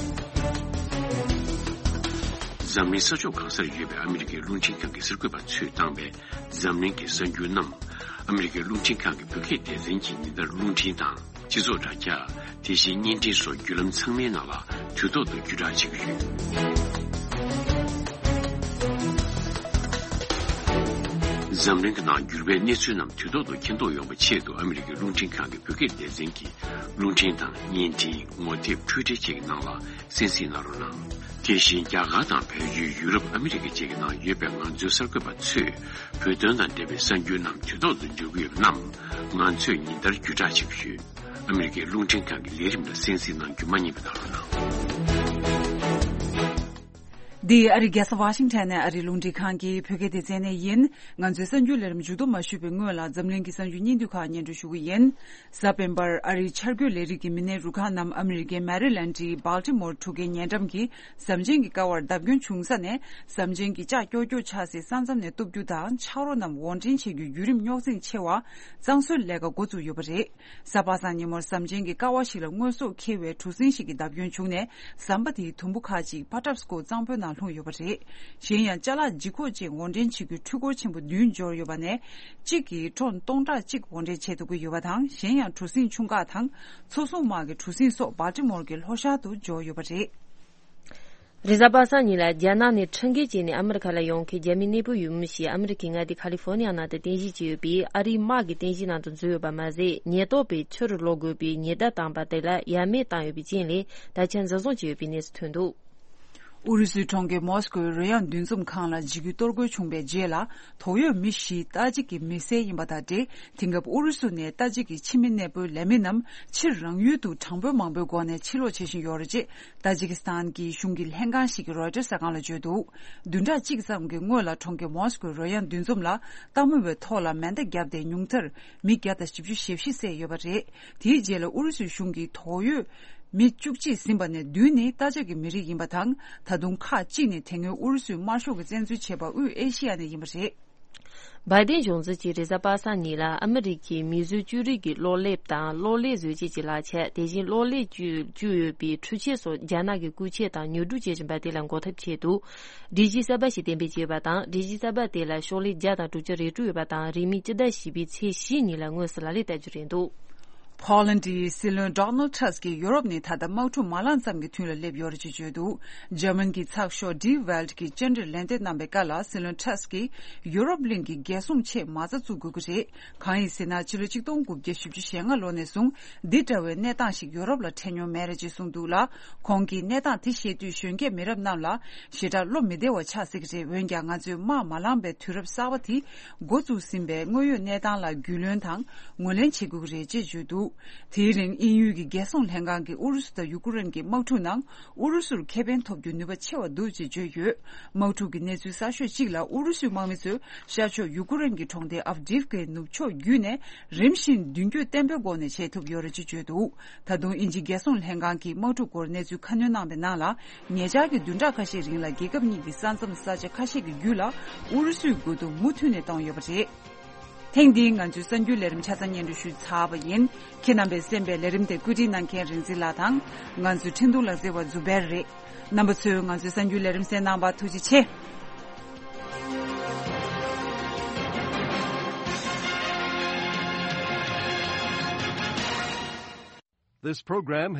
འཛམ་གླིང་ས་ཕྱོགས་གང་སར་ཡོད་པའི་ཨ་མི་རི་ཀའི་རླུང་འཕྲིན་ཁང་གི་གསར་འགོད་པ་ཚོས་བཏང་བའི་འཛམ་གླིང་གི་གསར་འགྱུར་རྣམས་ཨ་མི་རི་ཀའི་རླུང་འཕྲིན་ཁང་གི་བོད་སྐད་སྡེ་ཚན་གྱིས་ཉིན་ལྟར་རླུང་འཕྲིན་དང་། སྤྱི་ཚོགས་དྲ་རྒྱ། དེ་བཞིན་བརྙན་འཕྲིན་སོགས་བརྒྱུད་ལམ་ཚང་མའི་ནང་ལ་དུས་ཐོག་ཏུ་བརྒྱུད་བསྒྲགས་བྱེད་ཀྱི་ཡོད། འཛམ་གླིང་གི་ནང་འགྱུར་བའི་གནས་ཚུལ་རྣམས་དུས་ཐོག་ཏུ་མཁྱེན་རྟོགས་ཡོང་བའི་ཆེད་དུ་ཨ་མི་རི་ཀའི་རླུང་འཕྲིན་ཁང་གི་བོད་སྐད་སྡེ་ཚན་གྱིས་རླུང་འཕྲིན་དང་བརྙན་འཕྲིན། ངོ་དེབ། འཕྲུལ་འཕྲིན་བཅས་ཀྱི་ནང་ལ་གསན་གཟིགས་གནང་རོགས་གནང་། དེ་བཞིན་རྒྱ་གར་དང་བལ་ཡུལ། ཡུ་རོབ། ཨ་མི་རི་ཀ་བཅས་ཀྱི་ནང་ཡོད་པའི་ང་ཚོའི་གསར་འགོད་པ་ཚོས་བོད་དོན་དང་འབྲེལ་བའི་གསར་འགྱུར་རྣམས་དུས་ཐོག་ཏུ་འབྱོར་གྱི་ཡོད་པ་རྣམས་ང་ཚོས་ཉིན་ལྟར་བརྒྱུད་བསྒྲགས་བྱེད་ཀྱི་ཡོད། ཨ་མི་རི་ཀའི་རླུང་འཕྲིན་ཁང་གི་ལས་རིམ་ལ་གསན་གཟིགས་གནང་རྒྱུ་མ་བསྙེལ་བ་གནང་རོགས་གནང་། འདི་ཨ་རིའི་རྒྱལ་ས་ཝ་ཤིང་ཊོན་ནས་ཨ་རིའི་རླུང་འཕྲིན་ཁང་གི་བོད་སྐད་སྡེ་ཚན་ནས་ཡིན། ང་ཚོའི་གསར་འགྱུར་ལས་རིམ་མཇུག་བསྡོམས་མ་ཞུས་པའི་སྔོན་ལ་འཛམ་གླིང་གི་གསར་འགྱུར་སྙིང་བསྡུས་ཁག་སྙན་སྒྲོན་ཞུ་གི་ཡིན། གཟའ་སྤེན་པར་ཨ་རིའི་འཆར་འགོད་ལས་རིགས་ཀྱི་མི་སྣའི་རུ་ཁག་རྣམས་ཨ་མི་རི་ཀའི་མེ་རི་ལེན་ཌི་སྦལ་ཊི་མོར་གྲུ་ཁའི་ཉེ་འགྲམ་གྱི་ཟམ་ཆེན་གྱི་ཀ་བར་བརྡབ་སྐྱོན་བྱུང་ས་ནས་ཟམ་ཆེན་གྱི་ལྕགས་ཀྱོག་ཀྱོག་ཆགས་སའི་ས་མཚམས་ནས་གཏུབ་རྒྱུ་དང་ཆག་རོ་རྣམས་དབོར་འདྲེན་བྱེད་རྒྱུའི་བརྒྱུད་རིམ་རྙོག་འཛིང་ཆེ་བ་གཙང་བཟོའི་ལས་ཀ་འགོ་བཙུགས་ཡོད་པ་རེད། གཟའ་པ་སངས་ཉིན་མོར་ཟམ་ཆེན་གྱི་ཀ་བ་ཞིག་ལ་དངོས་ཟོག་འཁྱེར་བའི་གྲུ་གཟིངས་ཤིག་གི་བརྡབ་སྐྱོན་བྱུང་ནས་ཟམ་པ་དེའི་དུམ་བུ་ཁག་ཅིག་ཕ་ཊབ་སི་ཀོ་གཙང་པོའི་ནང་ལྷུང་ཡོད་པ་རེད། གཞན་ཡང་ཅ་ལག་ལྗིད་ཁོག་ཅན་དབོར་འདྲེན་བྱེད་རྒྱུའི་འཕྲུལ་འཁོར་ཆེན་པོ་བདུན་འབྱོར་ཡོད་པ་ནས་གཅིག་གིས་ཊོན་སྟོང་ཕྲག་གཅིག་དབོར་འདྲེན་བྱེད་ཐུབ་ཀྱི་ཡོད་པ་དང་། གཞན་ཡང་གྲུ་གཟིངས་ཆུང་ཁག་དང་མཚོ་སྲུང་དམག་གི་གྲུ་གཟིངས་སོགས་སྦལ་ཊི་མོར་གྱི་ལྷོ་ཤར་དུ་འབྱོར་ཡོད་པ་རེད། རེས་གཟའ་པ་སངས་ཉིན་ལ་རྒྱ་ནག་ནས་ཁྲིམས་འགལ་བྱས་ནས་ཨ་མི་རི་ཁ་ལ་ཡོང་མཁན་རྒྱ་མི་གནས་སྤོས་ཡོད་མུས་ཤིག་ཨ་མི་རི་ཁའི་མངའ་སྡེ་ཁ་ལི་ཧྥོ་ནི་ཡ་ནང་དུ་རྟེན་གཞི་བྱས་ཡོད་པས། ཨ་རིའི་དམག་གི་རྟེན་གཞི་ནང་དུ་འཛུལ་ཡོད་པ་མ་ཟད། ཉེན་རྟོག་པས་ཕྱིར་ལོག་དགོས་པའི་ཉེན་བརྡ་བཏང་བ་དེ་ལ་ཡ་མེད་བཏང་ཡོད་པའི་རྐྱེན་ལས་ད་ཆ་འཛིན་བཟུང་བྱས་ཡོད་པའི་གནས་སུ་ཐོན་འདུག། ཨུ་རུ་སུའི་གྲོང་ཁྱེར་མོ་སི་ཀོའི་རོལ་དབྱངས་འདུ་འཛོམས་ཁང་ལ་འཇིགས་སྐུལ་གཏོར་རྒོལ་བྱུང་བའི་རྗེས་ལ། དོགས་ཡོད་མི་བཞི་ཏཱ་ཇིག་གི་མི་སེར་ཡིན་པ་དང་འབྲེལ། དེང་སྐབས་ཨུ་རུ་སུ་ནས་ཏཱ་ཇིག་གི་ཕྱི་མི་གནས་སྤོའི་ལས་མི་རྣམས་ཕྱིར་རང་ཡུལ་དུ་གྲངས་འབོར་མང་པོའི་སྒོ་ནས་ཕྱིར་ལོག་བྱེད་བཞིན་ཡོད་རེད་ཅེས། ཏཱ་ཇི་ཀི་སི་ཐན་གྱི་གཞུང་གི་ལྷན་ཁང་ཞིག་གིས་རོའི་ཊར་གསར་ཁང་ལ་བརྗོད་འདུག་བདུན་ཕྲག་གཅིག་ཙམ་གྱི་སྔོན་ལ་གྲོང་ཁྱེར་མོ་སི་ཀོའི་རོལ་དབྱངས་འདུ་འཛོམས་ལ་ལྟད་མོ་བའི་ཐོག་ལ་མེ་མདའ་བརྒྱབ་སྟེ་ཉུང་མཐར་མི་བརྒྱ་དང་བཞི་བཅུ་ཞེ་བཞི་བསད་ཡོད་པ་རེད། དེའི་རྗེས་ལ་ཨུ་རུ་སུའི་གཞུང་གིས་དོགས་ཡོད་མི་བཅུ་གཅིག་ཟིན་པ་ནས་བདུན་ནི་ཏཱ་ཇིག་གི་མི་རིགས་ཡིན་པ་དང་། ད་དུང་ཁག་གཅིག་ནི་དེ་སྔོན་ཨུ་རུ་སུའི་དམར་ཤོག་གིས་བཙན་འཛུལ་བྱས་པ་དབུས་ཨེ་ཤི་ཡ་ནས་ཡིན་པ་རེད། བྷའི་ཏིན་གཞུང་འཛིན་གྱིས་རེས་གཟའ་པ་སངས་ཉིན་ལ་ཨ་མི་རི་ཀའི་མིས་བཟོས་བཅོས་རིག་གི་གློག་ཀླད་དང་གློག་ཀླད་བཟོ་བྱེད་ཀྱི་ལག་ཆས། དེ་བཞིན་གློག་ཀླད་བཅུད་བཅུད་ཡོད་པའི་འཕྲུལ་ཆས་སོགས་རྒྱ་ནག་གིས་རྐུ་འཁྱེར་དང་ཉོ་སྒྲུབ་བྱེད་བཞིན་པ་དེ་ལ་འགོག་ཐབས་ཆེད་དུ། སྒྲིག་གཞི་གསར་པ་ཞིག་གཏན་འབེབས་བྱས་པ་དང་། སྒྲིག་གཞི་གསར་པ་དེ་ལ་ཤོག་ལྷེ་བརྒྱ་དང་དྲུག་ཅུ་རེ་དྲུག་ཡོད་པ་དང་། རིང་མིན་སྤྱི་ཟླ་བཞི་པའི་ཚེས་བཞི་ཉིན་ལ་དངོས་སུ་ལག་ལེན་བསྟར་རྒྱུ་རེད་འདུག་ཕོ་ལན་ཌིའི་སྲིད་བློན་ཌོ་ནལ་ཊྲམ་གྱིས་ཡུ་རོབ་ནི་ད་ལྟ་དམག་འཁྲུག་མ་ལངས་ཙམ་གྱི་དུས་ལ་སླེབས་ཡོད་རེད་ཅེས་བརྗོད་འདུག་འཇར་མན་གྱི་ཚགས་ཤོག་ཌི་ཝེལཊ་གྱིས་བཅར་འདྲིར་ལན་འདེབས་གནང་བའི་སྐབས་ལ། སྲིད་བློན་ཊྲམ་གྱིས་ཡུ་རོབ་གླིང་གི་རྒྱལ་སྲུང་ཆེད་མ་རྩ་བཙུགས་དགོས་ཀྱི་རེད། གང་ཡིན་ཟེར་ན། ཕྱི་ལོ་ཆིག་སྟོང་དགུ་བརྒྱ་བཞི་བཅུ་ཞེ་ལྔ་ལོ་ནས་བཟུང་འདི་འདྲ་བའི་གནས་སྟངས་ཤིག་ཡུ་རོབ་ལ་འཕྲད་མྱོང་མེད་རེད་ཅེས་གསུངས་འདུག་ལ། ཁོང་གིས་གནས་སྟངས་དེ་ཤེས་དུས་གཞོན་སྐྱེས་མི་རབས་རྣམས་ལ་ཞེ་དྲག་བློ་མི་བདེ་བ་ཆགས་སྲིད་ཀྱི་རེད། འོན་ཀྱང་ང་ཚོས་དམག་མ་ལངས་པའི་དུས་རབས་གསར་པ་དེ་འགོ་བཙུགས་ཟིན་པའི་དངོས་ཡོད་གནས་སྟངས་ལ་རྒྱུས་ལོན་དང་ངོས་ལེན་བྱེད་དགོས་ཀྱི་རེད་ཅེས་བརྗོད་འདུག་དེའི་རིང་དབྱིན་ཡུལ་གྱི་རྒྱལ་སྲུང་ལྷན་ཁང་གིས་ཨུ་རུ་སུ་དང་ཡུ་ཀེ་རེན་གྱི་དམག་འཁྲུག་ནང་ཨུ་རུ་སུར་ཁེ་ཕན་ཐོབ་རྒྱུའི་ནུས་པ་ཆེ་བ་འདུག་ཅེས་བརྗོད་ཡོད། དམག་འཁྲུག་གི་གནས་ཚུལ་གསར་ཤོས་གཅིག་ལ། ཨུ་རུ་སུའི་དམག་མི་ཚོས་ཤར་ཕྱོགས་ཡུ་ཀེ་རེན་གྱི་གྲོང་སྡེ་ཨབ་ཌིབ་ཀའི་ནུབ་ཕྱོགས་བརྒྱུད་ནས་རིམ་བཞིན་མདུན་སྐྱོད་བརྟན་པོའི་སྒོ་ནས་བྱེད་ཐུབ་ཡོད་རེད་ཅེས་བརྗོད་འདུག་ད་དུང་དབྱིན་ཇིའི་རྒྱལ་སྲུང་ལྷན་ཁང་གིས་དམག་འཁྲུག་སྐོར་གནས་ཚུལ་ཁ་སྣོན་གནང་བའི་ནང་ལ། ཉེ་ཆར་གྱི་བདུན་ཕྲག་ཁ་ཤས་རིང་ལ་རྒྱལ་ཁབ་གཉིས་ཀྱི་ས་མཚམས་ས་ཆ་ཁ་ཤས་ཀྱི་རྒྱུད་ལ་ཨུ་རུ་སུའི་མགོ་རྡུང་མུ་མཐུད་ནས་བཏང་ཡོད་པ་རེད། ཐེངས་འདིའི་ང་ཚོའི་གསར་འགྱུར་ལས་རིམ་ཆ་ཚང་སྙན་སྒྲོན་ཞུས་ཚར་བ་ཡིན། ཁྱེད་རྣམ་པས་གསན་པའི་ལས་རིམ་དེ་བཀོད་སྒྲིག་གནང་མཁན་རིག་འཛིན་ལགས་དང་། ང་ཚོའི་འཕྲིན་གཏོང་ལག་རྩལ་བ་ཛུ་བེར་རེད། རྣམ་པ་ཚོས་ང་ཚོའི་གསར་འགྱུར་ལས་རིམ་གསན་གནང་བར་ཐུགས་རྗེ་ཆེ། This program